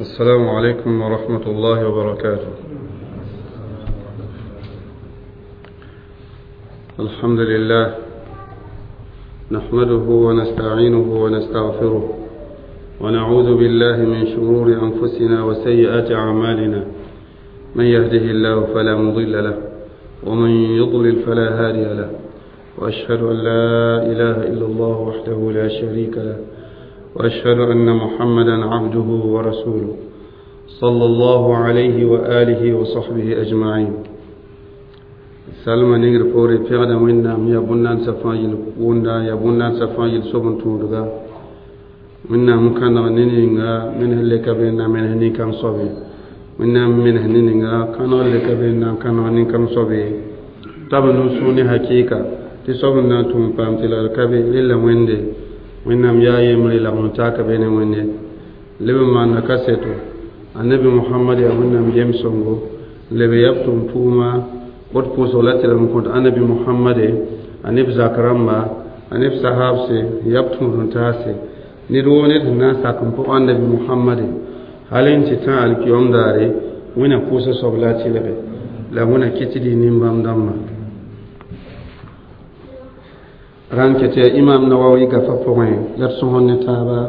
السلام عليكم ورحمة الله وبركاته. الحمد لله نحمده ونستعينه ونستغفره ونعوذ بالله من شرور أنفسنا وسيئات أعمالنا، من يهده الله فلا مضل له ومن يضلل فلا هادي له، وأشهد أن لا إله إلا الله وحده لا شريك له، وأشهد أن محمدا عبده ورسوله صلى الله عليه وآله وصحبه أجمعين. سلمى نيغر فوري بيغدا وينا يا بنان سفايل وندا يا بنان سفايل سوبن تودغا منا مكان نينغا من هلك بينا من هني كان صوبي منا من هنينغا كان هلك بينا كان هني كان صوبي تابنو سوني حقيقة تي صوبن توم بام تي كابي للا ويندي وينام يا يمري لا متاك بين ويندي لب ما نكاسيتو النبي محمد يا وينام يمسونغو لب يبتم توما bot pʋʋsg la tɩ n kõt annabi mohamade a neb zak rãmba a neb sahabse yab tũud-n-taase ned woo ned sẽn na n sak n pʋg annabi mohamade hal n tɩ tã alkiyom daare wẽna pʋʋsg soab la a tɩlge la wẽna kɩ tɩ dɩ nin-bãmb dãmbã rãn kɛ tɩ yaa imam nawawi gafa pʋgẽ la d sõsd ne taaba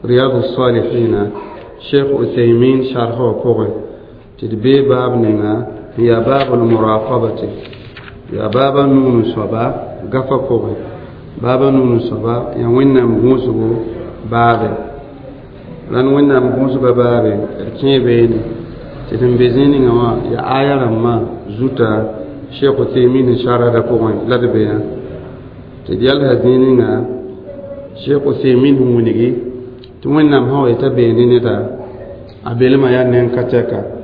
riyadu salihina cheikh uthaymin sharha wã pʋgẽ tɩ d bee baab ninga يا باب المراقبة يا باب نون صبا غفا قوي باب نون صبا يا وين مغوسو باب لان وين مغوسو باب كي بين تتم بزيني وا يا آية لما زوتا شيخ تيمين شارع قوي لا دبيا تديال هزيني شيخ تيمين ونيجي توين نام هو يتبيني نتا أبيلما يا نين كاتيكا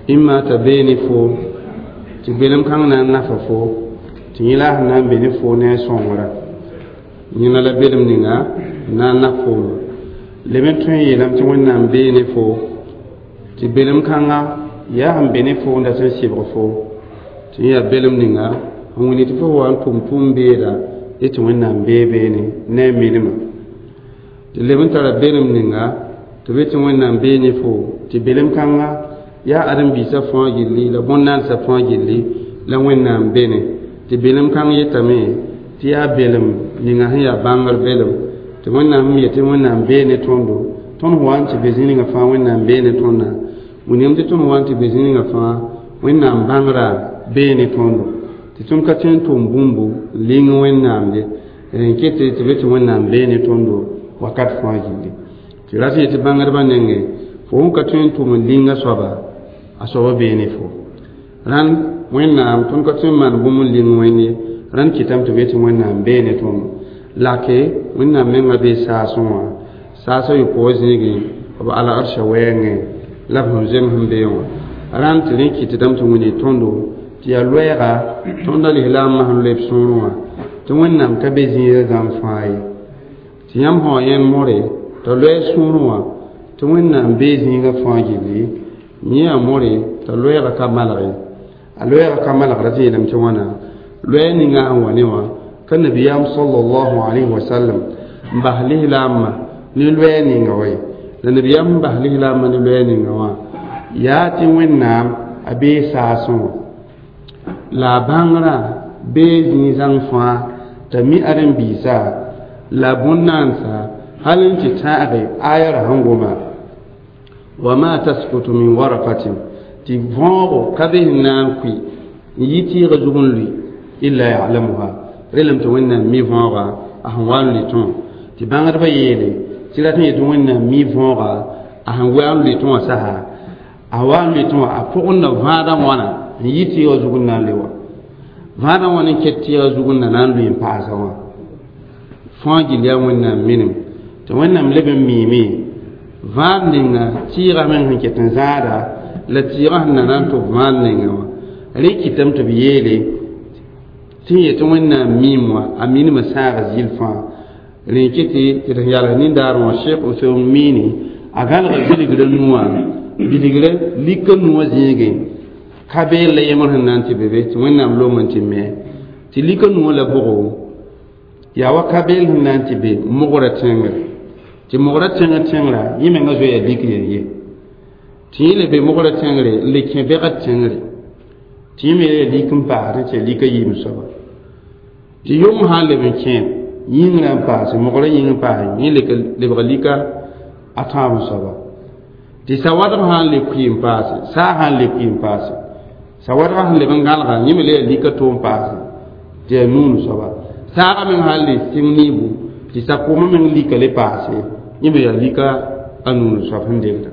imma t'a bee ne fo tɩ belem kãng na n nafa fo tɩ yẽ la a sẽn na n be ne fo ne a sõngrã yẽna la belem ninga na n naf fooma leb n tõe n yeelame tɩ wẽnnaam bee ne fo tɩ belem kãnga yaa sẽn be ne fo n dat n sɩbg fo tɩ yẽ yaa belem ninga n wilg tɩ fo wa n tʋm tʋʋm-beeda ye tɩ wẽnnaam bee beene ne a milma tɩ leb n tara belem ninga tɩ be tɩ wẽnnaam bee ne fo tɩ belem kãnga yaa ãdem-biisã fãa gilli la bõn-naandsã fãa gilli la wẽnnaam bene tɩ belem kãng yetame tɩ yaa belem ninga sẽn yaa bãngr belem tɩ wẽnnaam sẽn yetɩ wẽnnaam bee ne tõndo tõnd wa n tɩ be zĩ ninga fãa wẽnnaam bee ne tõnda wilgame tɩ tõnd wa n tɩ be zĩ ninga fãa wẽnnaam bãngrã bee ne tõndo tɩ tõnd ka tõe n tʋm bũmbu n ling wẽnnaam ye n ket tɩ be tɩ wẽnnaam bee ne tõndo wakat fãa gilli tɩ rat n yetɩ bãngdbã nengẽ fo sẽn ka tõe n tʋm n linga soaba a soaba bee ne fo rãnd wẽnnaam tõnd ka tõe n maan bũmb n ling wẽnd ye rãnd kɩtame tɩ b yetɩ wẽnnaam bee ne tõndo lake wẽnnaam menga bee saasẽ wã saasã yopoog zĩigẽ b al-arsã wɛɛngẽ la b sẽn zems n bee wã rãnd tɩ rẽ kɩtdame tɩ wĩnɩ tõndo tɩ yaa loɛɛga tõnda lislaambã sẽn loe b sũurẽ wã tɩ wẽnnaam ka be zĩiga zãmb fãa ye tɩ yãmb sã wa yẽnd more t'a loɛɛ sũurẽ wã tɩ wẽnnaam bee zĩiga fãa gilli yẽ yaa more t'a loɛɛga ka malge a loɛɛga ka malgra tɩ yeelame tɩ wãna loɛɛ ninga sẽn wa ne wã ka nabiyaam sallallahu alayhi wa sallam n bas lislaambã ne loɛɛ ninga wa ye la nabiyaam n bas lislaambã ne loɛɛ ninga wã yaa tɩ wẽnnaam a bee saasẽ wã la a bãngrã bee zĩig-zãng fãa t'a mi ãdem-biisã la bõn-naansa hal n tɩ tãage aya ra sẽn goma wa ma taskutu min waraqatin tɩ võogo ka be sẽn na n kʋɩ n yi tɩɩgã zug n lʋɩ illa ya'lamuha relem tɩ wẽnnaam mi võoga a sẽn wa n lʋɩ tõe tɩ bãngdbã yeele tɩ rat n yetɩ wẽnnaam mi võoga a sẽn wa n lʋɩ tõe wã sasa a wa n lʋɩ tõe wã a pʋgẽ na vãadã wãna n yi tɩɩgã zug n na n le wã vãadã wãn n ket tɩɩgã zug n na na n lʋɩ n paasa wã fãa gill yaa wẽnnaam minim tɩ wẽnnaam leb n miime vãad ninga tɩɩgã meng sẽn ket n zãada la tɩɩgã sẽn na na n tʋb vãad ninga wã rẽ kɩtame tɩ b yeele tɩ n yetɩ wẽnnaam miim wã a minimã sãaga zɩl fãa rẽ kɩtɩ tɩ d sẽn yals nindaar wã sheikh useum miini a gãlga bilgrã nuwã bilgrã lika nuwã zĩigẽ ka beel la yemr sẽn na n tɩ be be tɩ wẽnnaam long n tɩ me tɩ lika nuwã la bʋgo yaa wa ka beel sẽn na n tɩ be mogrã tẽngre Tɩ mogra tẽngr tẽngrã yẽ menga zoeya lik yen ye tɩ yẽ le be mogra tẽngre n le kẽ bɛgd tẽngre tɩ yẽ me yaa lik n paasdẽ tɩ yaa lika yiib soaba tɩ yʋng sã n leb n kẽ yĩngrã n paase mogra yĩng n paase yẽ lebga lika a tãab soaba tɩ sawadg sã n le kʋɩ n paase saag sã n le kʋɩ n paase sawadgã sẽn leb n gãlga yẽ me le yaa lika to n paase tɩ yaa nuun soaba saagã meng sã n le sɩng niibu tɩ sakʋʋmã meng lika le paase yẽ me yaa lika a nuun soab sẽn degda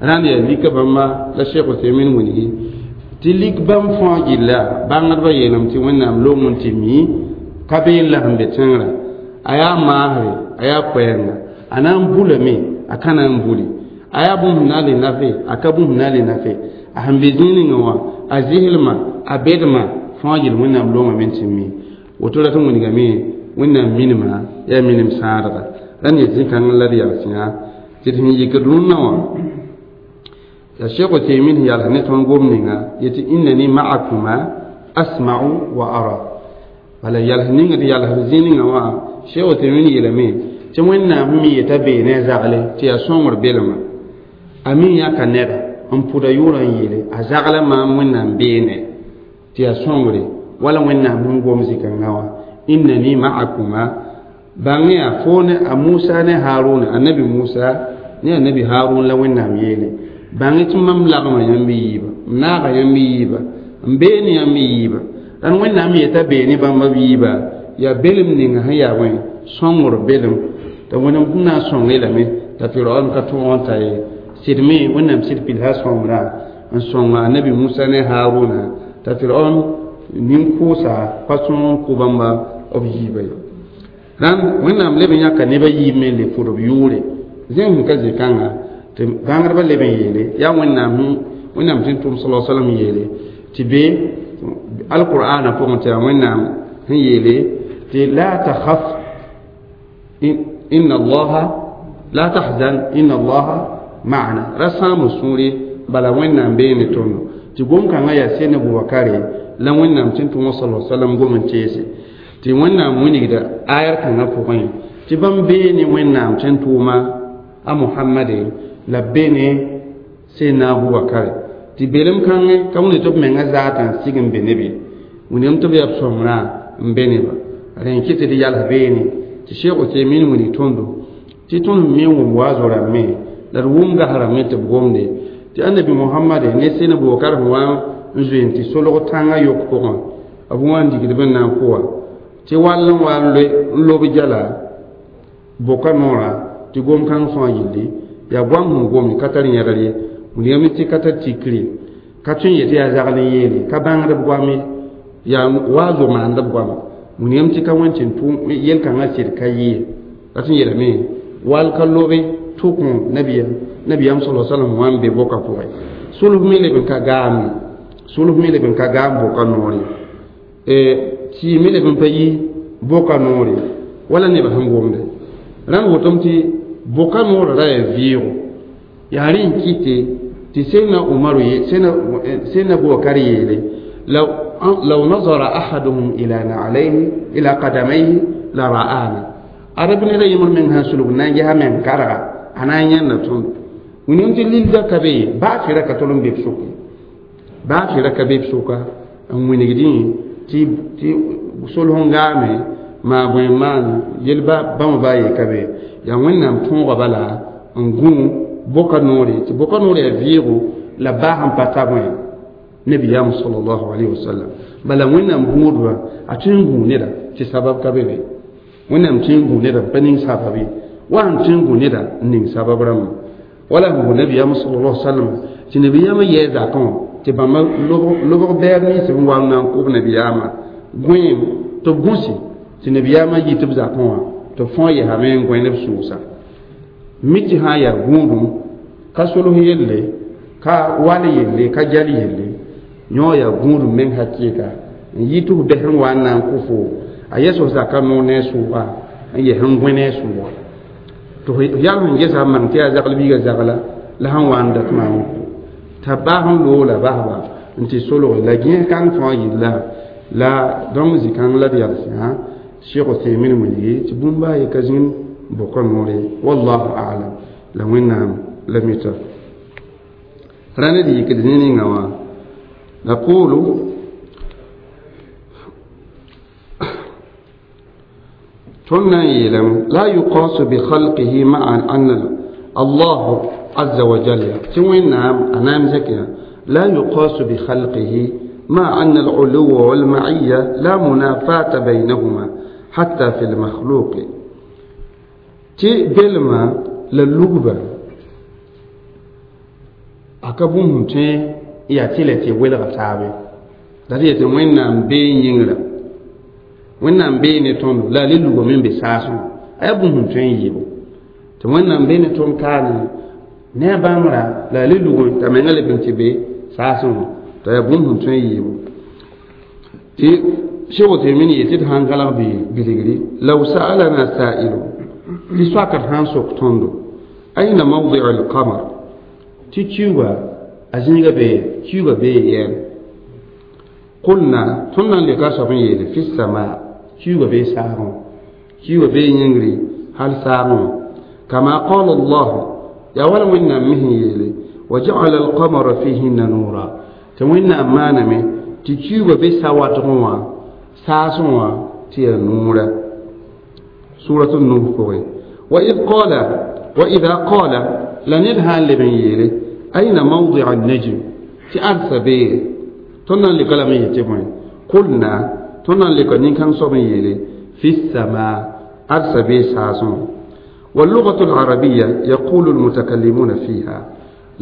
rãnd yaa lika bãmba la Sheikh Uthaymin wilgi tɩ lik bãmb fãa gilla bãngdbã yeelame tɩ Wẽnnaam long n tɩ mi ka been la sẽn be tẽngrã a yaa maasre a yaa koɛɛnga a na n bulame a ka na n buli a yaa bũmb sẽn na n le nafe a ka bũmb sẽn na n le nafe a sẽn be zĩig ninga wã a zɩslmã a bedmã fãa gill Wẽnnaam longame n tɩ mi woto rat n wilgame Wẽnnaam minima yaa minim sãadga rãnd yaa zĩ-kãng la d yags yã tɩ d sẽn yikd rũnnã wã ya Cheikh Uthaymin sẽn yals ne tõnd gom ninga yetɩ innani ma'akuma asma'u wa ara bala yals ning d yals zĩ ninga wã Cheikh Uthaymin yeelame tɩ Wẽnnaam sẽn mi yeta bee ne a zagle tɩ yaa sõngr belma a mi yãka neda n pʋda yʋʋrã n yeele a zagla maam Wẽnnaam beene tɩ yaa sõngre wala Wẽnnaam sẽn gom zĩ-kãngã wã innani ma'akuma bãng yaa fo ne a Musa ne Haruna annabi Musa ne annabi Harun la Wẽnnaam yeele bãng tɩ mam lagma yãmb yiiba m naaga yãmb yiiba n beene yãmb yiiba rãnd Wẽnnaam yeta bee ne bãmba b yiiba yaa belem ninga sẽn yaa wẽ sõngr belem t'a Wẽnnaam sẽn na n sõng lame t'a Firaon ka tõog n ta ye sɩd me Wẽnnaam sɩd pilsa sõngrã n sõnga annabi Musa ne Haruna t'a Firaon nin-kʋʋsa pa tõog n kʋ bãmba b yiiba ye rãnd Wẽnnaam leb n yãka nebã yiib me n le pʋd b yʋʋre zẽng sẽn ka zĩ-kãnga tɩ bãngdbã leb n yeele yaa Wẽnnaam Wẽnnaam tɩ n tʋm sala salam yeele tɩ be alqur'ana pʋgẽ tɩ yaa Wẽnnaam sẽn yeele tɩ la takhaf inna allaha la tahzan inna allaha ma'ana ra sãam sũure bala Wẽnnaam bee ne tõndo tɩ gom-kãngã yaa sẽn Abubakare la Wẽnnaam tɩ n tʋm sala salam gom n teese tɩ Wẽnnaam wilgda ayar kãngã pʋgẽ tɩ bãmb bee ne Wẽnnaam tɩ n tʋʋma a Mohamade la b be ne Sẽnna Abubakare tɩ belem kãngẽ ka wẽnd tɩ b menga zaatã n sig n be ne be wilgame tɩ b yaa b sõmbrã n be neba rẽ n kɩ tɩ d yals beene tɩ Cheikh Uthaymin wilg tõndo tɩ tõnd me n wʋm waazo rãmbẽ la d wʋm gas rãmbẽ tɩ b gomde tɩ annabi Mohamade ne Sẽn Abubakar sẽn wa n zoe n tɩ solg tãngã yok pʋgẽ b wã n digd b n na n kʋwa tɩ wall n wa n lob jala boka noorã tɩ gom-kãng fãa gilli yaa goam sẽn gome ka tar yẽgr ye wilgame tɩ ka tar tikre ka tõe n yetɩ yaa zagl n yeele ka bãngd b goam ye yaa waazo maand b goama wilgame tɩ ka wẽn tɩ n tʋ yel-kãngã sɩd ka yɩ rat n yeelame wall ka lobe tʋk nabiyam sala salam wã n be boka pʋgẽ sulg me leb n ka gaame sulg me leb n ka gaam boka noore tɩ me leb n pa yi boka noore wala nebã sẽn gomde rãnd wotame tɩ boka noorã ra yaa vɩɩgo yaa rẽ n kɩte tɩ Sẽnna Umaru Sẽnna Abubakar yeele law nazara ahaduhum ila na'alayhi ila qadamayhi la ra'ana arab neda yẽmr meng sã n sulg na n ges a meng karga a na n yãnda tõndo wilgame tɩ lilda ka be ye baa fɩra ka tol n be b sʋk ye baa fɩra ka be b sʋka n wilgdẽ tɩ solg n gaame maa bõe n maan yel bãmba baa ye ka be yaa Wẽnnaam tõoga bala n gũ boka noore tɩ boka noore yaa vɩɩgo la baa sẽn pa ta bõe nabiyaam salallahu alayhi wasallam bala Wẽnnaam gũudba a tõe n gũu neda tɩ sabab ka be be Wẽnnaam tõe n gũ neda n pa ning sabab ye wa sẽn tõe n gũ neda n ning sabab rãmba wala sẽn gũ nabiyaam salallahu sallam tɩ nabiyaamã yɛɛ zakã wã tɩ bãmba lobg bɛɛb nins n wa n na n kʋb nabiyaamã gõeem tɩ b gũsi tɩ nabiyaamã yit b zakã wã tɩ b fãa yesame n gõe ne b sʋʋsa mi tɩ sã n yaa gũudum ka solg yelle ka wall yelle ka jal yelle yõ yaa gũudum meng hakɩɩka n yɩ tɩ f bɛs n wa n na n kʋ fo a yɛs f zaka noor ne a sʋʋga n yɛs n gõe ne a sʋʋga tɩ f yal sẽn gesa n mang tɩ yaa zagl biiga zagla la sẽn wa n dat maam n kʋ t'a baas n loola basba n tɩ solge la gẽes kãng fãa yilla la dõng zĩ-kãng la d yals yã Cheikh Uthaymin wilgi tɩ bũmb baa ye ka zĩnd bʋka noore wallahu a'lam la wẽnnaam la mita rãnd d yikd ne ninga wã naqulu tõnd na n yeelame la yuqasu bikhalqihi maa anna allahu aza wa jalla tɩ wẽnnaam a naam zẽkya la yuqasu bikhalqihi مع أن العلو والمعية لا منافاة بينهما حتى في المخلوق تي بلما للغبة أكبهم تي يا تي لتي ويلغ تابي la tɩ yetɩ wẽnnaam bee yĩngrã wẽnnaam bee ne tõndo la a le lugame n be saasẽ a yaa bũmb sẽn tõe n yɩɩbo tɩ wẽnnaam bee ne tõnd kaane ne a bãngrã la a le lugame t'a menga leb n tɩ be saasẽ wã t'a yaa bũmb sẽn tõe n yɩɩbo tɩ Cheikh Uthaymin yetɩ d sãn galg bilgri law sa'alana sa'ilu tɩ soakd sãn sok tõndo aina mawdi'u al-qamar tɩ kiuga a zĩiga bee kiuga bee yɛɛm qulna tõnd na n leka soab n yeele fi sama kiuga bee saagẽ kiuga bee yĩngri hal saagẽ kama qala Allah yaa wala wẽnnaam me sẽn yeele wa ja'ala al-qamara fihinna nura tɩ wẽnnaam maaname tɩ kiuga be sa-watgẽ wã saasẽ wã tɩ yaa nuura surat nuh pʋgẽ wa id qala wa ida qala la ned sã n leb n yeele aina mawdi'a an-najm tɩ arsa bee tõnd na n leka lame yetɩ bõe qulna tõnd na n leka nin-kãng soab n yeele fi sama arsa bee saasẽ wã واللغة العربية يقول المتكلمون فيها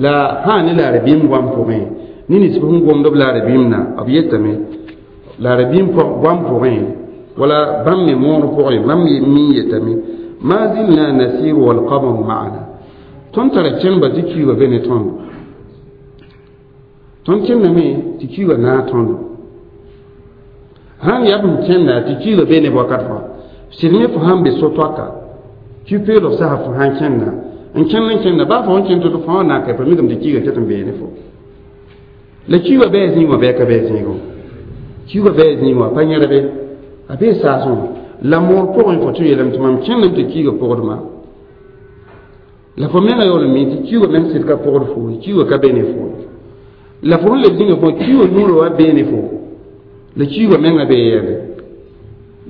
لا هاني لا ربيم وام پوغين نيني سبهم قوم دب لا ربيمنا أبيتمي لا ربيم وام پوغين ولا بام مور پوغين بام مي يتمي ما زلنا نسير والقمر معنا تنتر تشمبا تكي وبين تون تون كنمي تكي ونا تون هان يبن كنا تكي وبين وقت سيرمي فهم بسوتوكا tɩ peelg sasa fo sãn kẽnda n kẽnd n kẽnda baa fo sẽn kẽnd tɩ fo na ka pa mikame tɩ kiiga ket n bee ne fo la kiiga bɩ a zĩig wã bɩ a ka bɩ a zĩigẽ kiiga bɩ a zĩig wã pa yẽrbe a bee saasẽ wã la moor pʋgẽ fo tɩ yeelame tɩ mam kẽndame tɩ kiiga pʋgdma la fo menga yaool n mi tɩ kiiga meng sɩd ka pʋgd fo kiiga ka be ne fo la fo sẽn leb zĩnga fo kiiga nuurã wa bee ne fo la kiiga menga bee yɛɛbe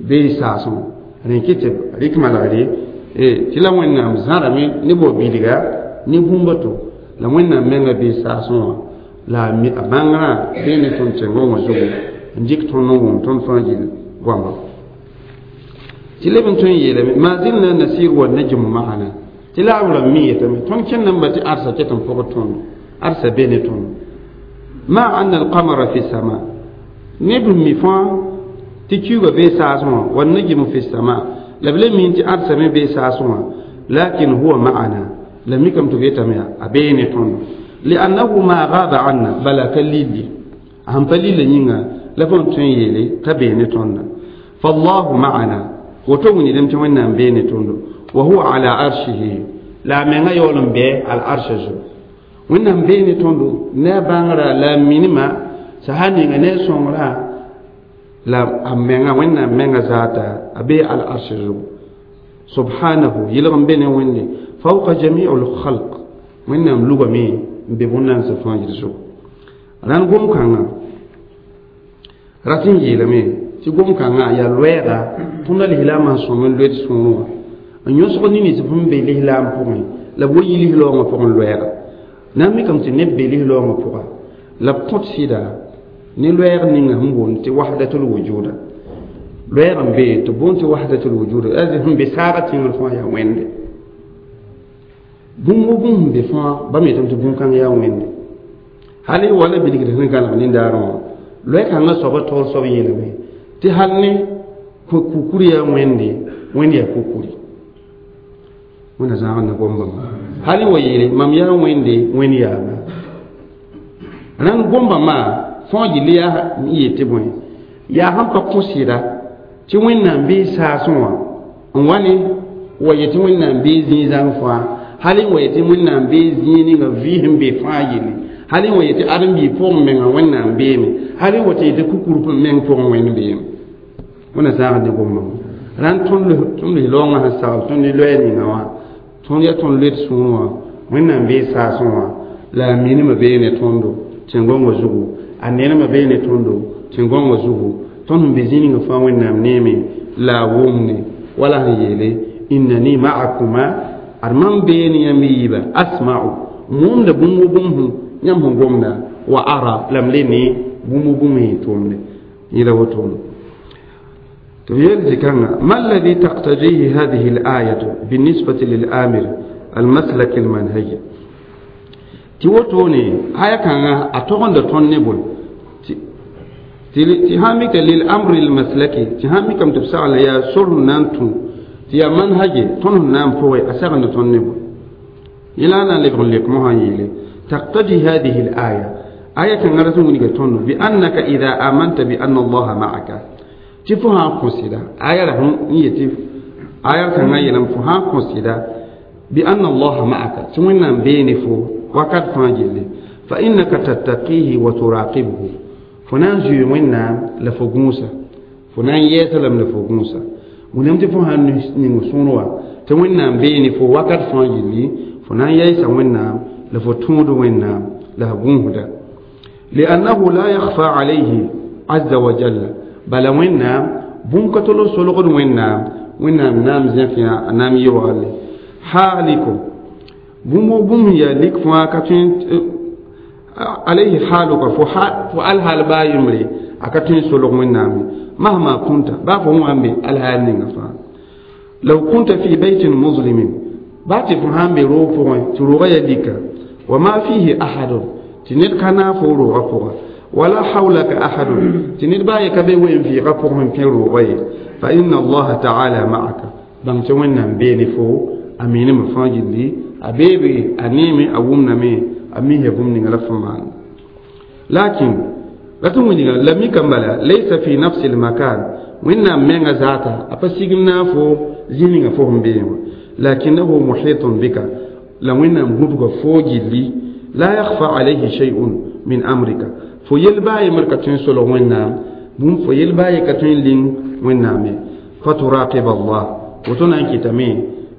bee saasẽ wã rẽ kɩ tɩ rɩk malgre tɩ la wẽnnaam zãrame ne bao bilga ne bũmb to la wẽnnaam menga bee saasẽ wã la a bãngrã bee ne tõnd tẽngõ wã zugu n dɩk tõnd n wʋm tõnd fãa gill goama tɩ leb n tõe n yeelame ma zilna nasir wa najmu ma'ana tɩ la a rãmb mi yetame tõnd kẽndame tɩ arsa ket n pʋgd tõndo arsa be ne tõndo ma anna alqamara fi sama neb n mi fãa tɩ kiuga bee saasẽ wã wa najmu fi sama la b le min tɩ arsa me bee saasẽ wã lakin huwa ma'ana la mikame tɩ b yetame yaa a bee ne tõndo liannahu ma gaba anna bala ka lilli a sẽn pa lilla yĩnga la fõn tõe n yeele t'a bee ne tõnda fallahu ma'ana woto wilgdame tɩ wẽnnaam bee ne tõndo wa huwa ala arshihi la a menga yaool n bɩ al arsha zugu wẽnnaam bee ne tõndo ne a bãngrã la a minima sã sã ninga ne a sõngrã la a menga wẽnnaam menga zaata a bee al arsha zugu subhanahu yɩlg n be ne wẽnde fawqa jamiu lkhalq wẽnnaam lugame n be bõn-nansã fãa yɩl zugu rãnd gom-kãngã rat n yeelame tɩ gom-kãngã yaa loɛɛga tõnd a lislaamã n sõm n loed sũurẽ wã n yõsg nins sẽn be lislaam pʋgẽ la b wa yi lislaoongã pʋgẽ loɛɛga na n mikame tɩ neb be lislaoongã pʋga la b kõt sɩda ne loɛɛg ninga sẽn boond tɩ wahdatul wujuda loɛɛg n be tɩ boond tɩ wahdatul wujuda sẽn be saaga tẽngr fãa yaa wẽnde bũmb wo bũmb sẽn be fãa bãmb yetame tɩ bũn-kãng yaa wẽnde hal y wala bilgd sẽn gãlg nindaarẽ wã loɛ-kãngã soaba taoor soab yeelame tɩ hal ne kukur yaa wẽnde wẽnd yaa kukuri wẽnna zãag ne gom-bãmba hal n wa yeele mam yaa wẽnde wẽnd yaama rãnd gom-bãmba fãa gilli yaa n yet tɩ bõe yaa sẽn pa kõ sɩda tɩ wẽnnaam bee saasẽ wã n wa ne wa yet tɩ wẽnnaam bee zĩig zãng fãa hal n wa yet tɩ wẽnnaam bee zĩig ninga vɩɩs n be fãa yelle hal n wa yet tɩ ãdem-biig pʋgẽ menga wẽnnaam beeme hal n wa tɩ yetɩ kukur meng pʋgẽ wẽnd beeme wẽnna zãag ne gom-bãmba Rãnd tõnd lis loongã sẽn sagl tõnd ne loɛɛ ninga wã tõnd yaa tõnd loed sũur wã wẽnnaam bee saasẽ wã la a minimã bee ne tõndo tẽn-gõngã zugu a nenemã bee ne tõndo tẽn-gõngã zugu tõnd sẽn be zĩ ninga fãa wẽnnaam neeme la a wʋmne wala sẽn yeele innani ma'akuma ad mam bee ne yãmb yiibã asma'u m wʋmda bũmb wo bũmb yãmb sẽn gomda wa ara la m le ne bũmb wo bũmb sẽn tʋʋmde yẽla wotone ما الذي تقتضيه هذه الآية بالنسبة للآمر المسلك المنهجي تيوتوني آية كان أتوغن دتون نبول تهامك للأمر المسلكي تهامك أم تبسع يا سر نانتو تيا منهجي تون نام فوي أسغن دتون نبول إلى أن لك مهانيلي تقتضي هذه الآية آية كان رسول بأنك إذا آمنت بأن الله معك tɩ fo sã n kõ sɩda aya ra n yetɩ aya kãngã yeelame fo sã n kõ sɩda bi anna allaha ma'aka tɩ wẽnnaam bee ne fo wakat fãa gilli fa innaka tattaqihi wa turaqibhu fo na n zoe wẽnnaam la fo gũusa fo na n yɛɛsa lame la fo gũusa wilame tɩ fo sã n ning sõor wã tɩ wẽnnaam bee ne fo wakat fãa gilli fo na n yɛɛsa wẽnnaam la fo tõod wẽnnaam la f gũusda liannahu la yakhfa alayhi azza wa jalla bala wẽnnaam bũmb ka tol n solgd wẽnnaam wẽnnaam naam zẽk yã a naam yeoogale haaliko bũmb wo bũmb yaa lik fãa ka tõe alayhi haaluka fo alhaal baa yembre a ka tõe n solg wẽnnaam ye mahma kunta baa fo wã n be alhaal ninga fãa law kunta fi baytin muslimin baa tɩ fo sã n be roog pʋgẽ tɩ roogã yaa lika wa ma fihi ahadun tɩ ned ka naag fo roogã pʋga ولا حولك أحد تنير باي كبي وين في غفرهم في روغي فإن الله تعالى معك بان تونا بيني فو أمين مفاجد لي أبيبي أنيمي أومنا مي أميه يبومني غلفمان لكن لتوني لم يكمل ليس في نفس المكان وإن من ذاته أفسيقنا فو زيني فوهم بيني لكنه محيط بك لو إن مبقى فوجي لي لا يخفى عليه شيء من أمرك fo yel baa yembr ka tõe n solg wẽnnaam bũmb fo yel baa ye ka tõe n ling wẽnnaam ye faturaqib allah woto na n kɩtame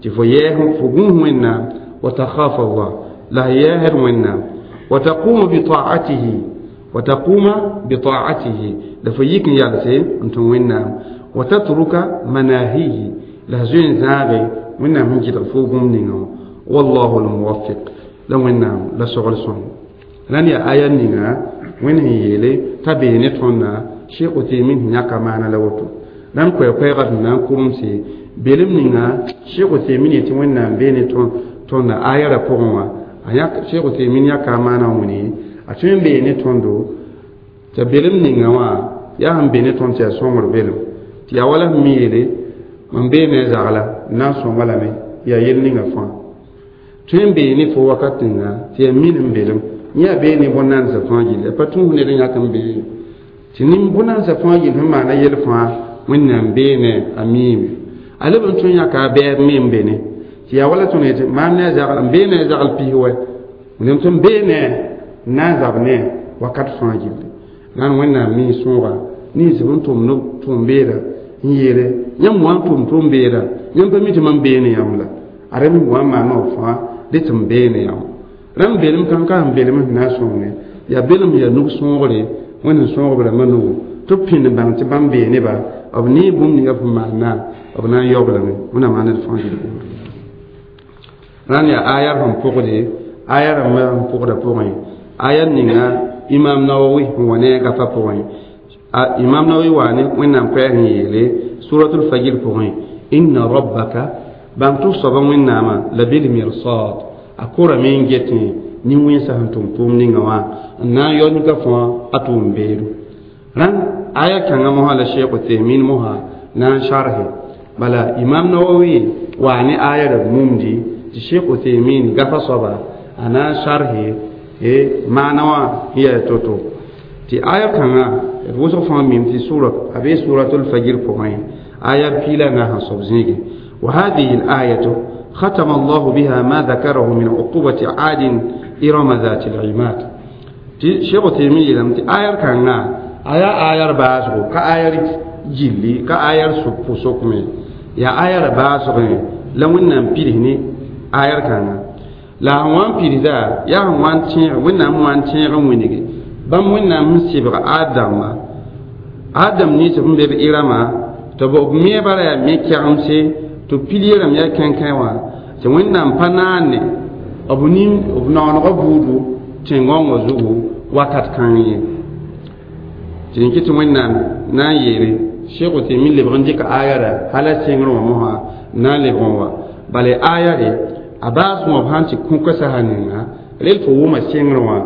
tɩ fo yɛɛs fo gũus wẽnnaam wa takhafa allah la f yɛɛsd wẽnnaam wa taquma bitaatihi wa taquma bitaatihi la fo yik n yalse n tũ wẽnnaam wa tatruka manahihi la f zoe n zãage wẽnnaam sẽn gɩdg fo bũmb ninga wã wallahu lmuwafiq la wẽnnaam la sogl sõng rãnd yaa aya ninga wẽnd sẽn yeele t'a bee ne tõnda Sheikh Uthaymin sẽn yãka maana la woto rãnd koɛɛ-koɛɛgã sẽn na n kuremse belem ninga Sheikh Uthaymin yetɩ wẽnnaam bee ne tõnda aya ra pʋgẽ wã Sheikh Uthaymin yãka a maana wẽne a tõe n bee ne tõndo t'a belem ninga wã yaa sẽn be ne tõnd tɩ yaa sõngr belem tɩ yaa wala sẽn mi yeele mam bee ne a zagla n na n sõnga lame yaa yel ninga fãa tõe n bee ne fo wakat ninga tɩ yaa min n belem yã bee ne bõn-naandsã fãa gilli a pa tũus ned n yãk n bee tɩ bõn-naandsã fãa gill sẽn maana yel fãa wẽnnaam bee ne a miime a leb n tõe n yãka a bɛɛb me n be ne tɩ yaa wala tõnd yetɩ maam ne a zagl n bee ne a zagl pis wɛ wẽnnaam tɩ n bee ne n na n zab ne wakat fãa gilli rãnd wẽnnaam mii sõoga nins b n tʋmd tʋʋm-beeda n yeele yãmb wã n tʋm tʋʋm-beeda yãmb pa mi tɩ mam bee ne yãmb la a rem wã n maana b fãa dɩ tɩ m bee ne yãmb rãmb belem kãn ka sẽn belem sẽn na n sõngne yaa belem yaa nug sõogre wẽnd sẽn sõog b rãmbã nugu tɩ b pĩnd bãng tɩ bãmb bee neba b nee bũmb ninga b sẽn maana b na n yaoob lame wẽnnaam maan d fãa gil buud rãnd yaa aya sẽn pʋgde aya rãmbã sẽn pʋgda pʋgẽ aya ninga Imam Nawawi sẽn wa ne a gafa pʋgẽ Imam Nawawi waa ne wẽnnaam koɛɛg sẽn yeele suratul fajr pʋgẽ inna rabbaka bãng tɩ f soaba wẽnnaamã la bilmirsad a korame n getẽ nin-wẽnsã sẽn tʋm tʋʋm ninga wã n na n yao nika fãa a tʋʋm beedo rãnd aya kãngã mosã la Sheikh Uthaymin mosã na n sharhe bala Imam Nawawi waa ne aya ra mumdi tɩ Sheikh Uthaymin gafa soaba a na n sharhe maana wã sẽn yaa to-to tɩ aya kãngã d wʋsg fãa mim tɩ sura a bee suratul fajr pʋgẽ aya piila na sẽn soab zĩige wa hadihi l ayatu ختم الله بها ما ذكره من عقوبة عاد إرم ذات العماد شيخ تيمية لم آير كان آيا آير باسغو كآير جلي كآير سكمي Yaa aya ra baasgẽ la Wẽnnaam pids ne ayar kãnga la sẽn wa n pidsda yaa sẽn wa n tẽeg Wẽnnaam sẽn wa n tẽeg n wĩnge bãmb Wẽnnaam sẽn sɩbg Adama Adam nins sẽn be b Irama tɩ b meebã ra yaa me-kɛgemse tɩ pilie rãmb yaa kẽnkẽ wã tɩ Wẽnnaam pa naane b nin b naoonegã buudu tẽn-gõngã zugu wakat kãng ye tɩ rẽn kɩ tɩ Wẽnnaam na n yeele Cheikh Uthaymin lebg n dɩka aya ra hala sẽngrẽ wã mosã na n lebg n wa bala aya re a baas wã b sãn tɩ kũka sasa ninga rel fo wʋma sẽngrẽ wã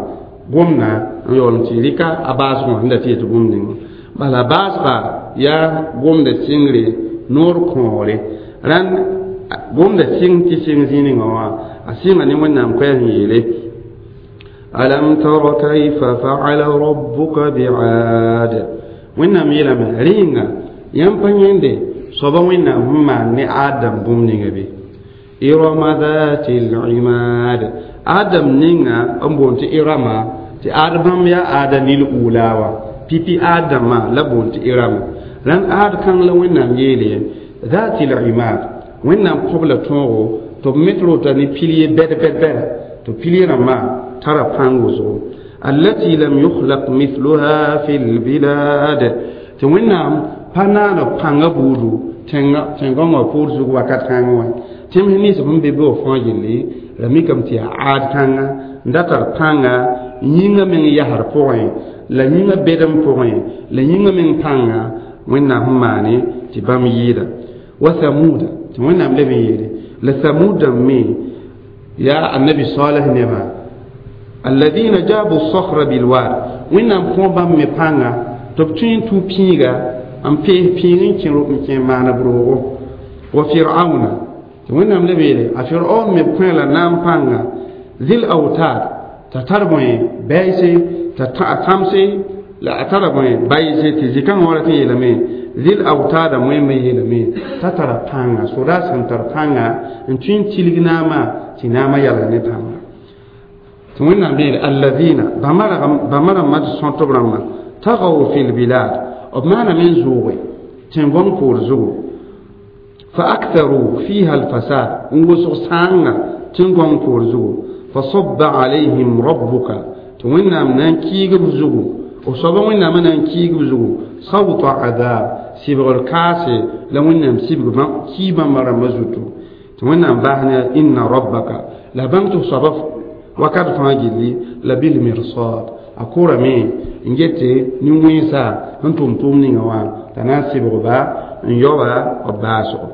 gomna n yaool n tɩ rɩka a baasg wã sẽn da tɩ yetɩ bũmb ninga bala baasga yaa gomda sɩngre noor kõore rãnd gomda sɩng tɩ sɩng zĩig ninga wã a sɩnga ne Wẽnnaam koɛɛs n yeele alam tara kayfa fa'ala rabbuka bi'ad Wẽnnaam yeelame rẽenga yãmb pa yẽnde soaba Wẽnnaam sẽn maan ne Adam bũmb ninga be irama dhati l-imad Adam ninga n boond tɩ Irama tɩ ad bãmb yaa aada lil ula wã pipi Adama la boond tɩ Irama rãnd ad kãng la Wẽnnaam yeele dhati l-imad Wẽnnaam kõb la tõogo tɩ b met rota ne pilie bɛd bɛd bɛda tɩ pilie rãmbã tara pãng wʋsgo allati lam yukhlaq mithluha fi lbilad tɩ Wẽnnaam pa naan b pãngã buudu tẽn-gõngã poor zug wakat kãngẽ wã tẽms nins sẽn be be fãa gilli ra mikame tɩ yaa aad kãnga n da tar pãnga yĩngã meng yasr pʋgẽ la yĩngã bedem pʋgẽ la yĩngã meng pãnga Wẽnnaam sẽn maane tɩ bãmb yɩɩda wa thamuda tɩ Wẽnnaam leb n yeele la thamud dãmb me yaa annabi Saleh nebã alladina jabu sakhra bilwad Wẽnnaam kõ bãmb me pãnga tɩ b tõe n tũ pĩiga n pees pĩig n kẽ n kẽ maana b roogo wa Firauna tɩ Wẽnnaam leb yeele a Firaun me kõ la naam pãnga zil autad t'a tar bõe bɛɛse t'a tãmse la a tara bõe bayse tɩ zĩ-kãngã wã rat n yeelame zil autada wẽmbe yeelame t'a tara pãnga soda sẽn tar pãnga n tõe n tilg naamã tɩ naamã yalg ne pãnga tɩ Wẽnnaam yeele alladina bãmba rãmbã tɩ sõt b rãmbã tagaw fi lbilad b maaname n zʋʋge tẽn-gõng poor zugu fa aktharu fiha alfasad n wʋsg sãanga tẽn-gõng poor zugu fa sabba alayhim rabbuka tɩ Wẽnnaam na n kiig b zugu b soaba Wẽnnaamã na n kiig b zugu sawta adab sɩbgr kaase la Wẽnnaam sibg kii bãmba rãmbã zutu tɩ Wẽnnaam bas ne inna rabbaka la bãmb tɩ soaba wakat fãa gilli la bilmirsad a kʋrame n gete nin-wẽnsa sẽn tʋm tʋʋm ninga wã t'a na n sɩbgba n yaoba b baasgo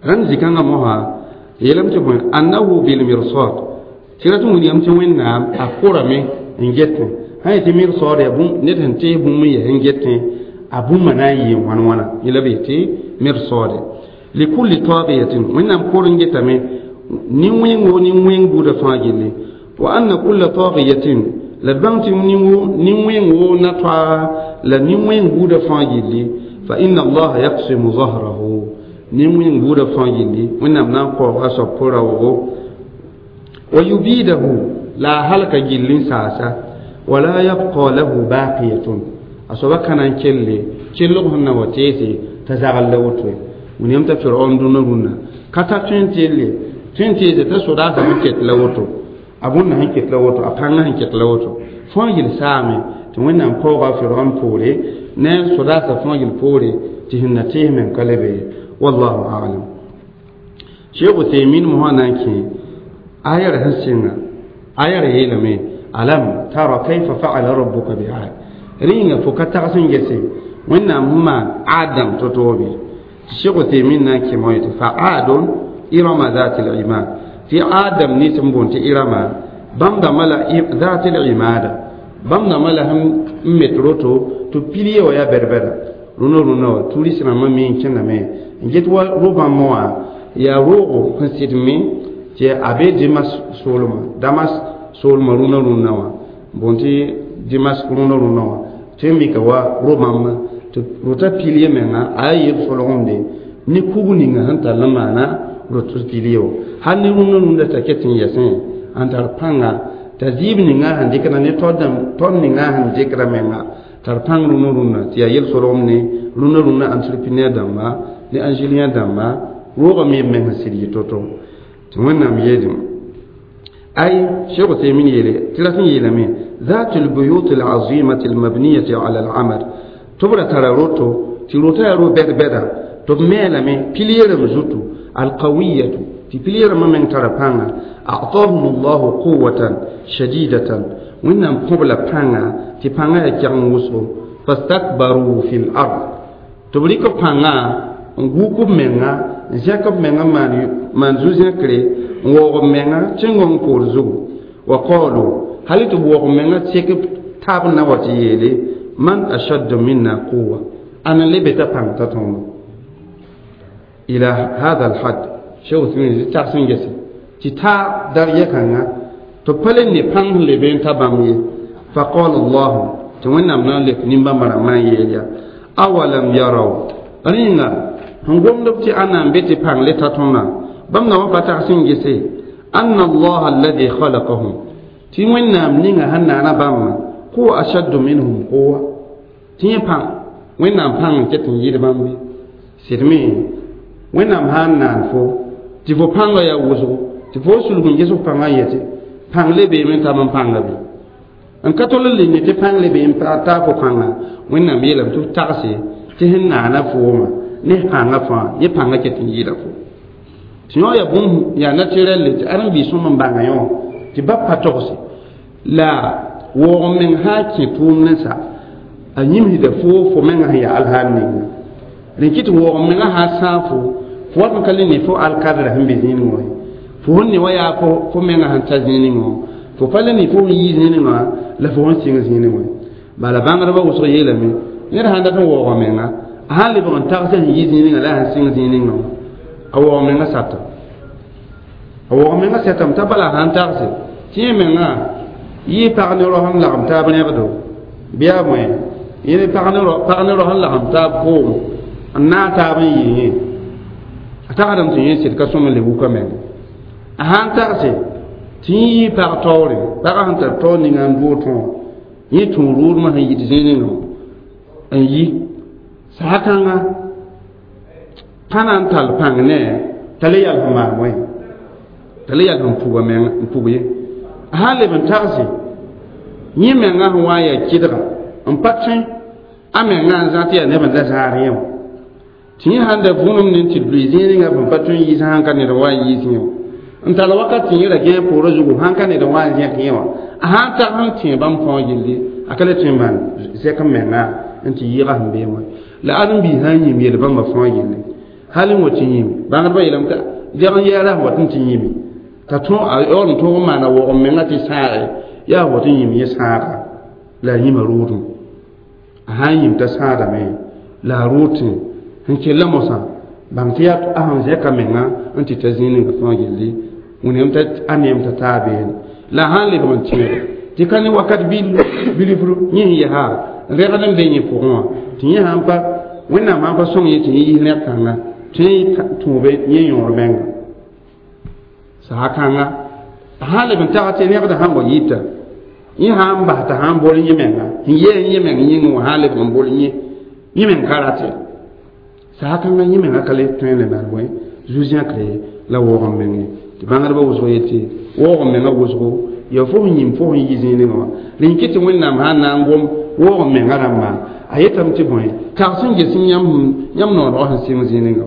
rãnd zĩ-kãngã mosã yeelame tɩ bõe annahu bilmirsad tɩ rat n wilgame tɩ Wẽnnaam a kʋrame n getẽ sã yetɩ mirsad yaa ned sẽn tees bũmb n yaa sẽn getẽ a bũmba na n yɩɩ wãn wãna yẽ la b yetɩ mirsade likulli tagiyatin Wẽnnaam kʋr n getame nin-wẽng wo nin-wẽng buudã fãa gilli wa anna kulla tagiyatin la d bãng tɩ nin-wẽng wo na toaaga la nin-wẽng buudã fãa gilli fa inna allaha yaqsimu zahrahu nin-wẽng buudã fãa gilli Wẽnnaam na n kaooga a soab pʋ-raoogo wa yubidahu la a halka gilli n saasa wala yabqa lahu baqiyatun a soaba ka na n kelle kellg sẽn na wa teese t'a zagl la woto ye william t'a Firaun dũnna rũnnã ka ta tõe n telle tõe n teese t'a sodaasã sẽn ket la woto a bũnna sẽn ket la woto a pãngã sẽn ket la woto fãa yel saame tɩ Wẽnnaam kaooga a Firaun poore ne sodaasã fãa yel poore tɩ sẽn na tees meng ka le be ye wallahu alam Cheikh Uthaymin mosã na n kẽ aya ra sẽn sɩnga aya ra yeelame alam tara kayfa fa'ala rabbuka bi'ad rĩnga fo ka tags n gese Wẽnnaam sẽn maan Adam to-to be Cheikh Uthaymin na n kẽ moã tɩ fa aadun irama dhati l-imad tɩ Adam nins n boond tɩ Irama bãmb dãmbã la dhati l-imada bãmb dãmbã la sẽn met roto tɩ pilie wã yaa bɛd-bɛda rũnã rũnã wã turist rãmbã me n kẽndame n get wa ro-bãmb wã yaa roogo sẽn sɩd me tɩ a be Dimas soolmã Damas soolmã rũnã rũnã wã boond tɩ Dimas rũnã rũnã wã tɩ n mika wa ro-bãmb tɩ rota pilie menga a yaa yel solgemde ne kug ninga sẽn tall n maana rot pilie wã hal ne rũndã rũndã t'a ket n yɛsẽ n tar pãnga t'a zɩɩb ninga sẽn dɩkda ne tod ninga sẽn dɩkda menga tar pãng rũnã rũnã tɩ yaa yel solgem ne rũnã rũnã entrepreneur dãmba Ne angelien dãmba roogame b meng sɩd yɩ to-to tɩ Wẽnnaam yeelame ay Sheikh Uthaymin yeele tɩ rat n yeelame ذات البيوت العظيمة المبنية على العمد tɩ b ra tara roto tɩ rotã yaa ro bɛd-bɛda tɩ b meelame pilierem zutu alqawiyatu tɩ pilieremã meng tara pãnga أعطاهم الله قوة شديدة Wẽnnaam kõ b la pãnga tɩ pãngã yaa kɛgeng wʋsgo فاستكبروا في الأرض tɩ b rɩk b pãngã n guk b menga n zẽk b menga maan zu-zẽkre n waoog b menga tẽngong poor zugu وقالوا hal tɩ b waoog b menga sek taab na wa tɩ yeele من أشد منا قوة ãn n le be t'a pãng t'a tõndo إلى هذا الحد Sheikh Uthaymin tags n gese tɩ ta darya kãnga tɩ pa le ne pãng sẽn lebe n ta bãmb ye فقال الله tɩ Wẽnnaam na n lek nin-bãmba rãmbã n yeel ya أولم يروا rẽnga sẽn gomd b tɩ ãnna n be tɩ pãng le ta tõndã bãmb na wã pa tags n gese أن الله الذي خلقهم tɩ Wẽnnaam ninga sẽn naana bãmba هو أشد منهم قوة tɩ yẽ pãng Wẽnnaam pãng n ket n yɩɩd bãmb be sɩd me Wẽnnaam sã n naan fo tɩ fo pãngã yaa wʋsgo tɩ fo sulg n ges f pãngã n yetɩ pãng le beeme n tab n pãnga be n ka tol n le ne tɩ pãng le bee n taa fo pãnga Wẽnnaam yeelame tɩ f tagse tɩ sẽn naana fooma ne pãngã fãa yẽ pãngã ket n yɩɩda fo tɩ yõ yaa bũmb yaa naturel tɩ ãrem-biis sõm n bãnga yõ tɩ ba pa togse la waoog meng sã n kẽ tʋʋm ne sa a yĩmsda fo fo menga sẽn yaa alhaal ninga rẽ kɩ tɩ waoog menga sã sãag fo fo wat n ka le ne fo alkadra sẽn be zĩig wã fo sẽn ne wa yaa fo menga sẽn ta zĩig wã fo pa le ne fo sẽn yi zĩig wã la fo sẽn sɩng zĩig wã bala bãngdbã wʋsg yeelame ned sãn dat n waooga menga a sãn lebg n tags sẽn yi zĩig la sẽn sɩng zĩig wã a waoog menga sata a waoog menga sɛtame t'a bala sãn tagse tɩ yẽ menga yɩ pag ne rao sẽn lagem taab rẽbdo bɩ a bõe yẽ pag ne rao sẽn lagem taab koom n naag taab n yɩ yẽ a tagsdame tɩ yẽ sɩd ka sõm n le wuka menga a sãn tagse tɩ yẽ yɩ pag taoore pagã sẽn tar taoor ninga n doog tõog yẽ tũ rʋʋdmã sẽn yit zĩig wã n yi saha kãnga pa na n tall pãng ne t'a le yals n maan wẽ t'a le yals n puga meng n pug ye a sãn leb n tagse yẽ menga sẽn wa n yaa kɩdga n pa tõe a menga n zã tɩ yaa neb n la zãar yẽ wã tɩ yẽ sãn da vũnem ne tɩ lʋɩ zĩig ninga sẽn pa tõe n yiis sãn ka ned n wa n yiis yẽ wã n tall wakat tɩ yẽ ra gãe poorã zugu sãn ka ned n wa n zẽk yẽ wã a sãn tag sẽn tẽ bãmb fãa gilli a ka le tõe n maan zɛk n menga n tɩ yɩɩga sẽn bee wã la ãdem-biis sã n yĩm yel bãmba fãa gilli hal n wa tɩ yĩm bãngdbã yeelame t'a deg n yɛɛra sẽn wat n tɩ yĩme t'a tõ a yaool n tõog n maana waoog n menga tɩ sãage yaa wat n yĩm yẽ sãaga la a yĩma rʋʋdem a sã n yĩm t'a sãadame la a rʋʋd tẽ sẽn kella mosã bãng tɩ yaa a sẽn zẽka menga n tɩ ta zĩig ninga fãa gilli wẽnem t'a a neem t'a taa beene la a sãn lebg n tẽege tɩ ka ne wakat bilifr yẽ sẽn yɛsa rẽgd n be yẽ pʋgẽ wã tɩ yẽ sãn pa Wẽnnaam sãn pa sõng yẽ tɩ yẽ yis rẽg kãnga tɩ yẽ tũube yẽ yõor menga saha kãnga a sãn leb n tag tɩ rẽgdã sãn wa yita yẽ sãn n bas t'a sãn bol yẽ menga sẽn yɛɛ yẽ meng yĩngẽ wã sãn lebg n bol yẽ yẽ meng ka rate saha kãngã yẽ menga ka le tõe n le maan bõe zu-zẽkre la waoog n menge tɩ bãngdbã wʋsg yetɩ waoog n menga wʋsgo yaa fo sẽn yĩm fo sẽn yi zĩig wã rẽn kɩ tɩ Wẽnnaam sãn na n gom waoog n menga rãmbã a yetame tɩ bõe tags n ges yãmb noonegã sẽn sɩng zĩig wã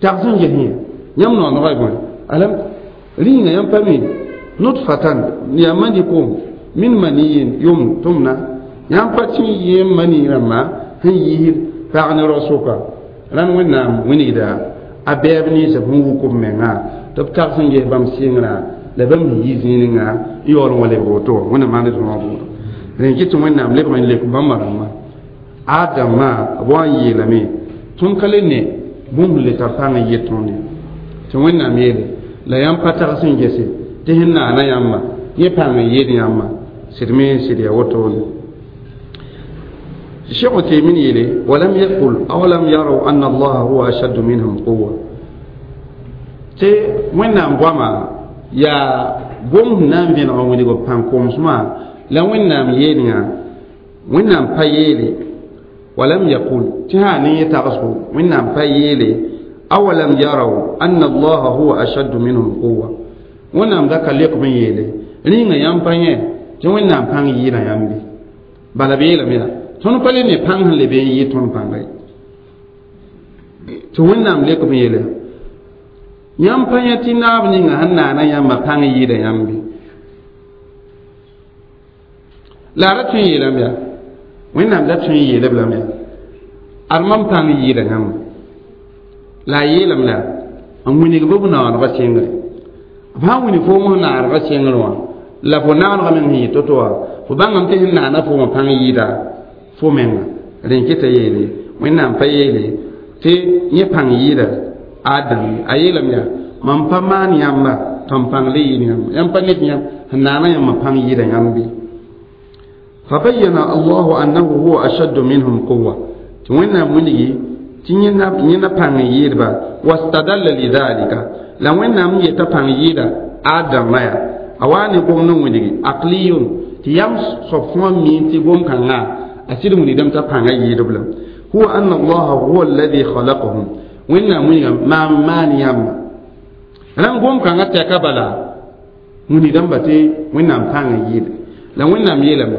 tags n ges yẽ yãmb noonegã y bõe alam rĩnga yãmb pa mi نطفة yaa mani koom من مني يمنى tʋmna yãmb pa tɩ yẽ mani rãmbã sẽn yiisd pag ne rao sʋka rãnd Wẽnnaam wilgda a bɛɛb ninsã sẽn wuk b menga tɩ b tags n ges bãmb sɩngrã la bãmb sẽn yi zĩig ninga n yaool n wa lebg woto Wẽnnaam maand d rõog woto rẽn kɩ tɩ Wẽnnaam lebg n lek bãmba rãmbã Adamã b wa n yeelame tõnd ka le ne bũmb le tar pãng n yet tõnd ye tɩ Wẽnnaam yeele la yãmb pa tags n gese tɩ sẽn naana yãmba yẽ pãng n yeel yãmba sɩd me sɩd yaa wotone Cheikh Uthaymin yeele ولم يقل أولم يروا أن الله هو أشد منهم قوة tɩ Wẽnnaam goama yaa gom sẽn na n vẽneg n wilg b pãng komsmã la Wẽnnaam yeel yã Wẽnnaam pa yeele ولم يقل تهاني يتغسو من فيلي أولم يروا أن الله هو أشد منهم قوة ونام ذاك ليق من يلي رينا يامباني تي نام بان يينا يامبي بلا بيلا ميلا تون بالي ني بان هن لبي يي تون بان غي تي نام ليق من يلي يامباني تي ناب نيغا هن نانا ياما بان ييدا يامبي لا رتي يلا ميا وين لا تي يلا بلا ميا أرمم بان ييدا يام لا يلم لا أم ويني بوب نان غسينغ ba wini fo mo naar ga sengr wã la fo naanega meng sẽn yɩ to-to wã fo bãngame tɩ sẽn naana fo wã pãng yɩɩda fo menga rẽn keta yeele wẽnnaam pa yeele tɩ yẽ pãng yɩɩda Adam a yeelame yaa mam pa maan yãmba tɩ m pãng le yɩɩd yãmba yãmb pa ned yãmb sẽn naana yãmba pãng yɩɩda yãmb bɩ فبين الله أنه هو أشد منهم قوة wẽnnaam wilgi tɩ yẽna pãng n yɩɩdba wastadalla lidhalika la wẽnnaam yeta pãng yɩɩda Adama ya a waa ne gom n wilgi aqliyun tɩ yam soab fõa mi tɩ gom-kãngã a sɩd wilgdame t'a pãnga yɩɩdb la huwa anna allaha huwa alladhi khalaqahum wẽnnaam wilga maam maan yãmba rãmb gom-kãngã tɛka bala wilgdãmba tɩ wẽnnaam pãng n yɩɩda la wẽnnaam yeelame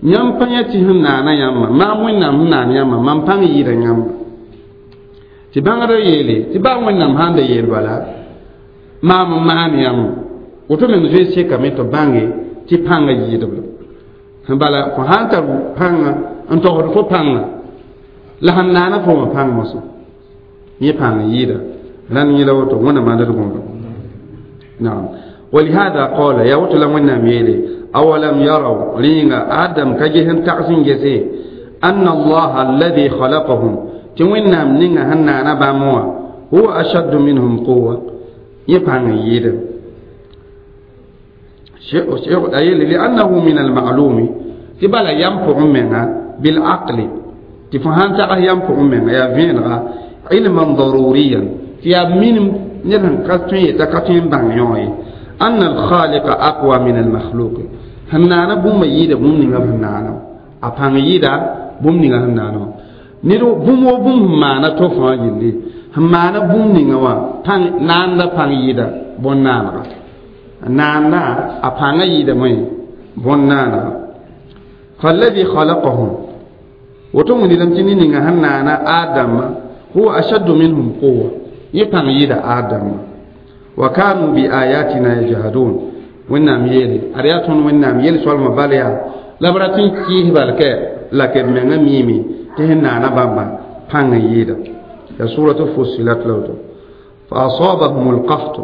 yãmb pa yã tɩ sẽn naana yãmba maam wẽnnaam sẽn naan yãmba mam pãng yɩɩda yãmba tɩ bãngdã yeele tɩ baa wẽnnaam sãn da yeel bala maam n maan yãmba woto meng zoe sekame tɩ bãnge tɩ pãngã yɩɩdb la bala fo sãn tar pãnga n togsd fo pãnga la sẽn naana fo wã pãng mosã yẽ pãng yɩɩda rãnd yẽla woto wẽnnaam ãnd d gõmdo naam ولهذا قال يا وتو لا وẽnnaam yeele أولم يروا رينغا آدم كجهن تقسين جسي أن الله الذي خلقهم تي وẽnnaam ninga sẽn naana bãmb wã هو أشد منهم قوة yẽ pãng n yɩɩda لأنه من المعلوم tɩ bala yam pʋgẽ menga بالعقل tɩ fo sãn tags yam pʋgẽ menga yaa vẽenega علما ضروريا tɩ yaa minim ned sẽn ka tõe yeta ka tõe n bãng yõ ye أن الخالق أقوى من المخلوق sẽn naana bũmba yɩɩda bũmb ninga b sẽn naana a pãng yɩɩda bũmb ninga sẽn naana wã ned bũmb wo bũmb sẽn maana to fãa yelle sẽn maana bũmb ninga wã pãng naanda pãng yɩɩda bõn-naanega naanda a pãngã yɩɩda moe bõn-naanega فالذي خلقهم woto wilgdame tɩ ned ninga sẽn naana Adama هو أشد منهم قوة yẽ pãng yɩɩda Adama وكانوا بآياتنا يجحدون wẽnnaam yeele ad yaa tõnd wẽnnaam yel-soalmã bal yaa la b rat n kɩɩs bal kɛ la k b mengã miime tɩ sẽn naana bãmba pãng n yɩɩda ya suratu fussilat la woto فأصابهم القحط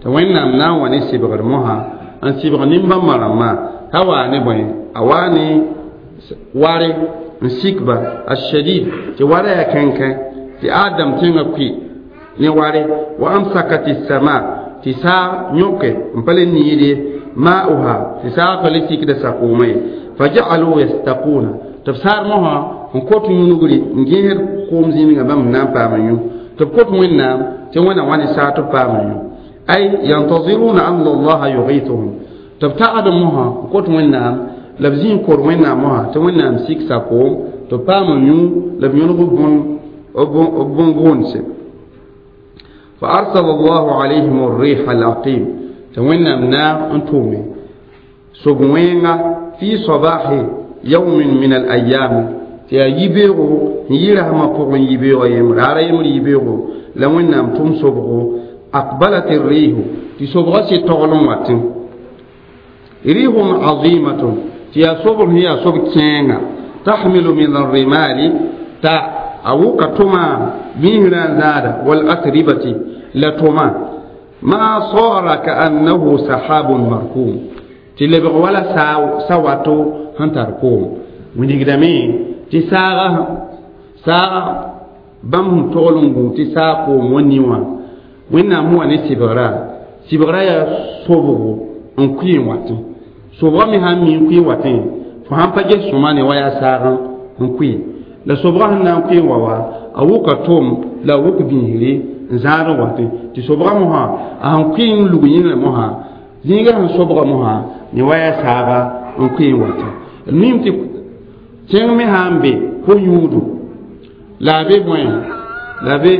tɩ wẽnnaam na n wa ne sɩbgr mosã n sɩbg nin-bãmbã rãmbã t'a waa ne bõe a waa ne ware n sikba الشديد tɩ wara yaa kẽnkẽ tɩ Adam tẽngã kʋɩ ne ware وأمسكت السماء tɩ saag yõke n pa le niide ماؤها tɩ saag pa le sikda sakoomã ye فجعلوا يستقون tɩ b saar mosã n kot yũnugri n gẽsd koom zĩnigã bãmb na n paam n yũ tɩ b kot wẽnnaam tɩ wẽna wa ne saag tɩ b paam n yũ أي ينتظرون أن الله يغيثهم tɩ b tagd mosã n kot wẽnnaam la b zĩ n kor wẽnnaam mosã tɩ wẽnnaam sik sakoom tɩ b paam n yũ la b yõlg b bõn-gʋʋnse فأرسل الله عليهم الريح العقيم tɩ wẽnnaam naag n tʋʋme sob-wẽenga في صباح يوم من الأيام tɩ yaa yibeoogo n yɩ rasmã pʋgẽ yibeoogã yembr raara yembr yibeoogo la wẽnnaam tʋm sobgo أقبلت الريح tɩ sobgã sɩ togl n watẽ ريح عظيمة tɩ yaa sobr sẽn yaa sob kẽenga تحمل من الرمال t'a a wʋka tʋma biisrã n zãada والأتربة la tʋma ما صار كأنه سحاب مركوم tɩ lebg wala sa wato sẽn tar koom wilgdame tɩ saaga saaga bãmb sẽn togl n gũ tɩ saag koom wa ni wã wẽnnaam sẽn wa ne sɩbgra sɩbgra yaa sobgo n kʋɩ n watẽ sobgã me sãn mi n kʋɩ watẽ fo sãn pa ges sõma ne wa yaa saag n kʋɩ la sobgã sẽn na n kʋɩ n wa wa a wʋka tʋm la a wʋk biisre n zãad n watẽ tɩ sobgã mosã a sẽn kʋɩ n lug yĩngrã mosã zĩigã sẽn sobga mosã ne wa yaa saaga n kʋɩ n watẽ mim tɩ tẽng me sã n be ko-yũudu La be bõe la be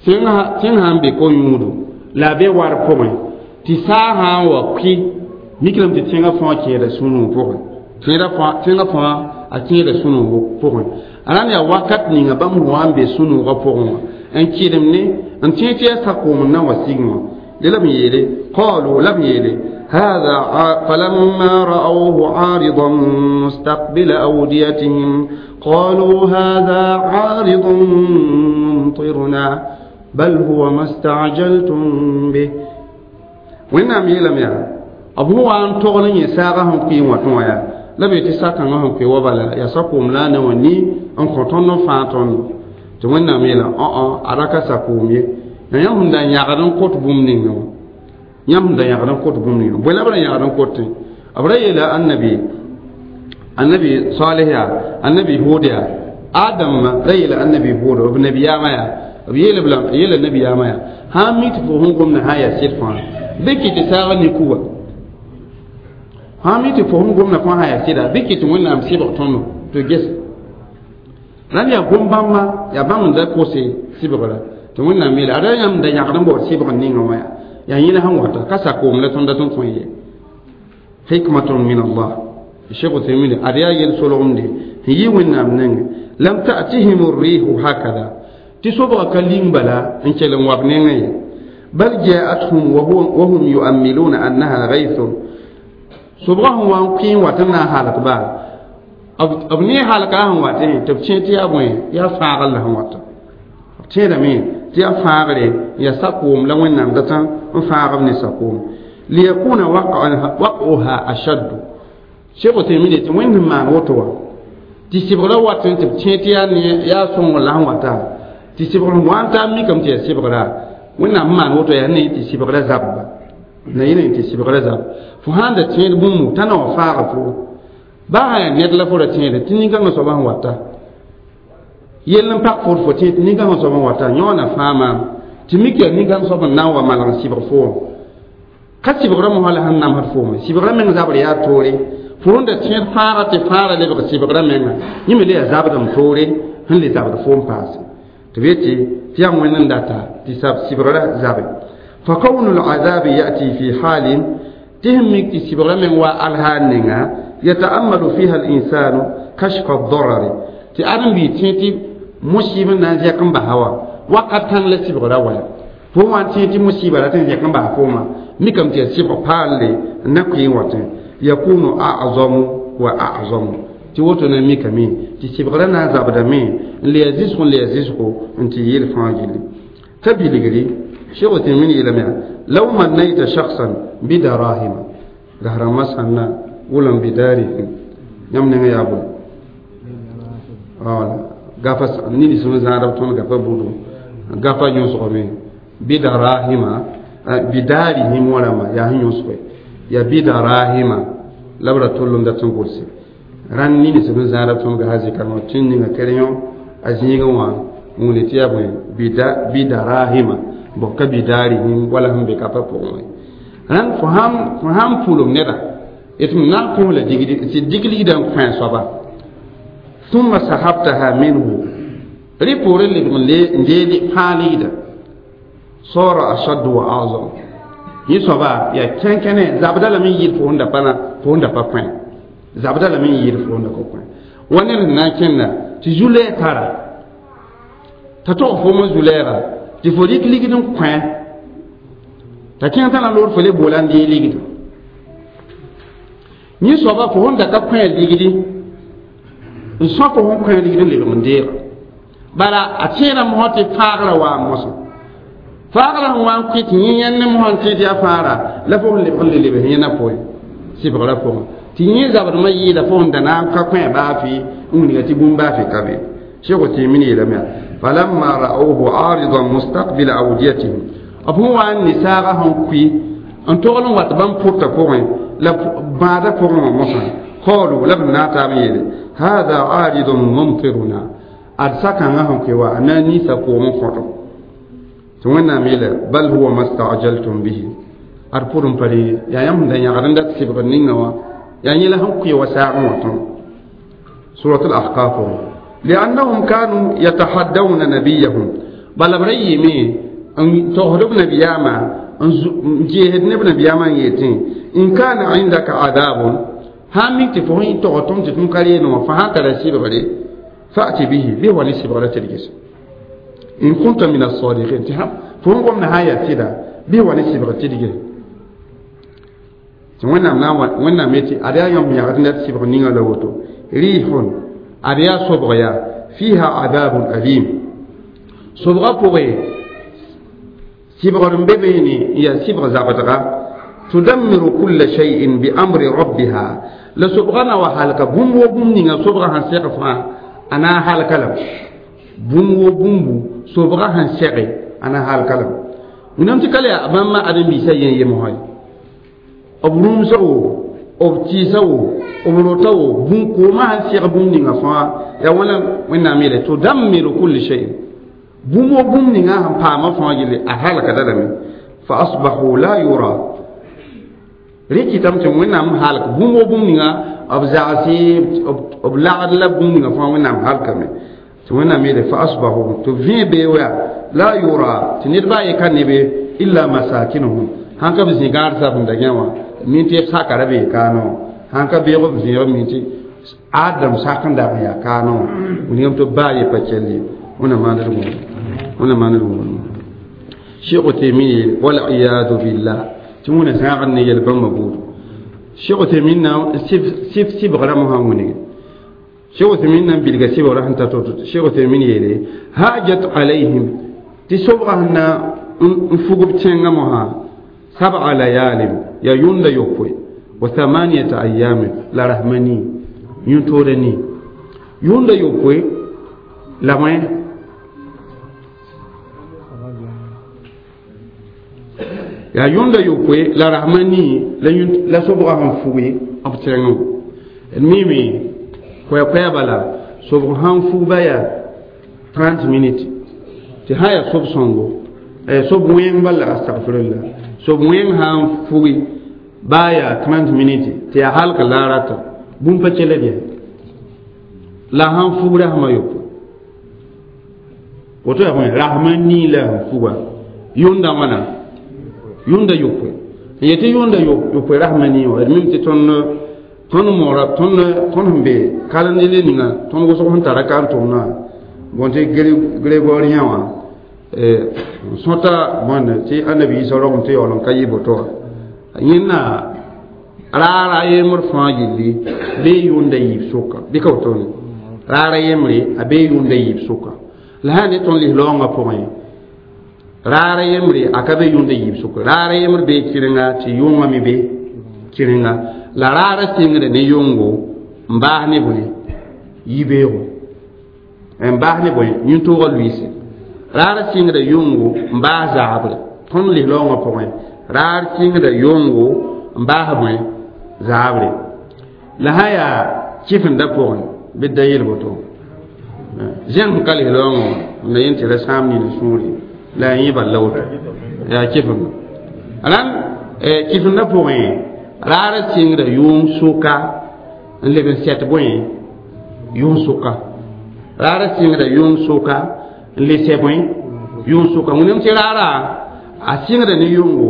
tẽng sã n be ko-yũudo la be war pʋgẽ tɩ saa sã n wa kʋɩ miklame tɩ tẽngã fãa kẽeda sũ-noog pʋgẽ tẽngã fãa a kẽeda sũ-noog pʋgẽ a rãnd yaa wakat ninga bãmb wa n be sũ-noogã pʋgẽ wã n kɩdem ne n tẽ tɩ yaa sa-koom n na wa sig wã de la b yeele qaalu la b yeele هذا فلما رأوه عارضا مستقبل أوديتهم قالوا هذا عارض ممطرنا بل هو ما استعجلتم به وإنهم يلم يا أبو أن تغني يساغهم في وطنويا la be tɩ sa-kãngã sẽn koe wa bala yaa sa-koom la a na wã ni n kõ tõnd n fãag tõndo tɩ wẽnnaam yeela õ a ra ka sa-koom ye yaa yãmb sẽn da yãgd n kot bũmb ninga wã yãmb sẽn da yãgd n kot bũmb ninga bõe la b ra yãgd n kotẽ b ra yeela annabi salih yaa annabi hud yaa adamma ra yeela annabi hud b nabiyaamã yaa b yeela b yeela nabiyaamã yaa sã n mi tɩ fo sẽn gomda sã n yaa sɩd fãa bɩ kɩ tɩ saagã ne kuga sã n mi tɩ fo sẽn gomda fãa sã yaa sɩda bɩ kɩ tɩ wẽnnaam sɩbg tõndo tɩ ges rãnd yaa gom-bãmba yaa bãmb n da kose sɩbgra tɩ wẽnnaam yeela ada yãmb da yãgd n baood sɩbg ninga wã yaa yẽla sẽn wata ka sa-koom la tõnd dat n kõ ye hikmatun min allah cheikh uthaymin ad yaa yel-solgemde sẽn yɩ wẽnnaam nengẽ lam ta'tihim الريح hakada tɩ sobga ka ling bala n kell n wa b nengẽ ye bal ja'athum wa hum yu'ammiluna annaha ghaythun sobga sẽn wa n kʋɩ n wat n na n halk baa b ne halka sẽn watẽ tɩ b tẽ tɩ yaa bõe yaa fãagr la sẽn wata b tẽedame tɩ yaa fãagre yaa sa-koom la wẽnnaam datã n fãag b ne sa-koom liyakuna waq'uha ashaddu cheikh Uthaymin tɩ wẽnd sẽn maan woto wã tɩ sɩbgrã watẽ tɩ b tẽ tɩ yaa sõngr la sẽn wata tɩ sɩbgr sẽn wa n taa mikame tɩ yaa sɩbgra wẽnnaam sẽn maan woto yaa ne tɩ sɩbgrã zabba na yẽne tɩ sɩbgrã zab fo sãn da tẽed bũmb t'a na wa faaga fo baa sã yaa ned la fo ra tẽeda tɩ nin-kãngã soaba sẽn wata yell n pak fo fo tẽ tɩ nin-kãngã soaba sẽn wata yõona fãa maam tɩ mik yaa nin-kãng soab n na n wa maleg n sɩbg foom ka sɩbgrã mosã la sẽn namsd foome sɩbgrã meng zabr yaa toore fo sẽn da tẽed fãaga tɩ fãara lebg sɩbgrã menga yẽ me le yaa zabdem toore sẽn le zabd foom paase tɩ b yetɩ tɩ yaa wẽnd n data tɩ sɩbgrã zabe فكون العذاب يأتي في حال تهم سبغ من والها نينا يتأمل فيها الإنسان كشف الضرر تأرم بي تيتي مصيبة نازيكم بهوا وقت كان لسبغ روا فهو تيتي مصيبة لا تنزيكم بهفوما ميكم تي سبغ بالي نكوي واتن يكون أعظم وأعظم تي وتو نميكمي تي سبغ نا زابدمي ليزيسكم ليزيسكو انتي يلفاجلي تبيلغري شيخ تيمين إلى لو منيت شخصا بدراهم ظهر مسنا ولم بدارهم يمن يا أبو غافا نيني سنو زارب تون غافا بودو غافا يوسف بدراهم بدارهم ولا ما يا يوسف يا بدراهم لبرا تولم داتون كورسي ران نيني سنو زارب تون غازي كانو تين نيغا كريون ازيغا وان مولتي يا بوي بدراهم bõ ka bidarihim wala sẽn be ka pa pʋgẽ wã rãnd fo sãn pʋlem neda tɩ m na n kõ la tɩ dig ligdã n kõ a soaba ثم سحبتها منه rɩ poorẽ lebg n dee fãa ligda صار أشد وأعظم yẽ soaba yaa kẽnkẽne zabda lame n yɩɩd fo sẽn da pa fo sẽn da pa kõ zabda lame n yɩɩd fo sẽn da ka kõ wa ned sẽn na n kẽnda tɩ zu-lɛɛg tara t'a tog fo me zu-lɛɛga tɩ fo rɩk ligd n kõ t'a kẽng t'a na loor fo le boola n dee ligd yẽ soaba fo sẽn da ka kõ ligdi n sõ fo sẽn kõ ligd n lebg n deega bala a tẽedã mosã tɩ fãagrã waa mosã fãagrã sẽn wa n kʋɩ tɩ yẽ yẽnd ne mosã n tẽ tɩ yaa fãagra la fo sẽn lebg n le lebs yẽna pʋgẽ sɩbgrã pʋgẽ tɩ yẽ zabdmã yɩɩda fo sẽn da na n ka kõ baa fɩ n wilga tɩ bũmb baa fɩ ka be cheikh Uthaymin yeelame falamma ra'awhu 'aridan mustaqbil awdiyatihim b sẽn wa n ne saaga sẽn kʋɩ n togl n wat bãmb pʋrtã pʋgẽ la bãadã pʋgẽ wã mosã qalu la b na n taab n yeele hada 'aridun mumtiruna ad sa-kãngã sẽn kʋɩ wa a na n niisa koom n kõto tɩ wẽnnaam yeela bal huwa ma sta'jaltum bihi ad pʋr n pa re yaa yãmb sẽn da yãgd n dat sɩbgr ninga wã yaa yẽla sẽn kʋɩ wa saagẽ wã tõe سورة الأحقاف لأنهم كانوا يتحدون نبيهم بل بريمي أن تهرب نبياما أن جهد نبياما يتين إن كان عندك عذاب هامي تفهين تغطم تتمكرين وفهان ترسيب غري فأتي به به ونسيب غري ترجس إن كنت من الصادقين تهم فهم قم نهاية سيدا به ونسيب غري ترجس وين ميتي أريا يوم يغدنا تسيب نيغا لوتو ريح أريا صبغيا فيها عذاب أليم صبغا بوغي سيبغ ببيني يا سيبغ زابتغا تدمر كل شيء بأمر ربها لصبغنا وحالك بوم وبوم نيغا صبغا هنسيق فا أنا حالك لم بوم وبوم صبغا هنسيق أنا حالك لم ونمت كالي أمام أدم بيسا يمهاي أبروم سو أبتي سو أبروتو بوم كوما هنسيق بوم نيغا فا يا ولا وين أميرة تدمر كل شيء بوم وبوم نيغا هم باما فا يلي أحالك دلمي فأصبحوا لا يرى ريكي تمتم وينام حالك بوم وبوم نيغا أبزعسي أبلعد لا بوم نيغا فا وينام حالك مي توينام يلي فأصبحوا تفين بيويا لا يرى تنير باي كان نبي إلا مساكنهم هانكا بزنغار سابن دنيا مينتي ساكارا بي كانو هانكا بيغو بزنغار مينتي آدم ساكن دابيا كانو ونيوم تو باي باتشلي ونا ما نرمو ونا ما نرمو شيخ تيمي والعياذ بالله تمونا ساغن يلبن مبود شيخ تيمين سيف سيف سيف غرامها وني شيخ تيمين بلغ سيف ورحمة توت شيخ تيمين يلي هاجت عليهم تسوبغهنا نفوق بتشنغمها 7 ليال يا يون يوكوي و8 أيام لا رحمني ينتورني يون يوكوي لا ما ya yonda yokwe la rahmani la yun la sobra han fuwe abtrengo mimi kwa kwa bala sobra han fuba ya 30 minutes ti haya sob songo e sob wen bala astaghfirullah sob wen han fuwe baya 30 minutes ti ya halka la rata bum pa chele dia la han fuwe rahma yokwe woto ya rahmani la fuwa yonda wana yunda yokwe yete yunda yokwe rahmani wa mim ti ton ton mora ton ton be kalandile ninga ton go so tara kan to na bonte gregorien wa e sota bon ti annabi sallallahu alaihi wa sallam kayibo to yinna rara yemur fa yilli be yunda yib soka bi ka to ni rara yemri abe yunda yib soka la hani ton li longa point raara yembre a ka be yʋʋnd yiib sʋk raara yembr bee kɩrenga tɩ yʋngã me be kɩrenga la raara sɩngda ne yʋngo n baas ne bõe yibeoogo n baas ne bõe yĩn-toogã luiise raara sɩngda yʋngo n baas zaabre tõnd lislaoongã pʋgẽ raar sɩngda yʋngo n baas bõe zaabre la sã yaa kɩfenda pʋgẽ bɩ da yel woto zẽng ka lislaoongã na yẽn tɩ ra sãam nina sũure la yẽ bal la woto yaa kɩfenda rãnd kɩfenda pʋgẽ raara sɩngda yʋʋm sʋka n leb n sɛt bõe yʋʋm sʋka raara sɩngda yʋʋm sʋka n le sɛ bõe yʋʋm sʋka wẽnem tɩ raara a sɩngda ne yʋngo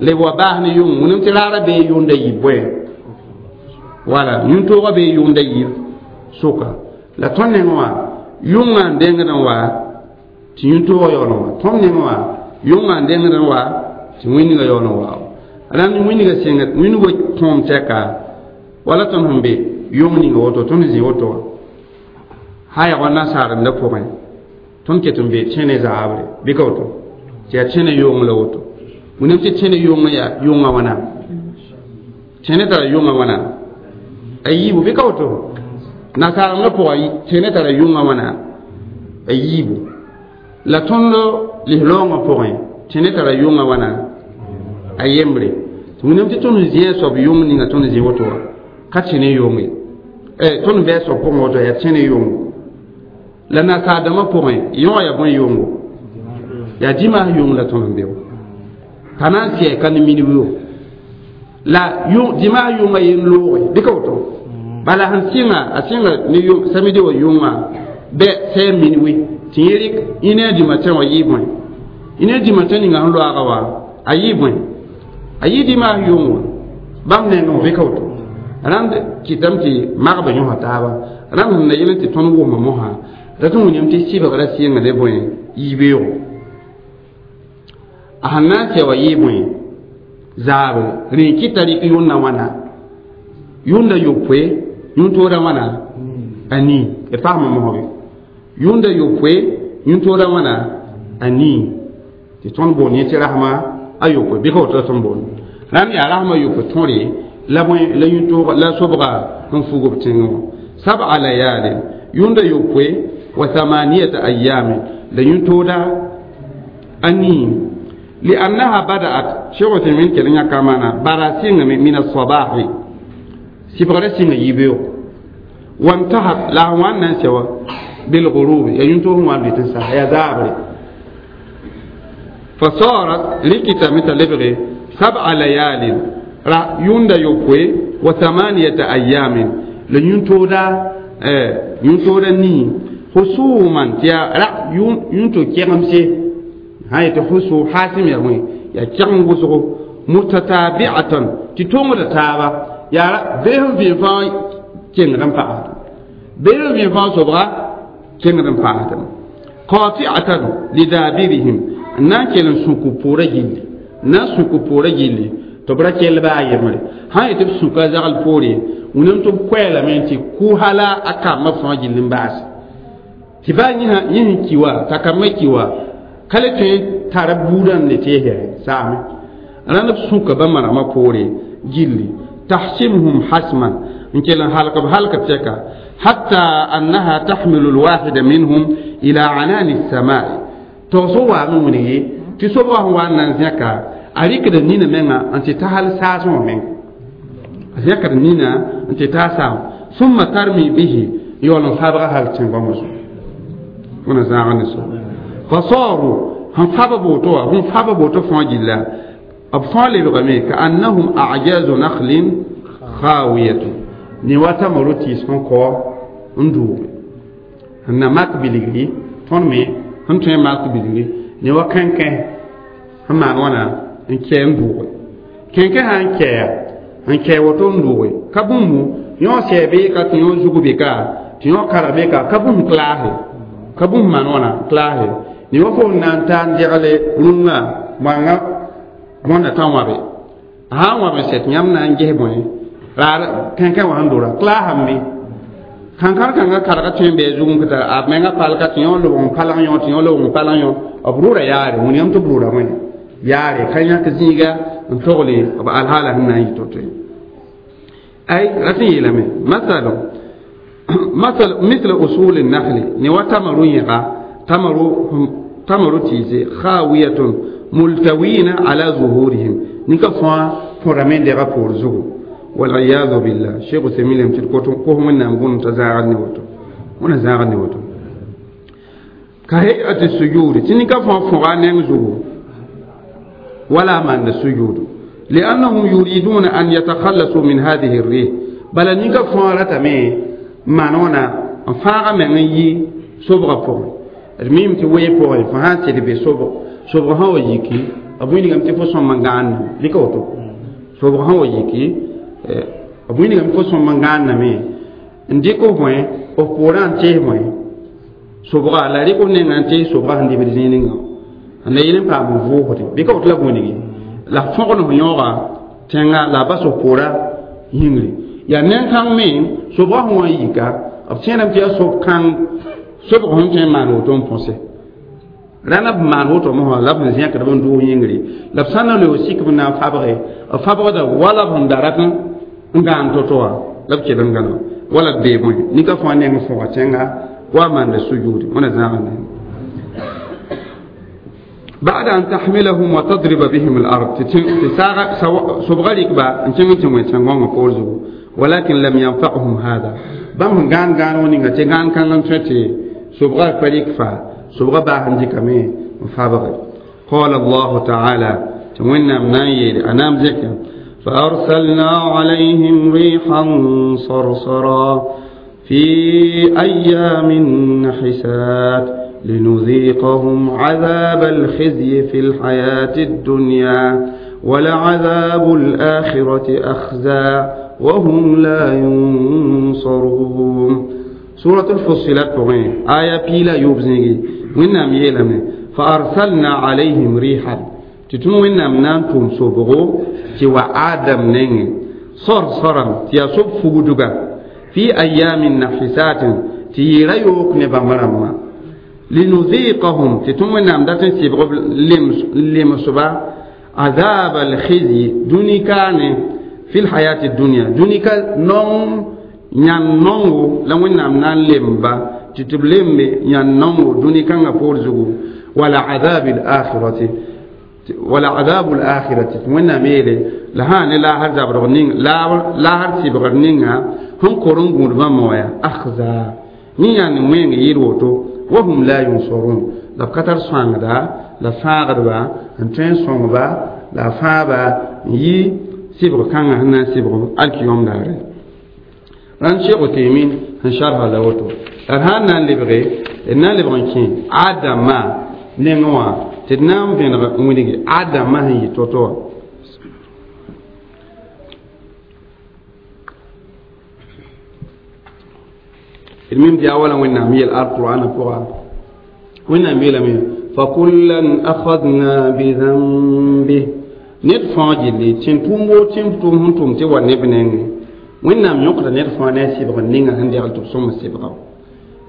leb wa baas ne yʋngo wẽnem tɩ raara bee yʋʋmda yib bõe wala yũn-toogã bee yʋʋmda yib sʋka la tõnd nengẽ wã yʋngã n dengd n wa tɩ yũn-toogã yaool n wa tõnd nengẽ wã yʋngã n dengd n wa tɩ wĩnigã yaool n wa rãnd wĩnigã sẽngd wĩnigã tõom tɛka wala tõnd sẽn be yʋng ninga woto tõnd zĩ woto wã sã yaa wa nasaarenda pʋgẽ tõnd ket n be tẽne zaabre bɩ ka woto tɩ yaa tẽne yʋng la woto wẽnnaam tɩ tẽne yʋngã yaa yʋngã wãna tẽne tara yʋngã wãna a yiibu bɩ ka woto nasaarenda pʋgã tẽne tara yʋngã wãna a yiibu la tõnd lislaoongã pʋgẽ tẽne tara yʋngã wãna a yembre wẽnnaam tɩ tõnd zĩ a soab yʋng ninga tõnd zĩ woto wã ka tẽne yʋng ye tõnd bɩ a soab pʋgẽ woto yaa tẽne yʋngo la nasaardãmbã pʋgẽ yõ yaa bõe yʋngo yaa dimaas yʋng la tõnd n be t'a na n sɛ ka ne minib yo la dimaas yʋngã yen looge bɩ ka woto Bala sẽn sɩnga a sɩnga ne samedi wã yʋnga bɛ sɛ minuit tɩ yẽ rɩk une heure du matin wã yɩ bõe une heure du matin ninga sẽn loaaga wã a yɩ bõe a yɩ dimaas yʋng wã bãmb nengẽ wã bɩ ka woto rãnd kɩtame tɩ magbã yõsa taaba rãmb sẽn na yel tɩ tõnd wʋsmã mosã rat n wilgame tɩ sɩbgrã sɩnga ne bõe yibeoogo a sẽn na n sɛ wã yɩ bõe zaabre rẽ kɩta rɩk yʋnda wãna yʋnda yopoe yũn-tooda wãna a nii d paasmã mosge yʋnda yopoe yũn-tooda wãna a nii tɩ tõnd boond yẽ tɩ rasma a yopoe bɩ ka woto la tõnd boond rãnd yaa rasma yopoe tõre la bõe la yũn-toog la sobga sẽn fug b tẽngẽ wã sab'a layalin yũnda yopoe wa thamaniyata ayamin la yũn-tooda a nii liannaha bada'at Cheikh Uthaymin kell n yãka maana bara sɩngame min alsabahi sɩbgrã sɩnga yibeoogo wantahat la a wãn na n sɛ wa bilgurub ya yũn-toog sẽn wa n dɩt n sa yaa zaabre fasarat rɩkɩtame t'a lebge sab'a layalin ra yũnda yopoe wa thamaniyata ayamin la yũn-tooda nii husuman tɩ yaa ra yũn-to kɛgemse sã yetɩ husu haasem yaa bõe yaa kɛgem wʋsgo mutatabi'atan tɩ tongda taaba yaa bee sẽn vẽen fãa kengd n paasdem bee sẽn vẽen fãa sobga kengd n paasdem qati'atan lidabirihim n na n kell n sũk b poorã gilli n na n sũk b poorã gilli tɩ b ra kell baa a yembre sã n yetɩ b sũka zagl poore wũnam tɩ b koɛɛlame tɩ kʋ hala a kambã fãa gill n baase tɩ baa yẽ sẽn ki wa t'a kambã ki wa ka le tõe tara buudã n le teesɛ saame rãnd b sũka bãmb manegmã poore gilli tahsimhum hasman n kell n halk b halk tɛka hatta annaha tahmilu lwahida minhum ila anani samai togsg waame wilgi tɩ sobgã sẽn wa n na n zẽka a rɩkda nina menga n tɩ ta hal saasẽ wã meng a zẽkd nina n tɩ ta saam summa tarmi bihi yaool n fabga hal tẽn-goamã zugu wẽna zãag ne so fasaru sẽn fab boto wã sẽn fab boto fãa gilla b fãa lebgame ka annahum ajazu nakhlin khawiyatun ne wa tamaru tɩɩs sẽn kao n duuge sẽn na mak bilgri tõnd me sẽn tõe n mak bilgri ne wa kẽnkẽ sẽn maan wãna n kɛ n duuge kẽnkẽ sã n kɛa n kɛ woto n duuge ka bũmbu yõ sɛ beeka tɩ yõ zug beka tɩ yõ karg beka ka bũmb klaase ka bũmb maan wãna klaase ne wa fo n na n taa n degle rũngã moanga bõnda tã wãbe a sã n wãb n sɛt yãmb na n ges bõe raar kẽnkẽ wã sẽn dora klaasame kãnkãr kãngã karga tõe n bɩ a zugẽ kɩ a menga palka tɩ yõ lobg n palg yõ tɩ yõ lobg n palg yõ b rʋʋra yaare wilgame tɩ b rʋʋra bõe yaare ka yãk zĩiga n togle b alhaala sẽn na n yɩ to-to ye ay rat n yeelame masalu masal misl usul النخل ne wa tamaru yẽga tamaru tɩɩse khawiyatun multawina ala zuhurihim ninka fãa põrame n dega poor zugu waliyadu billah cheikh uthaymin lem tɩ d kos wẽnnaam bũmb t'a zãagd ne woto wẽna zãagd ne woto ka hay'ati sujud tɩ ninka fãa fõga a neng zugu wala manda sujudu liannahum yuriduna an yatakhallasu min hadihi الrih bala ninka fãa ratame maan wãna n fãaga meng n yi sobgã pʋgẽ d mim tɩ wee pʋgẽ fo sã n sed be sobg sobg sã wa yiki b wilgame tɩ fo sõm n gãanname rɩka woto sobg sã wa yiki b wilgame fo sõm n gãanname n dɩk f bõe f poorã n tees bõe sobga la rɩk f nengã n tees sobga sẽn dibd zĩig ninga n la yel n paam n vʋʋsde bɩ ka woto la b wilgi la fõgd f yõoga tẽnga la a bas f poorã yĩngri yaa neng-kãng me sobgã sẽn wa n yika b tẽedame tɩ yaa sob-kãng sobg sẽn tõe n maan woto n põse rãna b maan woto mosã la b sẽn zẽkd b n dʋʋs yĩngri la b sã n na looog sik b na n fabge b fabgda wala b sẽn da rat n gãan to-to wã la b kell n gãna wala b bee bõe ninka fãa neng fõga tẽnga wa maanda sujuudi wẽna zãag ne بعد أن تحملهم وتضرب بهم الأرض سبغا ركبا إن كنت تنغون فورزو ولكن لم ينفعهم هذا بام غان غان ونيغا تي غان كان لم تتي سبغا فريق فا سبغا باهن ديكامي فابغ قال الله تعالى تمنى مناير أنام ذكر فأرسلنا عليهم ريحا صرصرا في أيام نحسات لنذيقهم عذاب الخزي في الحياة الدنيا ولعذاب الآخرة أخزى وهم لا ينصرون. سورة الفصلات آية بيلا يوبزنجي وإنام يلم فأرسلنا عليهم ريحا تتم وإنام نانتم سوبغو تيوى آدم نيني صرصرا تياسوب فودوغا في أيام نحسات تيريوك نبامرما لنذيقهم تتم وإنام داتن سيبغو لمسبا عذاب الخزي دونيكاني في الحياة الدنيا دونيكا نوم ñan nongo la wẽnnaam na n lemba tɩ tɩ b lembe yãn nongo dũni kãngã poor zugu wala azabi lakhirati wala azabu lakhirati tɩ wẽnnaam yeele la sã ne laasr zabdg ning laasr sɩbgr ninga sẽn kor n gũud bãmb wã yaa akhza yẽ yãnd wẽng yɩɩd woto wa hum la yunsorun la b ka tar sõangda la fãagdba n tõe n sõngba la a fãaba n yi sɩbg kãngã sẽn na n sɩbg alkiyom daare ran Cheikh Utaymin n sharha la woto la sãn na n lebge d na n lebg n kẽ Adama nengẽ wã tɩ d na n vẽneg n wilgi Adama sẽn yɩ to-to wã d mim tɩ yaa wala Wẽnnaam yel alqur'ana pʋga Wẽnnaam yeelame fakullan akhadna bidhanbih ned fãa gilli tẽn tʋʋm woo tẽn tʋʋm sẽn tʋm tɩ wa neb nengẽ wẽnnaam yõkda ned fãa ne a sɩbg ninga sẽn degl tɩ b sõm sɩbga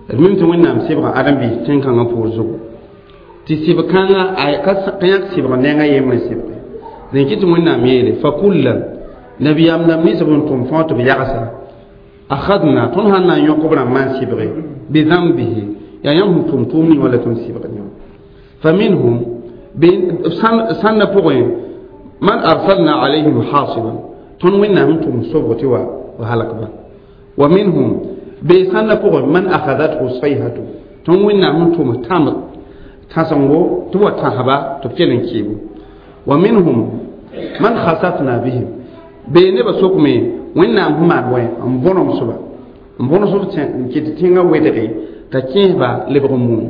d mim tɩ wẽnnaam sɩbga ãdem-biis tẽn-kãngã poor zugu tɩ sɩb-kãngã ka yãk sɩbg nengã yembre sɩbge dẽn kɩ tɩ wẽnnaam yeele fakullan nabiyaam dãmb nins b n tʋm fãa tɩ b yagsa akhadna tõnd sãn na n yõk b rãmbã n sɩbge bidãmbihi yaa yãmb sẽn tʋm tʋʋm ning wala tõnd sɩbg yã faminhum sãnda pʋgẽ man arsalna alayhim hasiban tõnd wẽnnaam n tʋm sobg tɩ wa وهلك ومنهم بيسان لفوق من أخذته الصيحة تنوين نعم توم تام تاسنغو تو تهبا تفكرن كيبو ومنهم من خسفنا بهم بين بسوكمي وين نعم هما وين أمبونم سبا أمبونم سبا كتينغا ويدري تكيبا لبرمون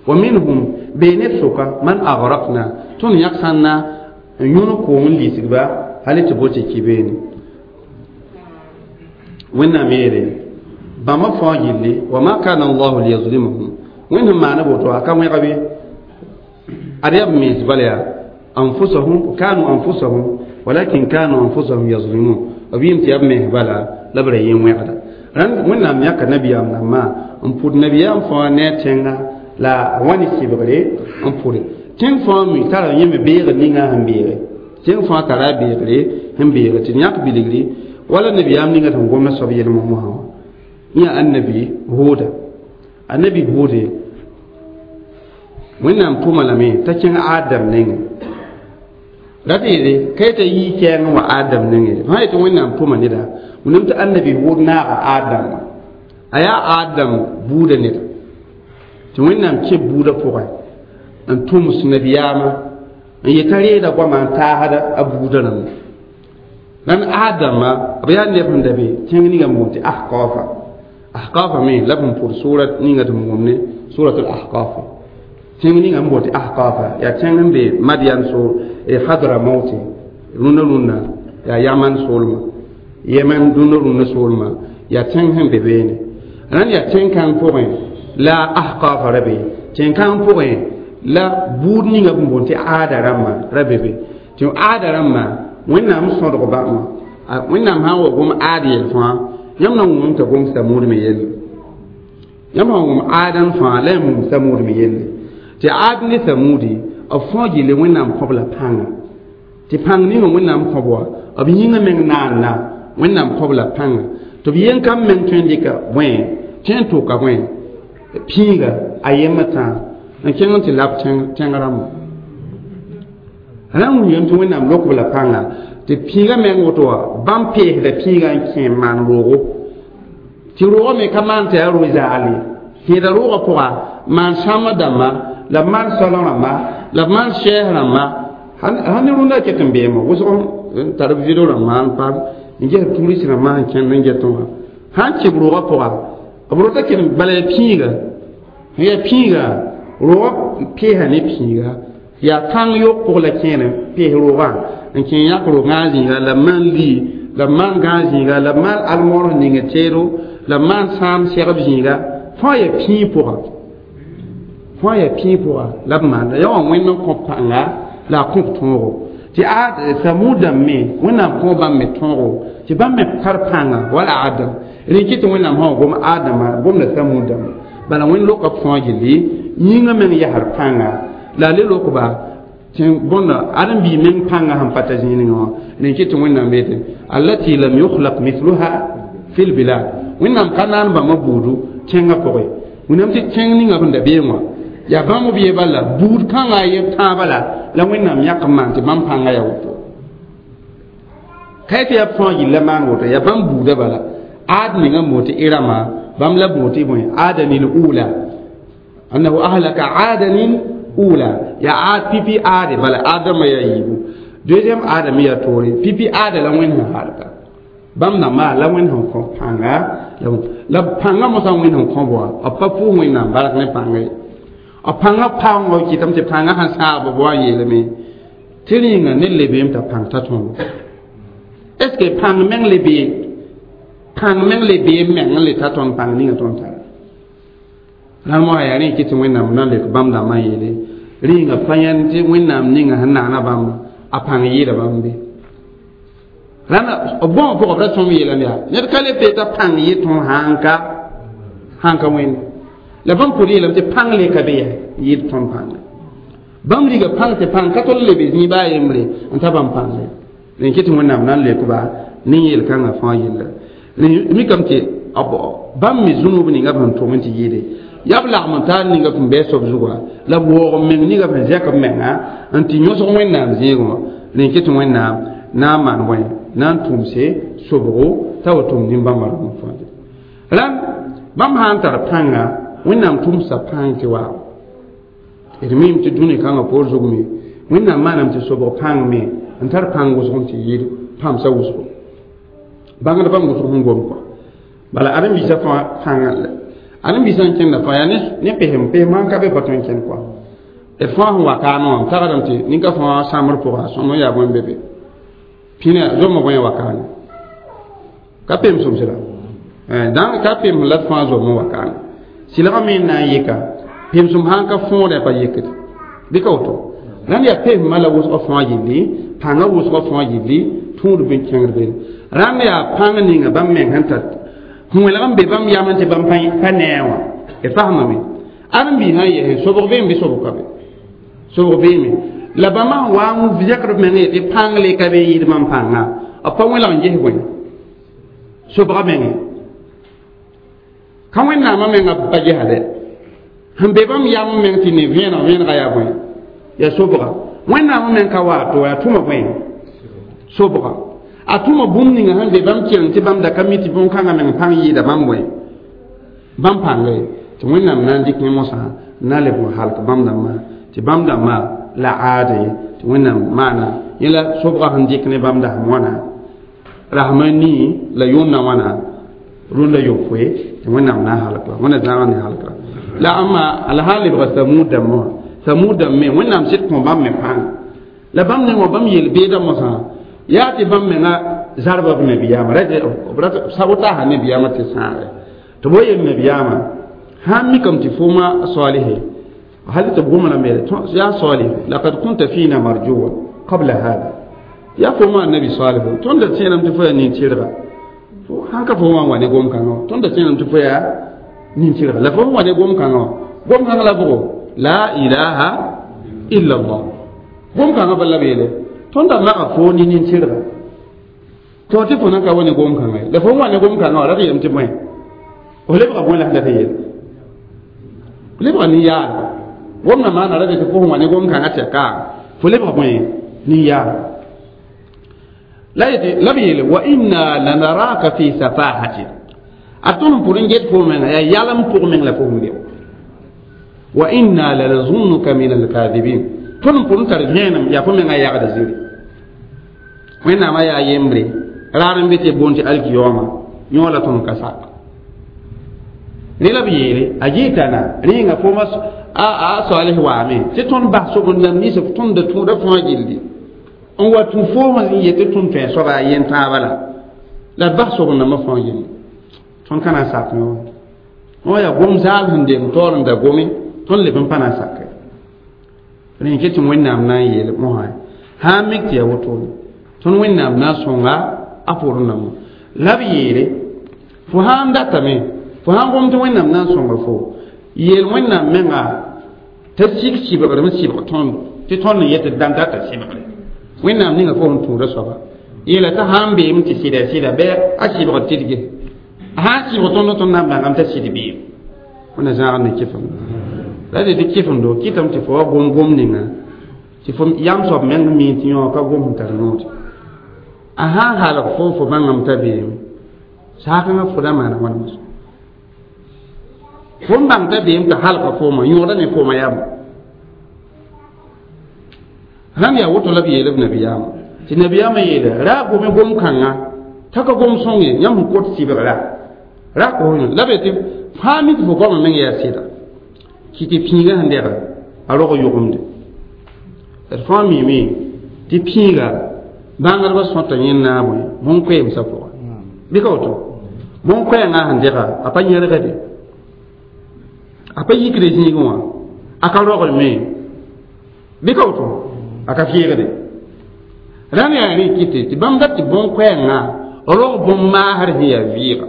ومنهم بين بسوكا من أغرقنا تون يكسانا يونكو من ليسكبا هل تبوتي كيبيني wẽnnaam yeele bãmba fãa gilli wa ma kana allahu liyazlimahum wẽnd sẽn maana boto a ka wẽga bɩ ad yaa b mens bala yaa anfusahum kanu anfusahum walakin kanu anfusahum yazlimun b yɩm tɩ yaa b mens bala la b ra yẽ wẽgda rãnd wẽnnaam yãka nabiyaam dãmbã n pʋd nabiyaam fãa ne a tẽnga la a wa ne sɩbgre n pʋde tẽng fãa mi tara yẽ me beegr ninga sẽn beege tẽng fãa tara a beegre sẽn beege tɩ d yãk bilgri wala nabiyaam ninga tɩ gomda soab yelmã mosã wã yã annabi Huda annabi Hude wẽnnaam tʋma lame t'a kẽng Adam nengẽ ra tɩ yeele ka yeta yii kɛɛngẽ wa Adam nengẽ sã yetɩ wẽnnaam tʋma neda wẽnnaam tɩ annabi Hud naaga Adam wã a yaa Adam buudã neda tɩ wẽnnaam kẽ buudã pʋgẽ n tʋms nabiyaamã n yeta reeda goamã n taasda a buudã rãmba nan Adama b yaa neb sẽn da be tẽng ninga n boond tɩ Ahqafa Ahqafa me la b sẽn pʋd surat ninga tɩ b wʋmne surat al-Ahqaf tẽng ninga n boond tɩ Ahqafa yaa tẽng n be Madian sool Hadramauti rũndã rũndã yaa Yaman soolmã Yemen rũndã rũndã soolmã yaa tẽng sẽn be beene rãnd yaa tẽn-kãng pʋgẽ la Ahqafa ra be tẽn-kãng pʋgẽ la buud ninga b boond tɩ Aada rãmbã ra be be tɩ Aada rãmbã wẽnnaam sõdg bãmba wẽnnaam sã n wa gom aad yel fãa yãmb na wʋmame t'a gom Samud me yelle yãmb sã n wʋm aadan fãa la yãmb wʋm Samud me yelle tɩ aad ne Samudi b fãa gilli wẽnnaam kõb la pãnga tɩ pãng ninga wẽnnaam kõb wã b yĩngã meng naanna wẽnnaam kõb la pãnga tɩ b yen kam meng tõe n dɩka bõe tõe n tʋka bõe pĩiga a yembã tãa n kẽng n tɩ lab tẽng rãmbã rãmb wilgame tɩ wẽnnaam lok b la pãnga tɩ pĩigã meng woto wã bãmb peesda pĩigã n kẽ n maan roogo tɩ roogã me ka maan tɩ yaa ro-zaal ye kẽeda roogã pʋga maan sãmbã dãmba la b maan soalã rãmba la b maan sɛɛs rãmba sãn ne rũndã ket n beemã wʋsg tar video rãmbã n paam n ges tourist rãmbã sẽn kẽnd n get wã sãn kɩb roogã pʋga b rota kell bala yaa pĩiga yaa pĩiga roogã peesa ne pĩiga yaa kãng yok pʋg la kẽere pees roogã n kẽ yãk roogã zĩiga la b maan lii la b maan gãag zĩiga la b maan almõor ning teedo la b maan sãam segb zĩiga fãa yaa pĩig pʋga fãa yaa pĩig pʋga la b maanda yaa wã wẽnd n kõ pãnga la a kõ b tõogo tɩ a Samud dãmb me wẽnnaam kõ bãmb me tõogo tɩ bãmb me tar pãnga wala Adam rẽ kɩ tɩ wẽnnaam sã gom Adama gomda Samud dãmba bala wẽnd loka fãa gilli yĩngã meng yasr pãnga la a le lokba tɩ bõnda ãdem-biig meng pãnga sẽn pa ta zĩig ninga wã rẽ kɩ tɩ wẽnnaam beete allati lam yukhlaq mithluha fi lbilad wẽnnaam ka naan bãmba buudu tẽngã pʋgẽ wẽnnaam tɩ tẽng ninga sẽn da beẽ wã yaa bãmb b ye bala buud kãngã a ye tãabã la wẽnnaam yãk n maan tɩ bãmb pãnga yaa woto ka tɩ yaa fãa yilla maan woto yaa bãmb buudã bala aad ninga n boon tɩ Irama bãmb la boon tɩ bõe aadanil ula annahu ahlaka aadanil ula yaa aad pipi aade bala aadãmbã yaa yiibu deuxième aada me yaa toore pipi aada la wẽnd sẽn halka bãmb dãmbã la wẽnd sẽn kõ pãnga la pãngã mosã wẽnd sẽn kõ bõa b pa pʋʋs wẽnnaam bark ne pãnga ye b pãngã paoongã kɩtame tɩ pãngã sẽn sãag b wa n yeelame tɩ rĩnga ned le beem t'a pãng ta tõogo est ce que pãng meng le bee pãng meng le bee meng n le ta tõnd pãng ninga tõnd tara rãnd mosã yaa rẽ kɩ tɩ wẽnnaam na n lek bãmb dãmbã n yeele rĩnga pa yãnd tɩ wẽnnaam ninga sẽn naana bãmb a pãng yɩɩda bãmb be rãnda b bõo pʋgã b ra tõm yeelame yaa ned ka le pee t'a pãng yɩ tõnd sãn ka wẽnde la bãmb pʋd yeelame tɩ pãng le ka be yaa yɩɩd tõnd pãnga bãmb riga pãng tɩ pãng ka tol lebe zĩig baa yembre n ta bãmb pãnga rẽ kɩ tɩ wẽnnaam na n leokba ne yel-kãngã fãa yella mikame tɩ bãmb me zũnub ninga b sẽn tʋm n tɩ yɩɩde yaa b lagm n taar ninga sẽn bɩ soab zugã la b waoog n meng ninga sẽn zɛk b menga n tɩ yõsg wẽnnaam zẽegẽ wã rẽ kɩ tɩ wẽnnaam na n maan bõe na n tʋmse sobgo t'a wa tʋm nin-bãmba rãmb fãa rãnd bãmb sã n tar pãnga wẽnnaam tʋmsa pãng tɩ wa d mim tɩ dũni kãngã poor zug me wẽnnaam maaname tɩ sobg pãng me n tar pãng wʋsg n tɩ yɩɩd pãmsa wʋsgo bãngd bãmb wʋsg sẽn gom kɔa bala ãdem-biisã fãa pãngã ãdem-biisã n kẽnda fãa yaa ne pesem pesem sãn ka be pa tõe n kẽnd kɔa d fãa sẽn wa kaamẽ wã m tagsdame tɩ ninka fãa sãmbr pʋga sõm n yaa bõe be be pĩna zomã bõe wa kaane ka pem sõmsda dãng ka pem la d fãa zom n wa kaane sɩlgã me n na n yɩka pemsem sãn ka fõodã pa yɩkd bɩ ka woto rãnd yaa pesmã la wʋsgã fãa yilli pãngã wʋsgã fãa yilli tũud bɩ kẽngd be rãnd yaa pãng ninga bãmb meng sẽn tar wẽlg n be bãmb yam tɩ bãmb pa nee wã d fasmame ãdem-biis sã n yɛsẽ sobg beeme bɩ sobg ka be sobg beeme la bãmba sẽn wa n zɛkd b meng tɩ pãng le ka be n yɩɩd bãmb pãnga b pa wẽlg n ges bõe sobga menge ka wẽnnaamã menga pa gesade sẽn be bãmb yam meng tɩ ne vẽeneg vẽenega yaa bõe yaa sobga wẽnnaamã meng ka wa to yaa tʋma bõe sobga a tʋma bũmb ninga sẽn be bãmb kẽng tɩ bãmb da ka mi tɩ bõn-kãngã meng pãng yɩɩda bãmb bõe bãmb pãnga ye tɩ wẽnnaam na n dɩk yẽ mosã na leb n halk bãmb dãmbã tɩ bãmb dãmbã la aade tɩ wẽnnaam maana yẽ la sobgã sẽn dɩk ne bãmb dasem wãna rasmã nii la yʋʋmdã wãna rũndã yopoe tɩ wẽnnaam na n halka wẽnna zãag ne halka la ãmba la sã n lebga Samud dãmbã wã Samud dãmb me wẽnnaam sɩd kõ bãmb me pãng la bãmb nengã bãmb yel-beedã mosã yaa tɩ bãmb menga zarba b nabiyaamã sabotasa nabiyaamã tɩ sãage tɩ b wa yel nabiyaamã sãn mikame tɩ fʋʋma salihe hal tɩ b gomdã me yaa salih laqad kunta fina marjuwa qabla hada yaa fo ma nabi salih tõnd da tẽename tɩ fo yaa nin-tɩrga sãn ka fo wã wa ne gom-kãngã wã tõnd da tẽename tɩ fo yaa nin-tɩrga la fo wa ne gom-kãngã wã gom-kãngã la bʋgo la ilaha illa allah gom-kãngã bala b yeele tõnd da maga fo ne nin-tɩrga tɩ tɩ fo nan ka wa ne gom-kãngã ye la fo wa ne gom-kãngã wã ra tɩ yeelame tɩ bõe f lebga bõe la sẽn dat n yeele f lebga nin-yaadga gomdã maana ra tɩ fo sẽn wa ne gom-kãngã tɩ ya kaam fo lebga bõe nin-yaadga la yetɩ la b yeele wa inna lanaraka fi safahatin a tõnd n pʋd n get fo menga yaa yalem pʋg meng la fo sẽn be wa inna lanazunnuka min alkadibin tõnd n pʋd n tar vẽenem yaa fo menga yagda ziri Wẽnnaamã yaa yembre raar n be tɩ boond tɩ alkiyooma yõ la tõnd ka sak rẽ la b yeele a gɩtana rẽnga fooma a salih waame tɩ tõnd bas sobend-dãmb nins b tõmda tũuda fãa gilli n wa tũ foom n yet tɩ tõnd tõe soaba a yen tãabã la d bas sobend-dãmbã fãa gilli tõnd ka na n sak yõ wã yaa gom zaal sẽn deng taoor n da gome tõnd leb n pa na n sake rẽ ket tɩ Wẽnnaam na n yeel mosã sã n mik tɩ yaa wotone tõnd Wẽnnaam na n sõnga a pʋʋr namo la b yeele fo sã n datame fo sãn gom tɩ Wẽnnaam na n sõnga fo yeel Wẽnnaam menga t'a sik sɩbgrem sɩbg tõndo tɩ tõnd n yet tɩ d data sɩbgre Wẽnnaam ninga fo sẽn tũuda soaba yeela t'a sã n beem tɩ sɩda sɩda bɩ a sɩbgr tɩdge a sã n sɩbg tõnd tõnd na n bãngame t'a sɩd beem wẽnna zãag ne kɩfem la de tɩ kɩfemdo kɩtame tɩ fo wa gom gom ninga tɩ fo yam soab meng mi tɩ yõ ka gom sẽn tar noode a sã n halg fo fo bãngame t'a beeme saakẽngã fo da maana wãna moasã fo n bãng t'a beem t'a halga fooma yõoda ne fooma yam rãmb yaa woto la b yeel b nabiyaamã tɩ nabiyaamã yeele ra gome gom kãnga t'a ka gom sõng ye yãmb sẽn kot sɩbgra ra kos la be tɩ fãa mi tɩ fo goamã meng yaa sɩda kɩ tɩ pĩigã sẽn dɛga a rog yʋgemde d fãa mime tɩ pĩiga bãngdbã sõta yẽnd naabẽ bõn-koɛɛmsã pʋga bɩ ka woto bõn-koɛɛngã sẽn dɛga a pa yẽrgde a pa yikde zĩigẽ wã a ka rogd me bɩ ka woto a ka fɩɩgde rãmb yaa rẽ kɩte tɩ bãmb dat tɩ bõn-koɛɛngã rog bõn-maasr sẽn yaa vɩɩga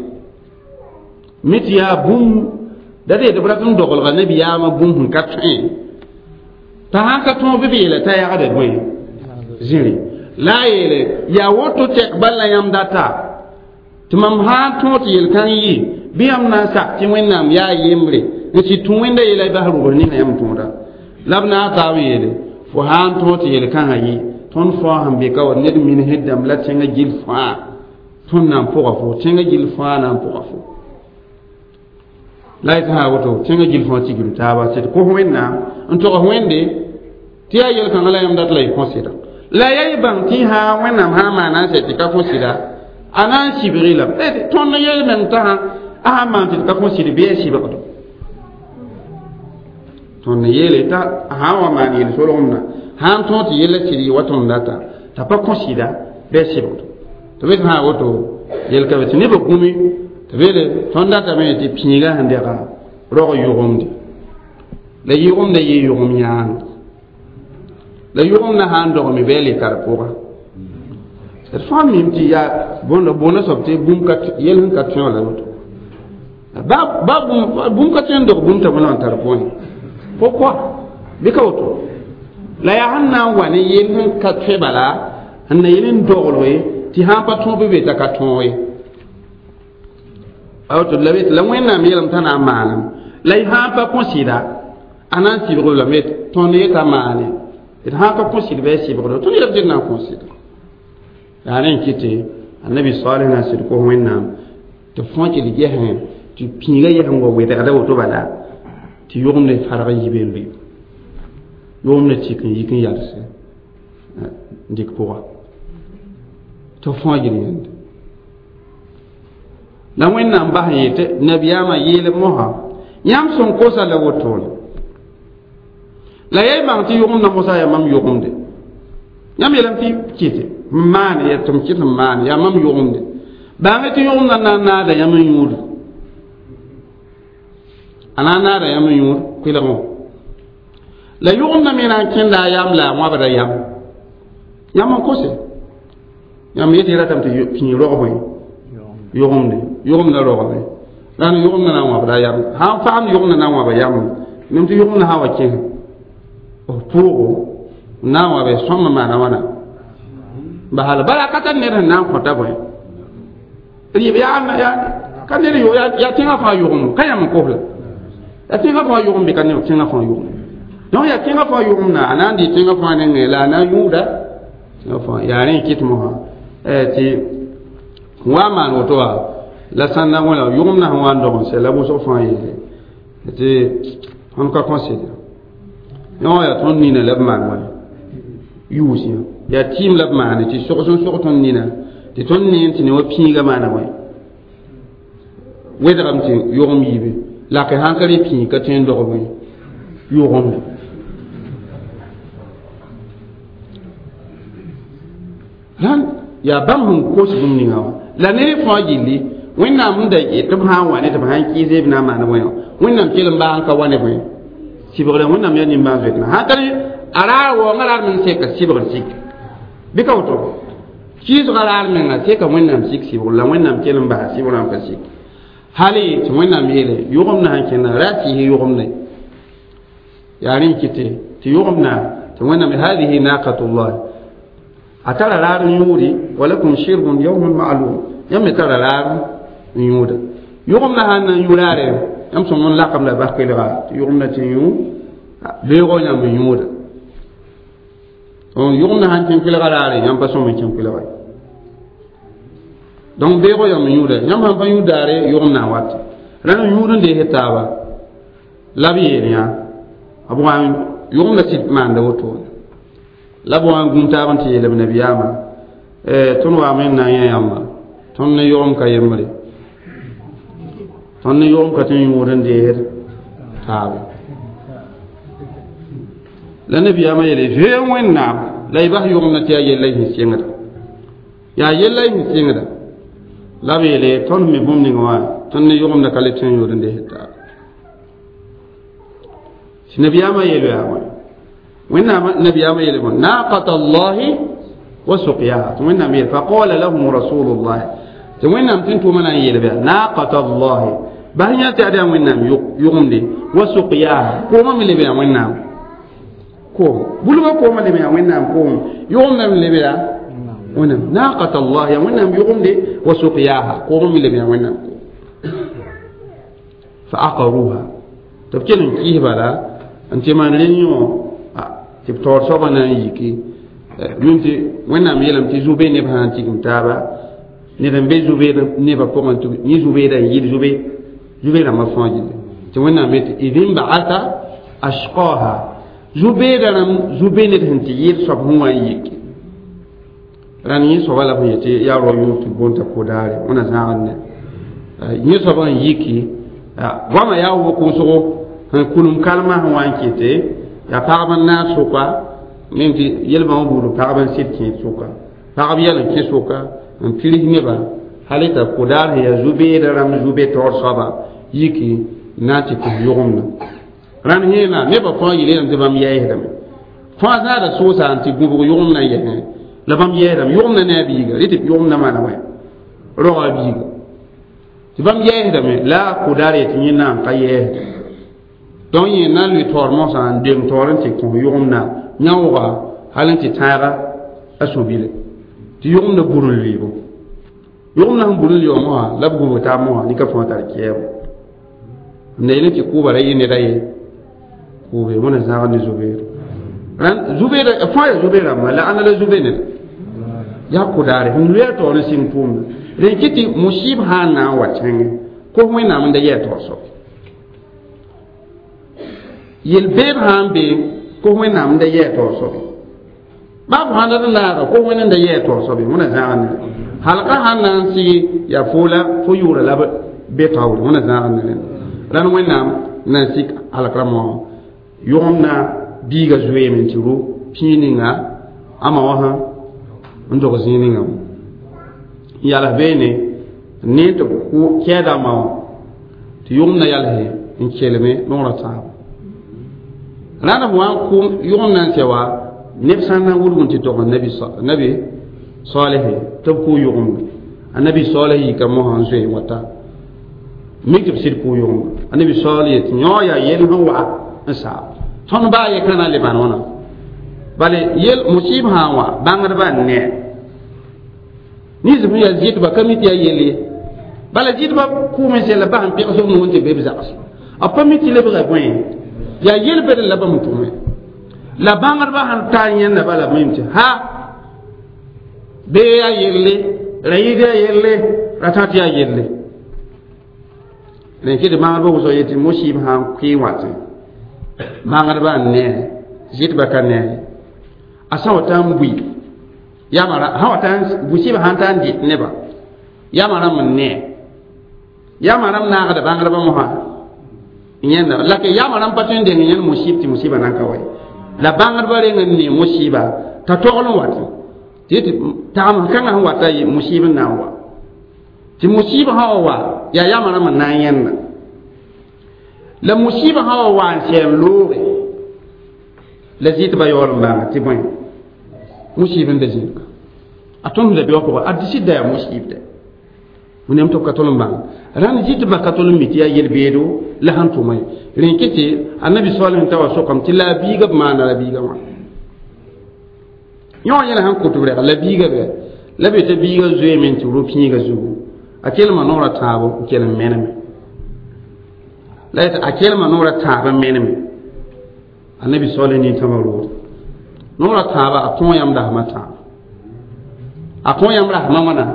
me tɩ yaa bũmb da dee tɩ b rat n dogelga nabiyaamã bũmb sẽn ka tõe t'a sãn ka tõog bɩ b yeela t'a yagda bõe zĩri la a yeele yaa woto tɛk bal la yãmb data tɩ mam sã n tõog tɩ yel-kãng yɩ bɩ yãmb na n sak tɩ Wẽnnaam yaa yembre n sɩd tũ wẽnda yeela y bas rʋbs ninga yãmb tõoda la b na n taab n yeele fo sã n tõog tɩ yel-kãngã yɩ tõnd fãa sẽn be ka wa ned minsd dãmb la tẽngã gill fãa tõnd na n pʋga fo tẽngã gill fãa na n pʋga fo la y sã woto tẽngã gill fãa tigim taaba tɩ d kos Wẽnnaam n togs Wẽnde tɩ yaa yel-kãngã la yãmb dat la y kõ sɩda la yaa y bãng tɩ sã Wẽnnaam sã n maana n sɛ tɩ ka kõ sɩda a na n sɩbg lame tõnd yel meng t'a sã a sã n maan tɩ d ka kõ sɩd bɩ a sɩbgdo tõnd yeele t'a sã n wa maan yel-solgemdã sã n tõog tɩ yella sɩd yɩ wa tõnd data t'a pa kõ sɩda bɩ a sɩbgdo tɩ b sã woto yel-ka be tɩ nebã gũmi tɩ beele tõnd datame tɩ pĩigã sẽn dɛga rog yʋgemde la yʋgemda yɩ yʋgem yãang la yʋgem na sã n dogme bɩ a le tar pʋga d fãa mim tɩ yaa bõnda boona soab tɩ bũmb ka yel sẽn ka tõe la woto ba bũmb ka tõe n dog bũmb t'a bõe n tar pʋgẽ pourquoi bɩ ka woto la yaa sẽn na n wa ne yel sẽn ka tõe bala sẽn na yel n doglge tɩ sã n pa tõog bɩ be t'a ka tõog ye a woto la be tɩ la Wẽnnaam yeelame t'a na n maanem la y sã n pa kõ sɩda a na n sɩbg lame tõnd yeta maane d sã n ka kõ sɩd bɩ a sɩbgdo tõnd yeelame tɩ d na n kõ sɩda yaa rẽ n kɩte annabi salih na n sɩd kos Wẽnnaam tɩ fõ tɩ d gesẽ tɩ pĩigã yɛs n wa wɛdgda woto bala tɩ yʋgemd farg n yi be n lʋɩ yʋgemd tɩk n yik n yals n dɩk pʋga tɩ fõa gil yẽnde la Wẽnnaam bas n yetɩ nabiyaamã yeel mosã yãmb sẽn kosa la wotone la yaa y bãng tɩ yʋgemdã mosã yaa mam yʋgemde yãmb yeelame tɩ kɩte n maane yaa tɩ m kɩt n maane yaa mam yʋgemde bãnge tɩ yʋgemdã na n naada yãmb n yũud a na n naada yãmb n yũud koɛlgẽ la yʋgemdã me na n kẽnda a yam la a wãbda yam yãmb n kose yãmb yetɩ ratame tɩ pĩig rog bõe yʋgemde yʋgemdã rogame la n yʋgemdã na n wãbda yam sã n faamd yʋgemdã na n wãba yam mem tɩ yʋgemdã sã n wa kẽs b pʋʋgo n na n wabe sõmb maana wãna basala bala ka tar ned sẽn na n kõta bõe rɩɩb yaa ka ned yaa tẽngã fãa yʋgem ka yãmb n kos la yaa tẽngã fãa yʋgem bɩ ka ned tẽngã fãa yʋgem donc yaa tẽngã fãa yʋgemda a na n dɩ tẽngã fãa nengẽ la a na n yũuda tẽngã fãa yaa rẽ n kɩt mosã tɩ wa n maan woto wa la sãn na wẽna yʋgemdã sẽn wa n dog n sɛ la wʋsg fãa yeele tɩ tõnd ka kõ sɩd yõ yaa tõnd nina la b maan wã yʋʋs yã Yaa tɩɩm la b maane tɩ sogs n sog tõnd nina tɩ tõnd neen tɩ ne wa pĩigã maana wẽ wedgame tɩ yogem yiibe lake sãn ka rẽ pĩig ka tõe n dog bõe yogem rãnd yaa bãmb sẽn kos bũmb ninga wã la ne fãa gilli wẽnnaam sẽn da tɩ b sã n wa ne tɩ b sã n kɩɩse b na n maan bõe wã wẽnnaam kell n baa n ka wa ne bõe sɩbgrã wẽnnaam yaa nimbãan-zoetmã sãn ka rẽ a raar waoongã raar meng seka sɩbgr sik bɩ ka woto kɩɩsgã raar menga seka wẽnnaam sik sɩbgr la wẽnnaam kell n basa sɩbgrã n pa sik hali tɩ wẽnnaam yeele yʋgemdã sãn kẽnda ra tɩɩs yʋgemde yaa rẽ n kɩte tɩ yʋgemdã tɩ wẽnnaam hadihi naqatullah a tara raar n yũudi walakum shirbun yawmun ma'lum yãmb me tara raar n yũuda yʋgemdã sãn na n yũ raare yãmb sõm n lakam la bas kelga tɩ yʋgemdã tɩ yũ beoogã yãmb n yũuda yʋgemdã sãn kẽ kelga raare yãmb pa sõm n kẽ kelga donc beoogã yãmb n yũuda yãmb sãn pa yũ daare yʋgemdã n wat rãnd n yũud n dees taaba la b yeel yã b wa yʋgemdã sɩd maanda wotone la b wa n gũm taab n tɩ yeelb nabiyaamã tõnd waame n na n yã yãmba tõnd ne yʋgem ka yembre tõnd ne yʋgem ka tɩ n yũud n deesd taaba la nabiyaamã yeele zoe wẽnnaam la y bas yʋgemdã tɩ yaa yella y sẽn sɩngda yaa yella y sẽn sɩngda la b yeele tõnd me bũmb ninga wã tõnd ne yʋgemdã ka le tõe n yʋʋd n deesd taaba tɩ nabiyaamã yeel yaa wã wẽnnaam nabiyaamã yeele bõe naqata allahi wa suqyaha tɩ wẽnnaam yeel faqala lahum rasulullah tɩ wẽnnaam tɩ n tʋʋmã na n yeelb yaa naqata allahi bas yã tɩ ad yaa wẽnnaam yʋgemde wa suqyaha koomã me leb yaa wẽnnaam koom bulgã koomã leb yaa wẽnnaam koom yʋgemdã me leb yaa wẽnnaam naqata allah yaa wẽnnaam yʋgemde wa suqyaha koomã me leb yaa wẽnnaam koom fa aqaruha tɩ b kell n kɩɩs bala n tɩ maan rẽ yõ tɩ b taoor soabã na n yiki mim tɩ wẽnnaam yeelame tɩ zu-be neb sã n tigim taaba ned n be zu-beed nebã pʋgẽ tɩ yẽ zu-beedã n yɩl zu-be zu-be rãmbã fãa gilli tɩ wẽnnaam yetɩ id nbaata ashqaha zu-beedã rãmb zu-be ned sẽn tɩ yɩl soab sẽn wa n yiki rãnd yẽ soaba la b sẽn yetɩ yaa rao yʋʋr tɩ boonta kodaare wẽna zãagd ne yẽ soabã n yiki goamã yaa wʋk-wʋsgo sẽn kulum kalmã sẽn wa n kɩte yaa pagb n naas sʋka mem tɩ yelbã wã buud pagb n sɩd kẽed sʋka pagb yɛl n kẽ sʋka n pirs nebã hal t'a kodaar sẽn yaa zu-beedã rãmb zu-be taoor soaba yiki n na n tɩ kos yʋgemdã rãnd yẽena nebã fãa yel tɩ bãmb yɛɛsdame fãa zãada sʋʋsa n tɩ gũbg yʋgemdã n yɛsẽ la bãmb yɛɛsdame yʋgemdã ne a biiga rɩ tɩ yʋgemdã maana wã roga biiga tɩ bãmb yɛɛsdame la kodaar yetɩ yẽ na n ka yɛɛsda donc yẽ na n lʋɩ taoor mosã n deng taoor n tɩ kõ yʋgemdã yãooga hal n tɩ tãaga a sũ-bile tɩ yʋgemdã bur n lʋɩɩbo yʋgemdã sẽn bur n lɩ wã mosã la b gũbg taab mosã nika fãa tar kɛɛbo n da yel tɩ kʋʋba ra yɩ neda ye kʋʋbe wẽna zãagd ne zu-beer rãnd zu-beeda fãa yaa zu-be rãmba la ãnda la zu-be neda yaa kʋdaare sẽn lʋɩ a taoor n sɩng tʋʋmda rẽn kɩ tɩ musib sã n na n wa tẽngẽ kos wẽnnaam n da yɛɛ taoor soab yel-beed sã n be kos wẽnnaam n da yɛɛ taoor soabe baa b sãn dat n laaga kos wẽnd n da yɛɛ taoor soabe wẽna zãag ne halga sãn na n sɩgi yaa fo la fo yʋʋra la be taoore wẽna zãag ne rẽnd rãnd wẽnnaam na n sik halk rãmbã wã yʋgemdã biiga zoeeme n tɩ ro pĩig ninga ama wã sã n dog zĩig ninga wã n yals beene n ne tɩ b kɛɛda ma wã tɩ yʋgemdã yalse n kelme nogrã tãabo rãnd b wa n kʋ yʋgemdã n sɛ wa neb sã n na n wilg n tɩ tog nabi saleh tɩ b kʋ yʋgemda a nabi saleh yika mosã n zoe wata mik tɩ b sɩd kʋ yʋgemda a nabi saleh yetɩ yõ yaa yel sẽn wa n saab tõnd baa ye ka na n le maan wãna bale yel musib sã n wa bãngdbã n ne nins sẽn yaa zɩtba ka mi tɩ yaa yel ye bala zɩtba kʋʋm n sella bas n pẽgs b nuun tɩ be b zags b pa mi tɩ lebga bõe yaa yel-bed la bãmb tʋme la bãngdbã sãn tar yẽnda bala b mim tɩ ha bee yaa yelle ra yɩɩd yaa yelle ra tã tɩ yaa yelle rẽn kɩ tɩ bãngdbã wʋsg yetɩ musib sã n kʋɩ wã tẽ bãngdbã n ne zɩtbã ka ne a sã wa tã n bui Yãmba sã wa ta musiba sãn ta n dɩt nebã yãmba rãmb n nee yãmba rãmb naagda bãngdbã mosã yẽnda la ke yãmba rãmb pa tõe n deng yẽnd musib tɩ musiba nan ka wa ye la bãngdbã reng n nee musiba t'a togl n wat tɩ tɩ tagem kãngã sẽn wata musib n na n wa tɩ musiba sã wa wa yaa yãmba rãmb n na n yẽnda la musiba sã wa wa n sɛɛm looge la zɩtbã yaool n bãnga tɩ bõe musib n da zĩnga a tõnd la beoog pʋgã a sɩd da yaa musib dɛ wẽnnaam tɩ b ka tol n bãng rãnd zɩtbã ka tol n mi tɩ yaa yel-beedo la sẽn tʋma ye rẽ kɩ tɩ annabi soal sẽn ta wa sokame tɩ la a biiga b maana la biiga wã yõ yẽla sẽn kõt b rɛga la biiga bɛ la be t'a biiga zoeeme n tɩ ro-pĩiga zugu a kelma noorã tãabo n kell n meneme la yetɩ a kelma noorã tãab n meneme annabi soal nin-tãmã roode noorã tãaba a kõo yãmb dasmã tãab a kõo yãmb rasmã wãna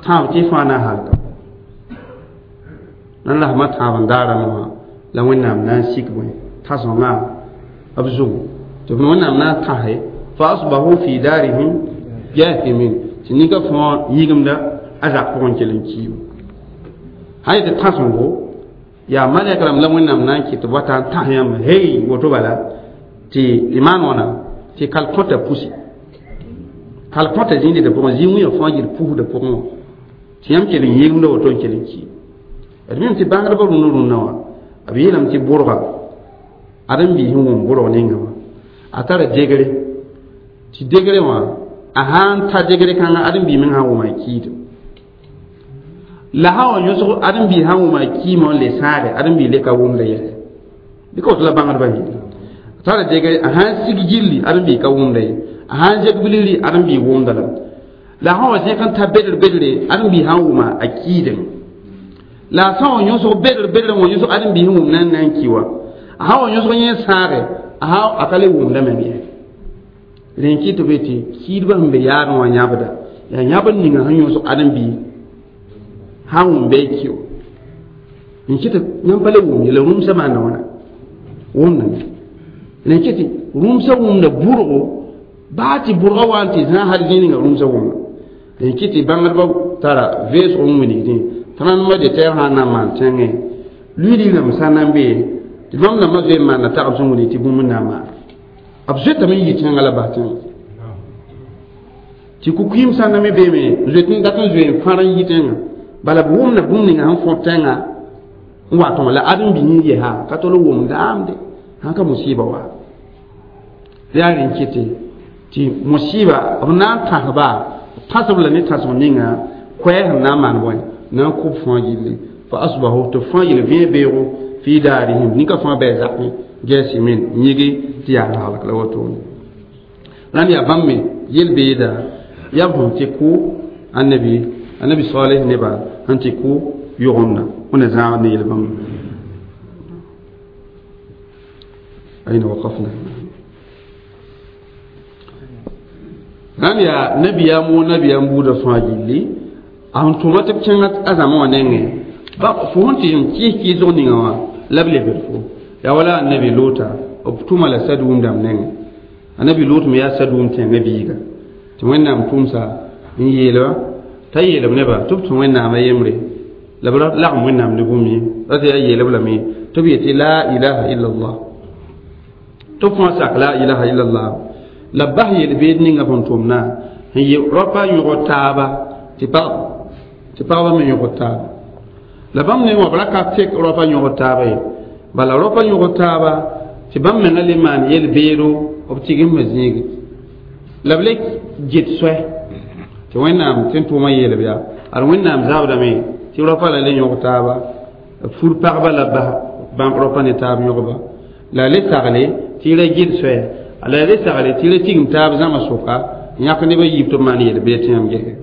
tãab tɩ fãa na n halka nan rasmã tãab n daara wã la wẽnnaam na n sik bõe tãsõngã b zugu tɩ b wẽnnaam na n tãse fa asbahu fi darihim jathimin tɩ ninka fãa yĩgemda a zak pʋgẽ kell n kiibu sã yetɩ tãsẽngo yaa malɛk rãmb la wẽnnaam na n kɩt tɩ b wata n tãs yãmb hey woto bala tɩ y maan wãna tɩ kal kõta pusi kal kõta zĩndda pʋgẽ zĩ-wĩyã fãa yel pusda pʋgẽ wã tɩ yãmb kell n yĩgemda woto n kell n ki d mim tɩ bãngdbã rũnã rũnã wã b yeelame tɩ bʋrga ad n biis n wʋm bʋrg ninga wã a tara degre tɩ degre wã a sã n ta degre kãngã ad n bii meng sã n wʋma a kiidem la sã wa yõsg ad n bii sã n wʋma a kiimã n le sãade ad n bii le ka wʋmda yɛsɛ bɩ ka woto la bãngdbã yɩ a tara degre a sã n sig gilli ad n bii ka wʋmda ye a sã n zeg bilgri ad n bii wʋmda lame la sã wa zẽk n ta bedr bedre ad n bii sã n wʋma a kiidem la a sã wa yõsg bedr bedr wã yõsg ad n bii sẽn wʋm na n na n ki wã a sã wa yõsg yẽ sãage a sã a ka le wʋmda meng ye rẽ n kɩ tɩ b yetɩ kiidbã sẽn be yaadẽ wã yãbda yaa yãbd ninga sẽn yõsg ad n bii sã n wʋm bɩ a ki n kɩ tɩ yãmb pa le wʋm ye la rũmsã maanda wãna wʋmdame rẽ kɩ tɩ rũmsã wʋmda bʋrgo baa tɩ bʋrga wa n tɩ zã hal zĩ ninga rũmsã wʋmda rẽ kɩ tɩ bãngdbã tara veesg n wilgdẽ tɩ rãndmã de tɛɛg sã n na n maan tẽngẽ luiili rãmb sã na n bee tɩ bãmb rãmbã zoe n maanda tagb sẽn wilg tɩ bũmb n na n maan b zoetame n yi tẽngã la bas tẽngã tɩ ku-kʋɩɩm sã na me beeme zoet n dat n zoe n fãr n yi tẽngã bala b wʋmda bũmb ninga sẽn fõt tẽngã n wa tõg la ad n bi n yesa ka tol n wʋm daamde sãn ka musiba wa yaa rẽn kɩte tɩ musiba b na n tãsba tãsb la ne tãsg ninga koɛɛ sẽn na n maan bõe na n kʋb fãa gilli fa asbahu tɩ fãa yel vẽe beoogo fi daarihim ninka fãa bɩ zakẽ gɛɛsimin yĩgi tɩ yaa halk la wotone rãnd yaa bãmb me yel-beeda yaa b sẽn tɩ kʋ annabi annabi saleh nebã sẽn tɩ kʋ yʋgemdã wẽnna zãagd ne yel-bãmba أين وقفنا rãnd yaa nabiyaam woo nabiyaam buudã fãa gilli a sẽn tʋma tɩ b kẽng a zãma wã nengẽ ba fo sẽn tɩ n kɩɩs kɩɩsg ninga wã la b lebd fo yaa wala annabi loota b tʋma la sadũum dãmb nengẽ annabi loot me yaa sadũum tẽngã biiga tɩ wẽnnaam tʋmsa n yeelba t'a yeelb nebã tɩ b tũ wẽnnaamã yembre la b lagem wẽnnaam ne bũmb ye ra tɩ yaa yeelb lame tɩ b yetɩ la ilaha illallah tɩ b fãa sak la ilaha illallah la b bas yel-beed ninga sẽn tʋmna n yɩ rapa yõgd taaba tɩ pagba me yõgd taaba la bãmb ne wã b ra ka tek rapa yõgd taaba ye bala rapa yõgd taaba tɩ bãmb menga le maan yel-beedo b tigemsã zĩigi la b le get soɛ tɩ wẽnnaam tɩ n tʋʋmã yeelb yaa ad wẽnnaam zabdame tɩ rapa la le yõg taaba fur pagba la bas bãmb rapa ne taab yõgba la le sagle tɩ ra get soɛ la le sagle tɩ ra tigim taab zãma sʋka n yãk nebã yiib tɩ b maan yel-beed tɩ yãmb gese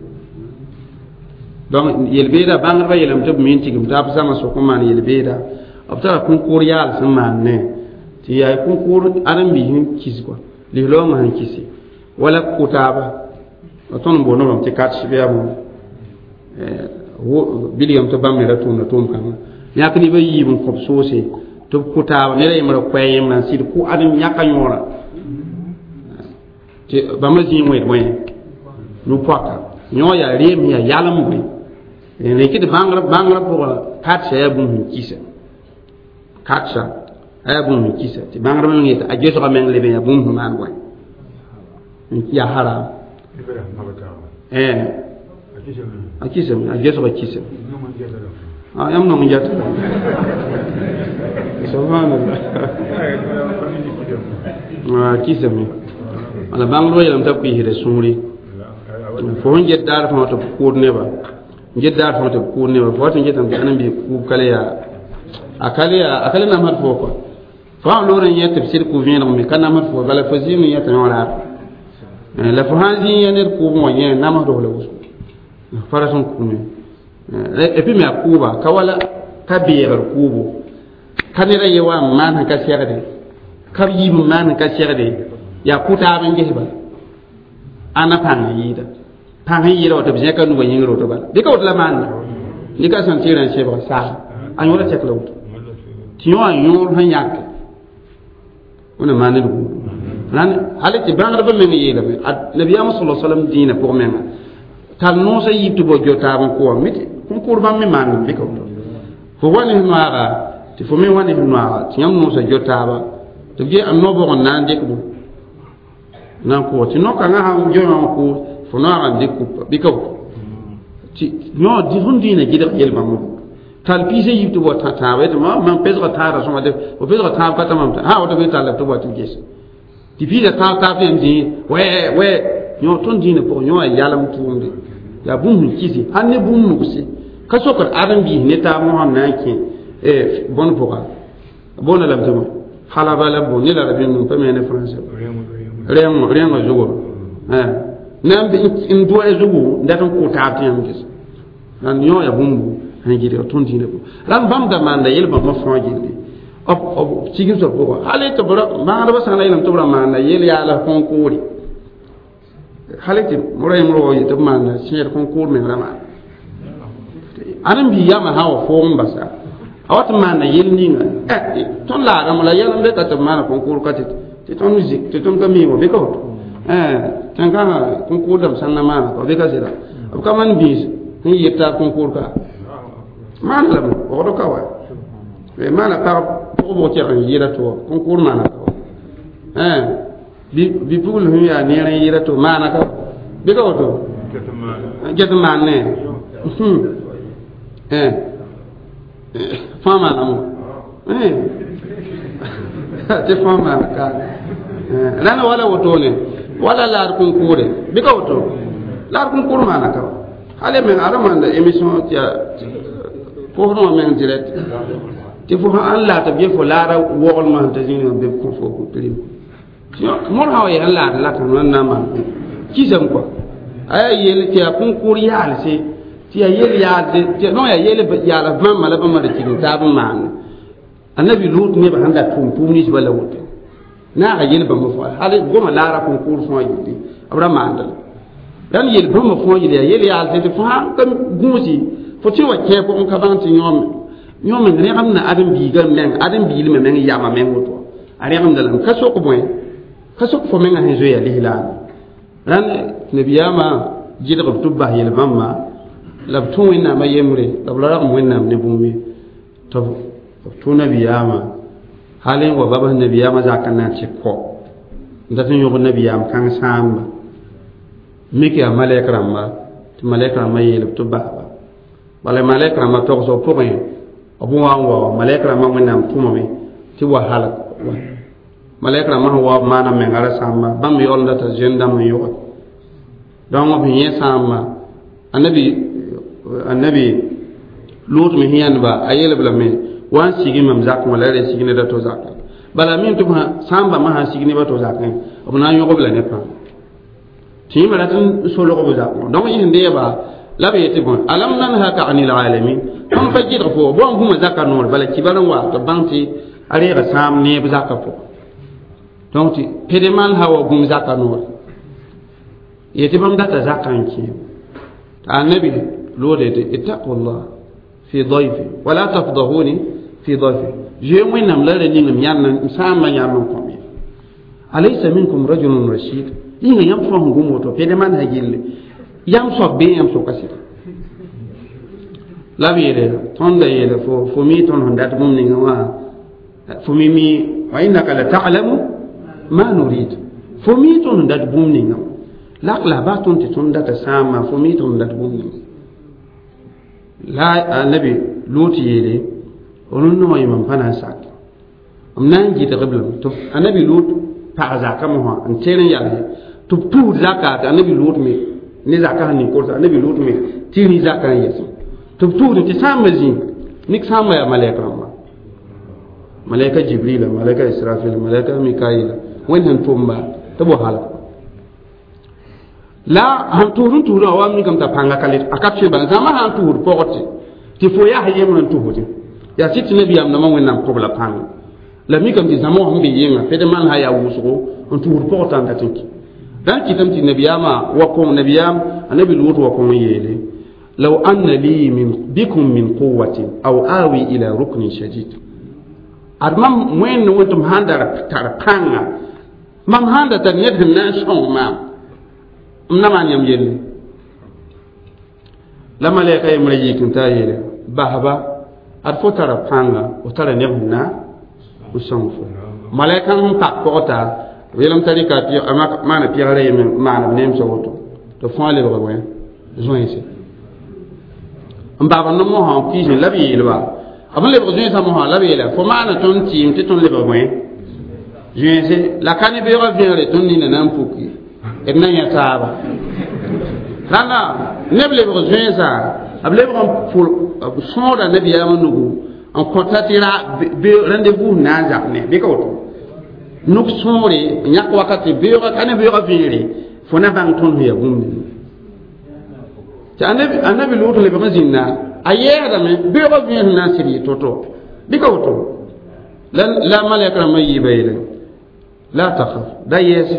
donc yel-beeda bãngdbã yeelame tɩ b me n tigim taab zãma sʋk n maan yel-beeda b tara kõnkʋʋr yaal sẽn maan ne tɩ yaa kõnkʋʋr ãdem-biis n kis kɔa lislaoongã sẽn kisi wala kʋ taaba tõnd n boond rãmb tɩ kat bɩ yaa bõe bilgame tɩ bãmb me ra tʋʋmda tʋʋm-kãngã yãk nebã yiib n kõb soose tɩ b kʋ taaba ned a yembra koɛɛ yembrã n sɩd kʋ adem yãka yõorã tɩ bãmba zĩig wẽed bõe Nu-poaka yõ yaa reem yaa yalem bõe rẽkd bãngrã pʋgã katsa yaa bũmb sẽn kisa katsa a yaa bũmb sẽn kisa tɩ bãngrã meng yetɩ a gesga meng leb n yaa bũmb sẽn maan bõe yaa haram a kisame a gesga kisame yãmb nong n geta subhanallah a kisame wala bãngdbã yeelame t'a kuisda sũuri fo sẽn get daar fãa tɩ b kʋʋd neba n get daar fãa tɩ b kʋʋd neba fo wat n getame tɩ ãdem-biis kʋʋb ka le yaa a ka le yaa a ka le namsd fo kɔa fo sã n loor n yẽ tɩ b sɩd kʋ-vẽeneg me ka namsd fo bala fo zĩig n yẽta yõ raar la fo sã n zĩ yã ned kʋʋbẽ wã yẽ namsd f la wʋsgo pa rat n kʋme et puis me a kʋʋba ka wala ka beegr kʋʋbo ka ned a ye wa n maan sẽn ka segde ka b yiib n maan sẽn ka segde yaa kʋ-taab n ges bala ãna pãng n yɩɩda pãng n yɩɩda wa tɩ b zẽka nubã yĩngr woto bala dɩka woto la maanda dɩka sẽn tɩ rã n sebga saasa a yõoda tɛk la woto tɩ yõ a yõor sẽn yãke wẽna maan ned gũudu rãnd hal tɩ bãngdbã meng yeelame nabiyaamã sala salam dĩinã pʋg menga tar noosã yiib tɩ bao jo taab n kʋ mi kõn-kʋʋr bãmb me maand bɩka woto fo wa ne noaaga tɩ fo me wa ne noaaga tɩ yãmb noosã jo taaba tɩ b ge a no-bʋg n na n dɩk bõ na n kʋʋg tɩ no-kãngã sãn jo wã n kʋʋs fo noaagã n dɩk kupa bɩka woto tɩ yõ sẽn dĩinã gɩdg yel-bãmb tall piisã yiib tɩ bao tãaba yetɩ mam pesga tãadã sõma dɩ fo pesga tãab ka ta mam sã woto bɩ tall tɩ bao tɩ b gese tɩ piisã tãab taab tɩ yãmb zĩ wɛ wɛ yõ tõnd dĩinã pʋgẽ yõ a yalem tʋʋmde yaa bũmb sẽn kisi hal ne bũmb nugse ka sokd ãdem-biis ne taab mosã n na n kẽ bõn pʋga boonda lame tɩ bõe halaba la bõn ne la rabĩnd pa me ne français rẽengã zugu na n doa zugu n dat n kʋ taab tɩ yãmb ges rãnd yõ yaa bũmbu sẽn gɩdg tõnd dĩinã pʋgẽ rãnd bãmb da maanda yel-bãmbã fãa gilli b tigim soab pʋgã hal tɩ bãagdbã sã n la yeelame tɩ b ra maanda yel yaala kõn-kʋʋre hal tɩ ra yẽmr wa yetɩ b maanda sẽed kõn-kʋʋr meng ra maana ãdem-biig yamã sã wa foog n basa a wat n maanda yel ninga tõnd laagame la yɛl n be ka tɩ b maana kõn-kʋʋr ka tɩ tõnd zik tɩ tõnd ka miime bɩ ka woto tẽn-kãngã kõn-kʋʋr dãmb sãn na maana ka bɩ ka sɩda b ka maan biis sẽn yɩ taab kõn-kʋʋr ka maana lame waoogd ka wa maana pag pʋgb tɛg n yɩɩda tɩ wa kõn-kʋʋr maana ka wa bi-pugl sẽn yaa neer n yɩɩda tɩ maana ka bɩ ka woto get n maan ne fãa maanamo tɩ fãa maana ka rãnd wala wotone wala laad kõn-kʋʋre bɩ ka woto laad kõn-kʋʋr maana ka hal meng a ra maanda émission tɩ yaa kosdẽ wã meng direct tɩ fo sãn laad tɩ b ge fo laada woglmã sẽn ta zĩig wã bɩ b kõ fo pirim mõr sã wa yaa n laad la kãng n na n maan kisame kɔa a yaa yel tɩ yaa kõn-kʋʋr yaalse tɩ yaa yel yaalse tɩ no yaa yel yaala bãmba la bãmba da tigim taab n maane annabi lut nebã sẽn da tʋʋm tʋʋm ninsbã la woto naaga yel bãmba fõa hal goma laara kõn-kʋʋr fõa yelle b ra maanda la rãnd yel bãmba fõa yelle yaa yel yaalse tɩ fo sãn ka gũusi fo tɩ wa kẽ pʋgẽ ka bãng tɩ yõ meng rẽgemda ãdem-biigã meng ãdem-biilmã meng yama meng woto a rẽgemda lame ka sok bõe ka sok fo mengã sẽn zoeya lislaam rãnd nabiyaamã gɩdg b tɩ b bas yel-bãmba la b tũ wẽnnaamã yembre la b la ragem wẽnnaam ne bũmb ye tɩ b tũ nabiyaamã hal n wa babs nabiyaamã zak n na n tɩ kɔ n dat n yõg nabiyaam kãng sãamba mik yaa malɛk rãmba tɩ malɛk rãmbã yeel b tɩ b basba bala malɛk rãmbã togsg pʋgẽ b wa n wa malɛk rãmbã wẽnnaam tʋmame tɩ wa halg malɛk rãmbã sẽn wa b maana menga ra sãamba bãmb yaool n data zoen dãmb n yʋge donc b yẽ sãamba annabi annabi lut me sẽn yãndba a yeel b lame wa n sigi mam zakẽ wã la ra sig ned a to zakẽ bala min tɩ sãn bãmbã sãn sig neb a to zakẽ b na n yõg b la ne pãng tɩ yẽmba rat n solg b zakẽ donc yẽ sẽn deeba la b yetɩ bõe alam nanhaka anil alamin tõnd pa gɩdg fo bõn bũmã zaka noor bala kibar n wa tɩ b bãng tɩ a reega sãam neeb zakã pʋgẽ donc tɩ pede maan sã wa gũm zaka noor yetɩ bãmb data zakã n kẽem tɩ annabi loode tɩ ittaqullah fi dayfi wala tafdahuni fi dayfi zoe wẽnnaam la ra ning m yãnd m sãambã yãnd n kõm ye alaysa minkum rajulun rashid yĩnga yãmb fãa sẽn gũm woto pede maan sã gilli Yam soab bee yãmb soka sɩda la b yeele tõnd da yeele fo mi tõnd sẽn dat bũmb ninga wã fo mi mi wa innaka la ta'lamu ma nurid fo mi tõnd sẽn dat bũmb ninga la la ba tõnd tɩ tõnd data sãama fo mi tõnd dat bũmb ninga la anabi Lut yeele rũndã wã yẽmam pa na n sak m na n gɩdgb lame tɩ anabi Lut pag zakã mosã n ter n yalse tɩ b tuud zaka tɩ anabi Lut me ne zaka sẽn ning kolsa anabi Lut me tɩ rĩ zakã n yɛsẽ tɩ b tuud tɩ sãamba zĩ nik sãamba yaa malɛk rãmba malɛka Jibrila malɛka Israfil malɛka Mikaila wẽnd sẽn tʋmba tɩ b wa halg la sẽn tʋʋd n tuudã wa mikame t'a pãnga ka le a ka tõe bala zãma sã n tʋʋd pɔgte tɩ fo yaa yembr n tʋsdẽ yaa sɩd tɩ nabiyaam nambã wẽnnaam kõb la pãnga la mikame tɩ zãma wã sẽn be yẽnga ped maan sã yaa wʋsgo n tʋʋd pɔgtã n dat n kɩ dãn kɩtame tɩ nabiyaamã wa kõng nabiyaam anabi Lut wa kõng yeele law anna li min bikum min quwatin aw awi ila ruknin shadid ad mam wẽnd wẽn tɩ m sãn da tar pãnga mam sãn da tar ned sẽn na n sõng maam m na maan yãmb yelle la malɛka yembrã yik n taa yeele basba ad fo tara pãnga fo tara neb sẽn na n sõng fo malɛka sẽn pak pɔgta b yeelame t'a rɩka maana pɛgrã yeme maan b nemsã woto tɩ fõa lebg wẽ zoẽnse n baaba no-mosã n kuisẽ la b yeelba b lebg zoẽnsã mosã la b yeela fo maana tõnd tɩɩm tɩ tõnd lebg wẽ zoẽnse la ka ne beoogã vẽegre tõnd nina na n puki d na yã taaba rãnda neb lebg zoẽnsã b lebg n pʋl b sõoda nabiyaamã nugu n kõta tɩ rendez-vous na n zak ne bɩ ka woto nuk sõore n yãk wakat beoogã ka ne beoogã vẽegre fo na bãng tõnd sẽn yaa bũmb ninga tɩ anabi Lut lebg n zĩnda a yɛɛdame beoogã vẽeg sẽn na n sɩd yɩ to-to bɩ ka woto la malɛk rãmbã yiiba yeele la takhaf da yɛɛse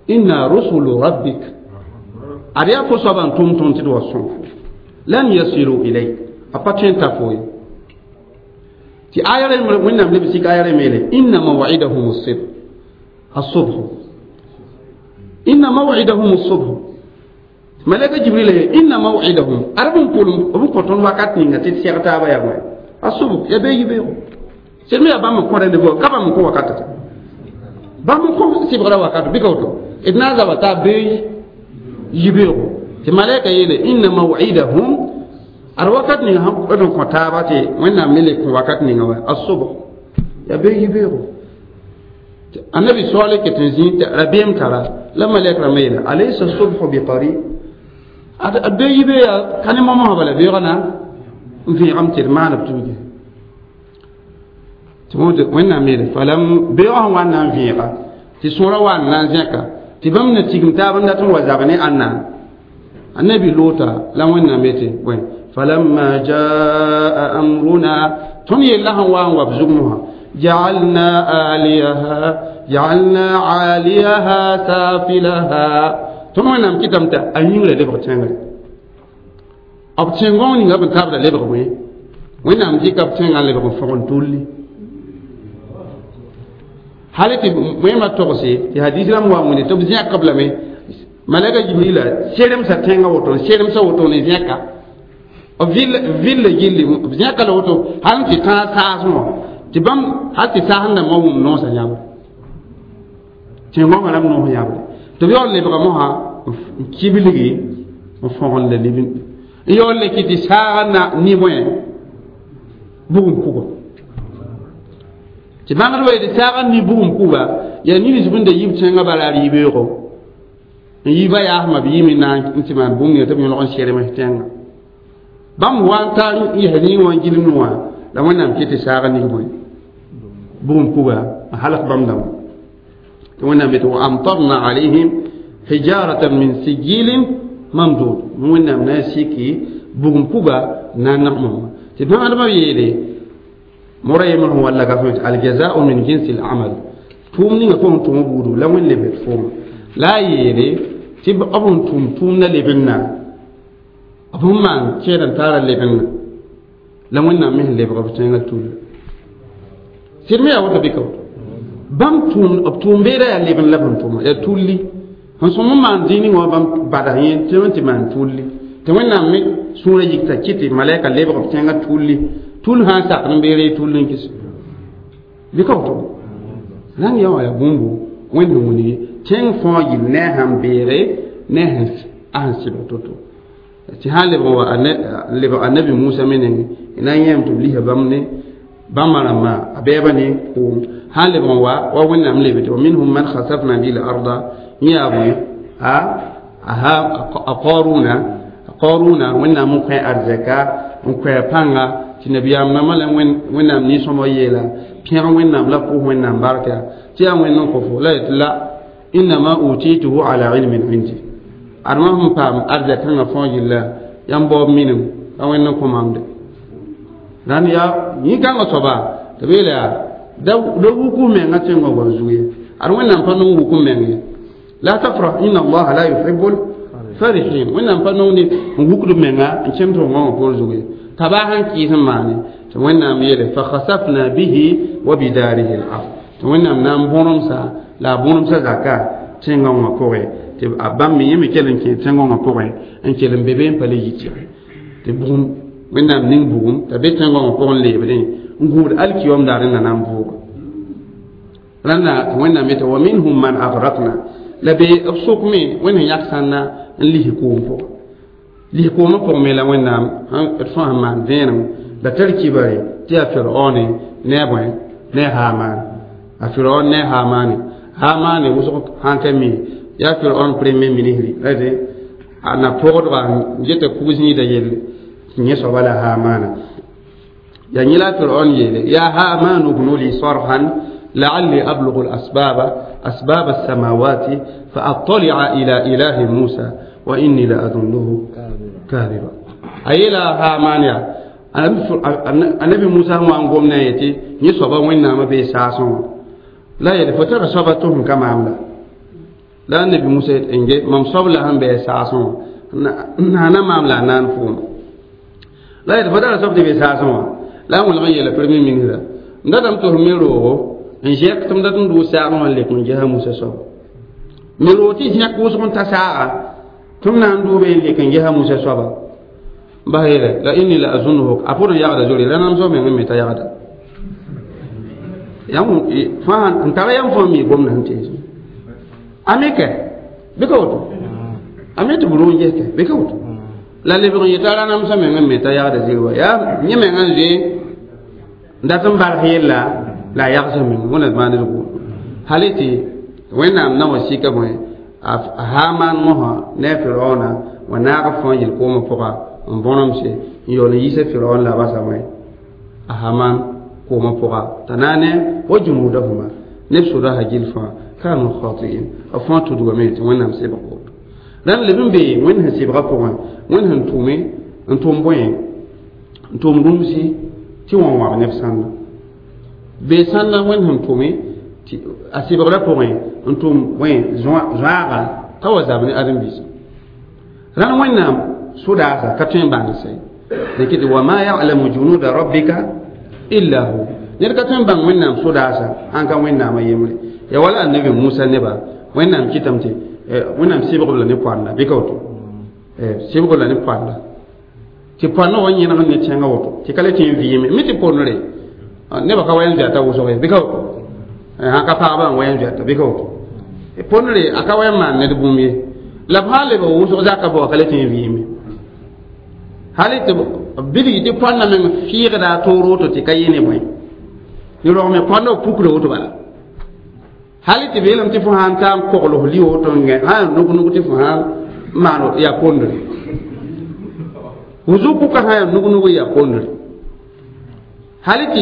inna rusulu rabbik ad yaa fo soaba n tʋm tõnd tɩ d wa sõng lan yasilu ilayk a pa tõe n ta fo ye tɩ aya rẽ wẽnnaam leb sik aya rẽ meele inna maw'idahum as-subh inna maw'idahum as-subh malaka Jibril ye inna maw'idahum ad b n kolem b n kõ tõnd wakat ninga tɩ d sɛg taaba yaa wẽ as-subh ya bee yibeoogo sẽd me yaa bãmb n kõ rendez-vous ka bãmb n kõ wakatata bãmb n kõ sɩbgrã wakat bɩ ka woto d na n zaba taa bee yibeoogo tɩ malɛka yeele inna maw'idahum ad wakat ninga sẽn d n kõ taaba tɩ wẽnnaam me le kõ wakat ninga wa as-subh yaa bee yibeoogo annabi soale ket n zĩ tɩ rabeem tara la malɛk rãmbã yeele alaysa subhu biqarib ad bee yibe yaa ka ne momsã bala beoogã na n vẽegame tɩ d maan b tuuge tɩ wẽnnaam yeele falam beoogã sẽn wa n na n vẽega tɩ sõora wa n na n zẽka tɩ bãmb na tigim taab n dat n wa zab ne ãnna annabi Loota la wẽnnaam yetɩ bõe falamma jaa amruna tõnd yella sẽn wa n wa b zug mosã ja'alna aliyaha ja'alna 'aliyaha safilaha tõnd wẽnnaam kɩtame tɩ a yĩngrã lebg tẽngre b tẽn-gõng ninga b n taabda lebg wẽ wẽnnaam dɩka b tẽngã n lebg n fõgen tulli hal tɩ wẽmã togse tɩ hadis rãmb wa n wẽnde tɩ b zẽkb lame malɛka Jibrila seremsa tẽngã woto n seremsa woto ne zẽka b villa gilli b zẽka la woto hal n tɩ tãag saasẽ wã tɩ bãmb hal tɩ saasẽn dãmbã wʋm noosã yãbre tẽn-gõngã rãmb noos yãbre tɩ b yaool lebga mosã n kiblgi n fõgen la lib n yaool le kɩ tɩ saagã na ni-bõe bugum kuga tɩ bãngdbã yetɩ saagã ni bugum kuga yaa nins bẽn da yib tẽngã bala r yibeoogo n yiba yaasmã b yɩme na n tɩ maan bũmb ninga tɩ b yõlg n serms tẽngã bãmb wa n tar n yɛs yĩng wã n gilmd wã la wẽnnaam kɩ tɩ saagã ning bõe bugum kuga n halk bãmb dãmba tɩ wẽnnaam yetɩ wa amtarna alayhim hijaratan min sijilin mamdud wẽnnaam na n siki bugum kuga na n nagmame tɩ bãgdbã yeele mora yembr sẽn walla ka fõe aljazau min jinsi al-amal tʋʋm ninga fo sẽn tʋm buudu la wẽn lebd fooma la a yeele tɩ b sẽn tʋm tʋʋmda lebenda b sẽn maan kẽed n taara lebenda la wẽnnaam me sẽn lebg b tẽngã tulla sɩd me yaa woto bɩ ka woto bãmb tʋʋm b tʋʋm beeda yaa lebend la b sẽn tʋma yaa tulli N sõm n maan zĩig ning wã bãmb bada yẽ tɩ tɩ maan tulli tɩ wẽnnaam me sũurã yikta kɩ tɩ malɛka lebg b tẽngã tulli tul sã n sak n beere tul n kɩs bɩ ka woto rãnd yaa wã yaa bũmbu wẽnd sẽn wilgi tẽng fãa yil ne a sẽn beege ne a sẽn sɩbg to-to tɩ sã n lebg wa lebg annabi musa me nengẽ na n yẽem tɩ b lisa bãmb ne bãmba rãmbã a bɛɛba ne koom sã n lebg n wa wa wẽnnaam lebe tɩ wa minhum man khasafna bihi l-arda yẽ yaa bõe a qaruna qaruna wẽnnaam n kõ arzɛka n kõ a pãnga tɩ nabiyaam nambã la wẽnnaam nin-sõmb yeela pẽg wẽnnaam la pʋʋs wẽnnaam barka tɩ yaa wẽnd n kõ fo la yetɩ la innama utituhu ala ilmin indi adma sẽn paam arzɛk-kãngã fãa yilla yãmb baoob minim ka wẽnd n kõ maam de rãnd yaa yĩn-kãngã soaba tɩ b yeela yaa da wuk f mengã tẽngã goam zug ye ad wẽnnaam pa nong wuk m meng ye la tafrah inna allaha la yuhibbul farihin wẽnnaam pa nong ne n wukd menga n kẽmd f wãngã poor zug ye t'a baa sẽn kɩɩs n maane tɩ wẽnnaam yeele fa khasafna bihi wa bidarihi l-ard tɩ wẽnnaam na n bõremsa la a bõremsa zaka tẽngã wã pʋgẽ tɩ a bãmb me yẽ me kell n kẽ tẽngã wã pʋgẽ n kell n be be n pa le yi tɩge tɩ bugum wẽnnaam ning bugum t'a be tẽngã wã pʋgẽ n leebdẽ n gũud alkiyom daar n na na n vʋʋga rãnda tɩ wẽnnaam yeta wa minhum man agrakna la be b sʋk me wẽnd sẽn yak sãnna n lis koom pʋgẽ lis koomã pʋgẽ me la wẽnnaam d fãa sẽn maan vẽenem la tar kibare tɩ yaa firaone ne a bõe ne a haamaane a firaon ne a haamaane haamaane wʋsg sãn ka mi yaa firaon premier ministre rate a na pʋgdga n geta kug-zĩida yelle tɩ yẽ soaba la haamaana yaa yẽ la firaon yeele yaa haamaanu bnu li sarhan لعلي أبلغ الأسباب أسباب السماوات فأطلع إلى إله موسى وإني لأظنه كاذبا أي لا هامان النبي موسى هو أن قمنا يتي يصبا وين ما بيساسون لا يدي فترى صبتهم كما عملا لا النبي موسى إنجي مم صب لهم بيساسون نانا ما عملا نان فوم لا يدي فترى صبت بيساسون لا ولا يلا برمي من هذا ندم تهميرو n zɛk tɩ m dat n dʋʋ saagẽ wã n lek n ges a Musa soaba me roog tɩ zẽk wʋsg n ta saaga tɩ m na n dʋʋbe n lek n ges a Musa soaba bas yeele la inni la azunuhu a pʋd n yagda zori la nam soab meng n me t'a yagda fãa n tara yãmb fãa mi gomda sẽn tees a me kɛ bɩ ka woto a me tɩ b rʋʋ n ges kɛ bɩ ka woto la lebg n yeta ra namsã meng n me t'a yagda ziri wa yaa yẽ meng n zoe n dat n barg yella la yagsa meng wẽna maand d gʋʋm hal tɩ wẽnnaam na wa sika bõe a hamaan mosã ne a firaoona wa naag fãa yel koomã pʋga n bõnemse n yaool n yiisa firaon la a basa bõe a hamaan koomã pʋga t'a naane wa junudahuma neb soda sã gil fãa kanu khatiin b fãa tudgame tɩ wẽnnaam sebg woto rãnd leb n bee wẽnd sẽn sebgã pʋgẽ wẽnd sẽn tʋme n tʋm bõe n tʋm rũmsi tɩ wã wãb neb sãnda bee sãnda wẽnd sẽn tʋme tɩ a sebgrã pʋgẽ n tʋm bõe zoaaga t'a wa zab ne ãdem-biisã rãnd wẽnnaam sodaasa ka tõe n bãng sɛ dẽk tɩ wa ma yalamu junuda rabbika illa hu ned ka tõe n bãng wẽnnaam sodaasa sãn ka wẽnnaamã yembre ya wala annabi musa neba wẽnnaam kɩtame tɩ wẽnnaam sɩbg b la ne poanda bɩ ka woto sɩbg b la ne poanda tɩ poandã wa yẽneg ne tẽngã woto tɩ ka le tẽ n vɩɩme mi tɩ pondre nebã ka wa n zoɛta wʋsg ye bɩ ka woto sãn ka pagba n wa n zoɛta bɩ ka woto pondre a ka wa n maan ned bũmb ye la b sã n leb wʋsg zaka bao ka le tẽ n vɩɩme hal tɩ bilg tɩ poandã meng fɩɩgda a toor woto tɩ ka yɩ ne bõe ne rogme poandã b pukra woto bala hal tɩ beelame tɩ fo sãn ta n kogl f li woto n gẽ sã n nug-nug tɩ fo sãn maan yaa pondre wʋsg kʋka sã yaa nug-nug yaa pondre hal tɩ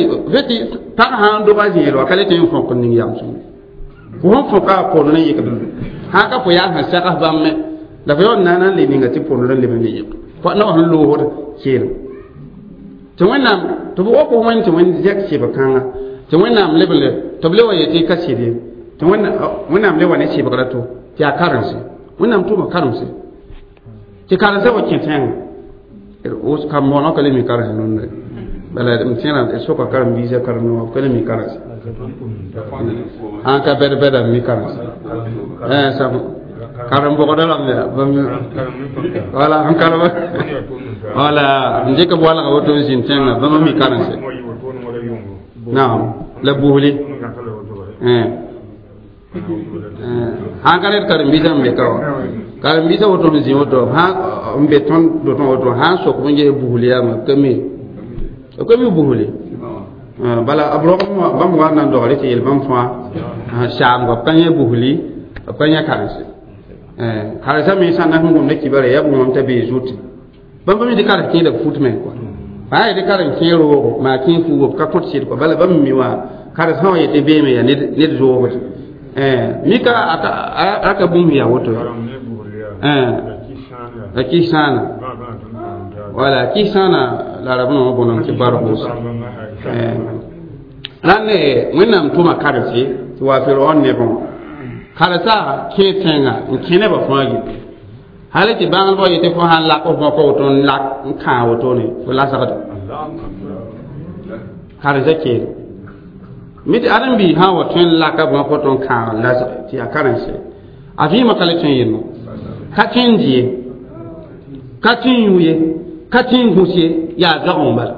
tɩ pag sã n dog a zẽed wa ka le tɩ n fõk n ning yam sõnge fo sẽn fõka a pondr n yɩkd sã ka fo yaa sẽn sags bãmb me la fo yaool na n le ninga tɩ pondr n leb n le yɩk na wa sẽn loosd keelem tɩ wẽnnaam tɩ b wok wẽnd tɩ wẽnd zɛk sɩb kãnga tɩ wẽnnaam leb le tɩ b le wa yetɩ ka sɩd ye tɩ wẽnnaam le wa ne sɩbgra to tɩ yaa karense wẽnnaam tʋma karemse tɩ karensã wa kẽ tẽngã kam-moonã ka le mi karense nonde bala m tẽra d soka karen-biisã karen-noogã b ka le mi karense sãn ka bɛd-bɛda n mi karense Karen bɔgɔdɔ la mɛ wala n karem wala n dɩk b walga woto n zĩnd tẽngã bãmb mi karense naam la buusli sãn ka ned karen-biisã n be ka wã karen-biisã woto n zĩ woto n be tõnd dotẽ woto sã n sok b n ges buusl yaama b ka mi b ka mi buusli bala b rog bãmb wa n na n dogre tɩ yel bãmb fãa saamga b ka yẽ buusli b ka yẽ karense karensã me sã n na sẽn gomda kibara yaa b wõm t'a bee zut bãmb pa mi tɩ karen kẽeda fut me kɔa fãa yetɩ karen kẽ roogo maa kẽ fuugo b ka kõt sɩd kɔa bala bãmb mi wã karensã wã yetɩ beeme yaa ned zoogd mika aka bũmb yaa woto la kis-sãana wala kis-sãana la rab nã bõnem tɩ bar-gʋʋs rãnd wẽnnaam tʋma karense tɩ wa firaon nebẽ wã karensa kẽ tẽnga n kẽ nebã fãa gil hal tɩ bãngdbã yetɩ fo sãn lak f bõka woto n lak n kãag wotone fo lasgda karensa keere mi tɩ ãdem-biis sã n wa tõe n laka bõk woto n kãag n lasge tɩ yaa karense a vɩɩmã ka le tõe n yelmo ka tõe n di ye ka tõe n yũ ye ka tõe n gũs ye yaa zoagẽ bala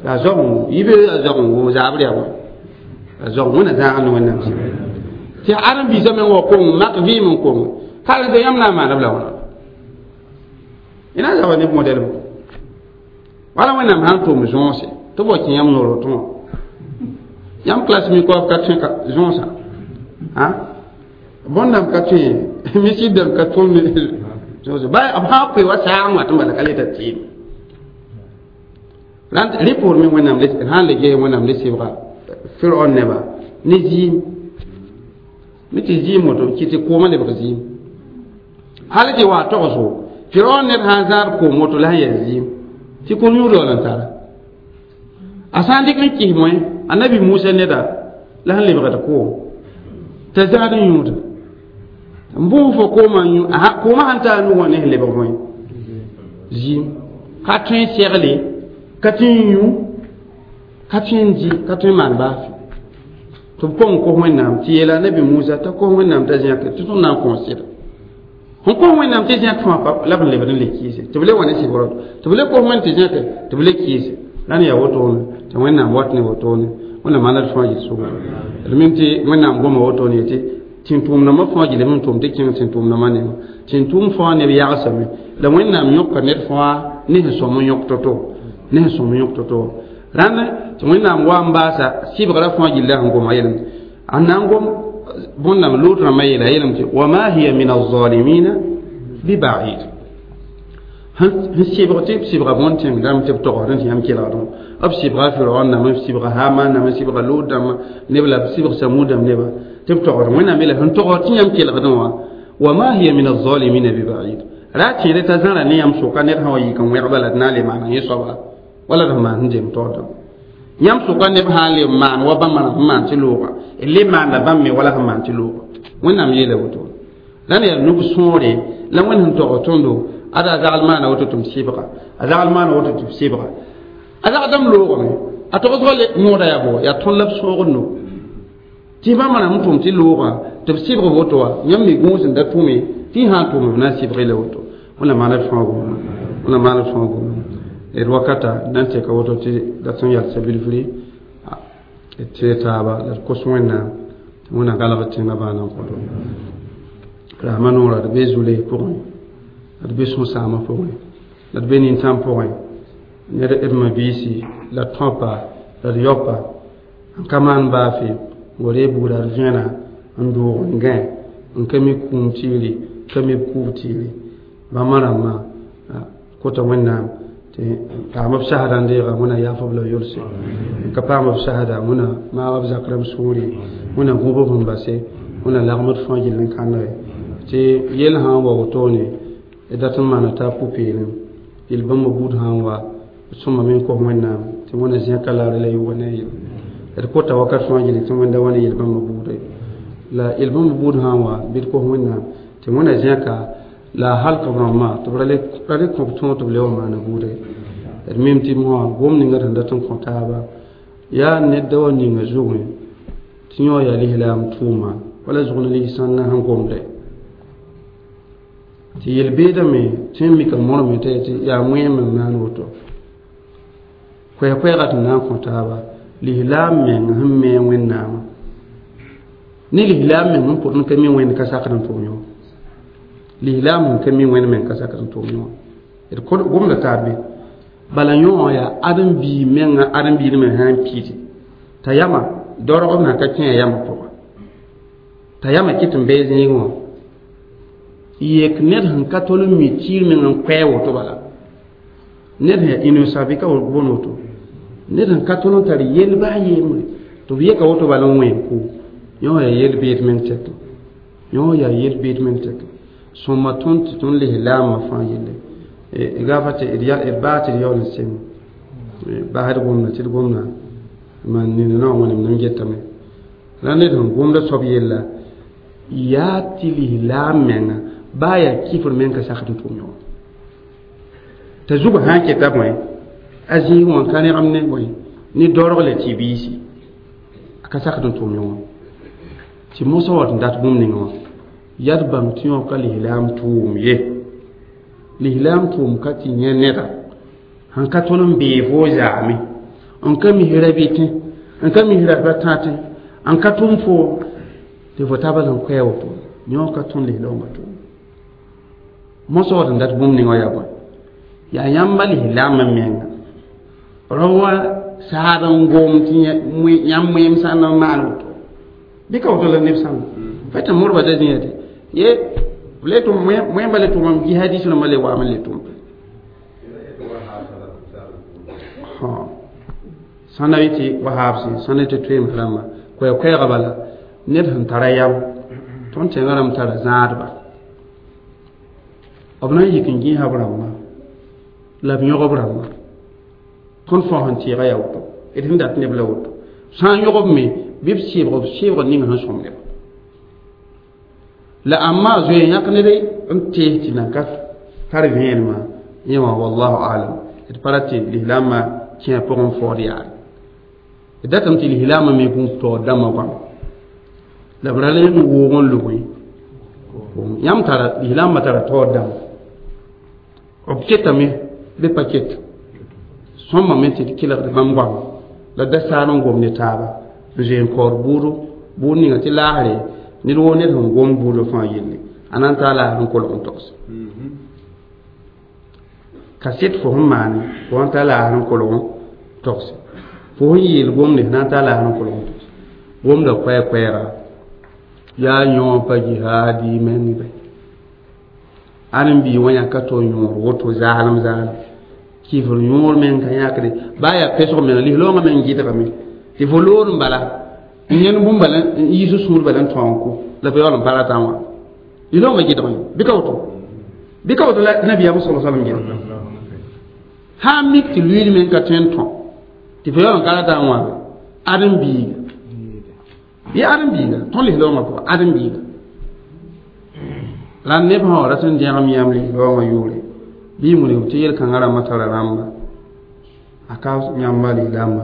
yaa zoagẽ yibe yaa zoagẽ zaabr yaa bõe yaa zoagẽ wẽnna zãag ne wẽnnaam sɩ tɩ ãdem-biisã meng wa kong mak vɩɩm n kong karense yãmb na n maana b la wãna y na n zaba neb modɛl bõ wala wẽnnaam sãn tʋm zõose tɩ b wa kẽ yãmb noor woto wã yãmb classe mi koab ka tõe zõosã bõn-dãmb ka tõe misib dãmb ka tʋm zõose ba b sã n koe wa saag wã tɩ bala ka le t'a tɩɩm rẽ poor me wẽnnaam sãn le ges wẽnnaam le sɩbga firaon neba ne zɩɩm mi tɩ zɩɩm woto kɩ tɩ koomã lebg zɩɩm hal tɩ wa togsgo firaon ned sã n zãad koom woto la sẽn yaa zɩɩm tɩ kom yũud yaool n tara a sã n dɩk n kɩs moẽ annabi musa neda la sẽn lebgd koom t'a zãad n yũuda n bʋʋs fo koomã yũ koomã sãn taa nug wã ne sẽn lebg moẽ zɩɩm ka tõe n segle ka tõe n yũ ka tõe n dɩ ka tõe n maan baafɩ tɩ b kong kos wẽnnaam tɩ yeela nabi musa t'a kos wẽnnaam t'a zẽk tɩ tõnd na n kõs sɩda sẽn kos wẽnnaam tɩ zẽk fãa pa la b n lebd n le kɩɩse tɩ b le wa ne sɩbrɔ tɩ b le kos wẽnd tɩ zẽke tɩ b le kɩɩse la ne yaa wotone tɩ wẽnnaam wat ne wotone wẽnnaam maana d fãa gil sʋga d mim tɩ wẽnnaam goma wotone yetɩ tẽn-tʋʋmdãmbã fãa gilem n tʋm tɩ kẽng tẽn-tʋʋmdãmbã nengã tẽn-tʋʋm fãa neb yagsame la wẽnnaam yõka ned fãa ne sẽn sõm n yõk to-to ne sẽn sõm n yõk to-to rãnd tɩ wẽnnaam wa n baasa sɩbgrã fãa gilla sẽn goma yelem a na n gom bõn-dãmb loot rãmbã yeela yelem tɩ wama hiya min alzalimina bibaid sẽn sɩbg tɩ b sɩbga bõn-tẽng dãmb tɩ b togsd tɩ yãmb kelgdẽ b sɩbga firaon dãmb b sɩbga haman dãmb b sɩbga loot dãmb neb la b sɩbg samud dãmb neba tɩ b togsd wẽnnaam yeela sẽn togsd tɩ yãmb kelgdẽ wã wama hiya min alzalimina bibaid ra tẽede t'a zãra ne yãmb sʋka ned sã wa yik n wẽgba la d na n le maana yẽ soaba wala d sẽn maan sẽn jem taoor dãmb yãmb sʋka neb sã n le maan wa bãmb sẽn maan tɩ looga d le maanda bãmb me wala sẽn maan tɩ looga wẽnnaam yeela woto la ne yaa nug sõore la wẽnd sẽn togs tõndo ada a zagl maana woto tɩ m sɩbga a zagl maana woto tɩ b sɩbga a zagdame loogame a togsgã le yõoda yaa bo yaa tõnd la b sõogd no tɩ bãmb rãmb n tʋm tɩ loogã tɩ b sɩbg woto wã yãmb me gũus n da tʋme tɩ y sã n tʋme b na n sɩbg la woto wẽnna maana d fãa gomna wẽnna maana d fãa gomna d wakata na n tɛka woto tɩ dat n yalsa bilfri d tee taaba la d kos wẽnnaam tɩ wẽnna galg tẽngã baana n kõto rasma noora d be zuley pʋgẽ la d be sũ-sãamã pʋgẽ la d be nintãm pʋgẽ ned d mabiisi la d tõpa la d yaopa n ka maan baafe n wa ree buuda d vẽena n doog n gãe n ka mi kũum tiiri ka mi b kuub tiiri bãmba rãmbã kota wẽnnaam tɩ paam b sasda n deega wẽna yaaf b la yolse n ka paam b sasda wẽna maag b zak rãmb sũuri wẽna gũub b sẽn base wẽna lagm d fãa gill n kãnege tɩ yell sã n wa wotone d dat n maana t'a pʋ-peelem yel bãmb buud sã n wa d sõmame n kos wẽnnaam tɩ wẽna zẽka laare la yʋʋga ne a yel d kota wakat fãa gilli tɩ wẽnda wa ne yel bãmb buude la yel bãmb buud sã n wa bɩ d kos wẽnnaam tɩ wẽna zẽka la halk b rãmbã tɩ b ra le kõ b tõog tɩ b le wa maana buude d mim tɩ mosã gom ninga sẽn dat n kõ taaba yaa ned da wa ninga zugẽ tɩ yõ yaa lislaam tʋʋma wala zʋgn ligsãnna sẽn gomde Tɩ yel-beedame tɩ mika morme tɩ yaa wẽem n maan woto koɛɛ-koɛɛga tɩ na n kõ taaba lislaam meng sẽn me wẽnnaamã ne lislaam meng n pʋd n ka mi wẽnd ka sakd n tʋm yõ lislaam n ka mi wẽnd meng ka sakd n tʋm yõ d gomda taab be bala yõ yaa ãdem-biig menga ãdem-biid me sã n piide t'a yama dorg b na ka kẽ a yama pʋga t'a yama kɩt n bee zĩigẽ wã yek ned sẽn ka tol n mi tiir meng n koɛɛ woto bala ned sẽn yaa innocent bɩ ka boond woto ned sẽn ka tol n tar yel baa yembre tɩ b yeka woto bala n wẽen kʋ yõ yaa yel-beed meng tɛk yõ yaa yel-beed meng tɛk sõma tõnd tɩ tõnd lislaamã fãa yelle gafa tɩ d baa tɩ d yaool n seng basd gomda tɩ d gomda man nina na wãnem nan getame la ned sẽn gomda soab yella yaa tɩ lislaam menga baa yaa kifr meng ka sakd n tʋm yõ t'a zugã sã n keta bõe a zĩig wã ka rẽgem ne bõe ne dorg la tɩ biisi a ka sakd n tʋm yõ wã tɩ mosã wat n dat bũmb ninga wã yaa d bãng tɩ yõ ka lislaam tʋʋm ye lislaam tʋʋm ka tɩ yẽ neda sẽn ka tõnd n bee fo zaame n ka mis rabɩtẽ n ka mis rabã tãtẽ n ka tʋm fo tɩ fo taaba n koɛɛ woto yõ ka tõnd lislaoongã tʋʋm mosã wat n dat bũmb ninga wã yaa bõe yaa yãmba lislaamã menga rao wã saad n gom tɩ yãmb wẽem sã n maan woto bɩ ka woto la neb sãnga fa tɩ modba da zĩya tɩ ye le tʋm wẽmba le tʋmam jihadis rãmbã le waam n le tʋm sãn na tɩ wahabsẽ sãn tɩ toeem rãmba koɛɛ-koɛɛga bala ned sẽn tara yam tõnd tẽngã rãmb tara zãadba b na n yik n gẽesa b rãmba la b yõg b rãmba tõnd fao sẽn tɩɩga yaa woto d sẽn dat neb la woto sã n yõg b me bɩ b sɩbg b sɩbg ning sẽn sõm neba la amma zoe yãk ned n tees tɩ nan ka tar vẽenemã yẽ wã wallahu alam d pa ra tɩ lislaamã kẽ pʋgẽ faood yaare d datame tɩ lislaamã me gũub taoor dãmbã goama la b ra le n woog n lʋgẽ yãmb tara lislaamã tara taoor dãmba b ketame bɩ pa ket sõmbame tɩ d kelgd bãmb goama la da saar n gom ne taaba n zoe n kaood buudo buud ninga tɩ laasre ned woo ned sẽn gom buudã fãa yelle a na n taa laasr n kolg n togs kaset fo sẽn maane fo sẽn taa laasr n kolg n togse fo sẽn yeel gomde na n taa laasr n kolg n togse gomda koɛɛ-koɛɛga yaa yõ pa jihaadi meng bɛ ãdem-biig wã yãka tɩ yõor woto zaalem zaalem kifr yõor meng ka yãkde baa yaa pesg meng lislaoongã meng gɩdgame tɩ fo loor n bala n yẽnd bũmb bala n yiis sũur bala n tõog n kʋ la fo yaool n pa ratã wã lislaoongã gɩdgame bɩ ka woto bɩ ka woto la nabiyaam sala salam gɩdg sã n mik tɩ luiid meng ka tõe n tõ tɩ fo yaool n ka ratã wã ãdem-biiga bɩ ãdem-biiga tõnd lislaoongã pʋga ãdem-biiga la neb sã wa rat n dẽgem yãmb lislaoongã yʋʋre bɩ wilg tɩ yel-kãngã rãmbã tara rãmba a ka yãmba lislaambã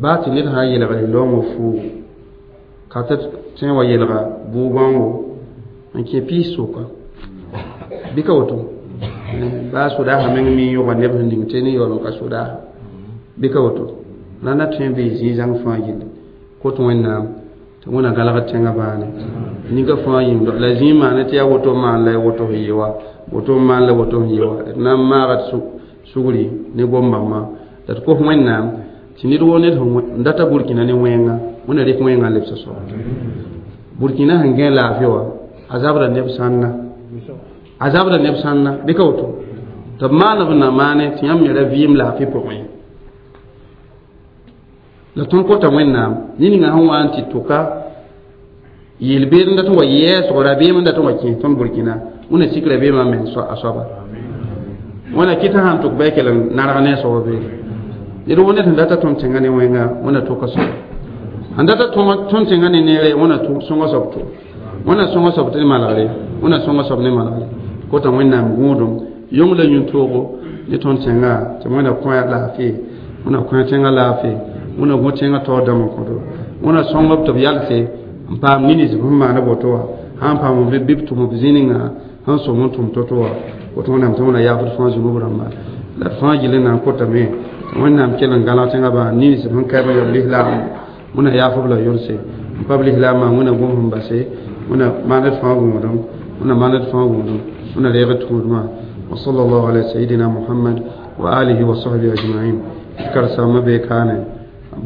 baa tɩ ned sã n yelga lislaoongã fuugo ka tɩ tõe wa yelga bʋʋ-bãngo n kẽ piis sʋka bɩ ka woto baa sodaasã meng mi yõga neb sẽn ning tɩ ne yaool n ka sodaasã bɩ ka woto la na tõe n bee zĩig-zãng fãa yelle kot wẽnnaam tɩ wẽna galgd tẽngã baane ninga fãa yĩng la zĩig maane tɩ yaa woto maan la woto sẽn yɩ wa woto n maan la woto sẽn yɩ wa d na n maagd sugri ne gom-bãmbã la d kos wẽnnaam tɩ ned woo ned sẽn data burkina ne wẽnga wẽna rɩk wẽngã n lebs soaba burkina sẽn gẽ laafɩ wã a zabda neb sãnna a zabda neb sãnna bɩ ka woto tɩ b maan b na maane tɩ yãmb me ra vɩɩm laafɩ pʋgẽ ye la tõnd kota wẽnnaam ne ninga sẽn wa n tɩ tʋka yel-beed n dat n wa yɛɛsg rabeem n dat n wa kẽes tõnd burkina wẽna sik rabeemã meng a soaba wẽna kɩt sãn tʋk bɩ kell n narg ne a soaba beele ned woo ned sẽn data tõnd tẽngã ne wẽnga wẽna tʋka soaba sẽn data tõnd tẽngã ne neere wẽna sõnga soab tʋ wẽna sõnga soab tɩ ne malgre wẽna sõnga soab ne malgre kota wẽnnaam gũudum yong la yũn-toogo ne tõnd tẽngã tɩ wẽna kõ laafɩ wẽna kõ tẽngã laafɩ wẽna gõ tẽngã taoor dãmb n kõto wẽna sõngb tɩ b yalse n paam nins b sẽn maana woto wã Sãn paam b bɩ b tʋm b zĩ-ninga sẽn sõm n tʋm to-to wã woto wẽnnaam tɩ wẽna yaafd fãa zunub rãmba la d fãa gill n na n kotame tɩ wẽnnaam kell n gãlg tẽngã bã nins sẽn kaɩb n yab lislaam wẽna yaaf b la yʋlse n pa b lislaamã wẽna gom sẽn base wẽna maand d fãa gũudum wẽna maand d fãa gũudum wẽna reeg d tũudmã. وصلى الله على سيدنا محمد وآله وصحبه أجمعين. كرسام بكانه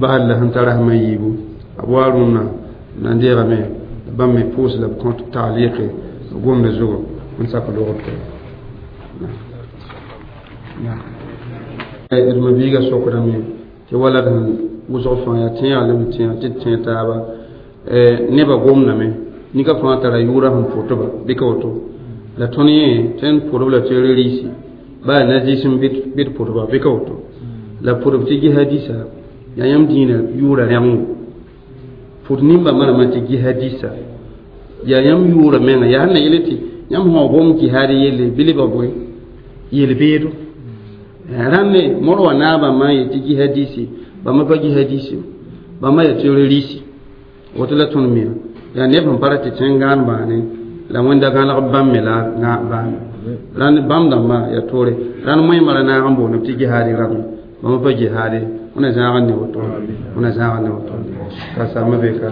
bahal la sẽn tara sẽn yiibu b wa rũnnã na n deegame bãmb me pʋʋs la b kõt taaliqe gomda zugu n sak logd d mabiiga sokdame tɩ wala d sẽn wʋsg fãa yaa tẽega la m tẽeg tɩ d tẽ taaba nebã gomdame nika fãa tara yʋʋra sẽn pʋtba bɩ ka woto la tõnd yẽ tõe n pʋdb la terrorisi baa nazism bɩ d pʋtba bɩ ka woto la pʋdb tɩ jihadisa yaa yãmb dĩinã yʋʋra rẽngo pʋd nimba manama tɩ jihadisa yaa yãmb yʋʋra menga yaa sẽn na yele tɩ yãmb sã gom jihaad yelle bɩ lebg bõe yel-beedo rãmbe mor wa naabã n yetɩ jihadisi bãmba pa jihadisi bãmba yaa terrorisi woto la tõnd mia yaa neb sẽn pa ra tɩ tẽn gãan bãane la wẽnda gãlg bãmb me la bãame rãnd bãmb dãmbã yaa toore rãnd moẽmã ra naag n boond tɩ jihaadi rãmbe bãmba pa jihaade wẽna zãag n ne woto wẽna zãag n ne woto ka samba be ka.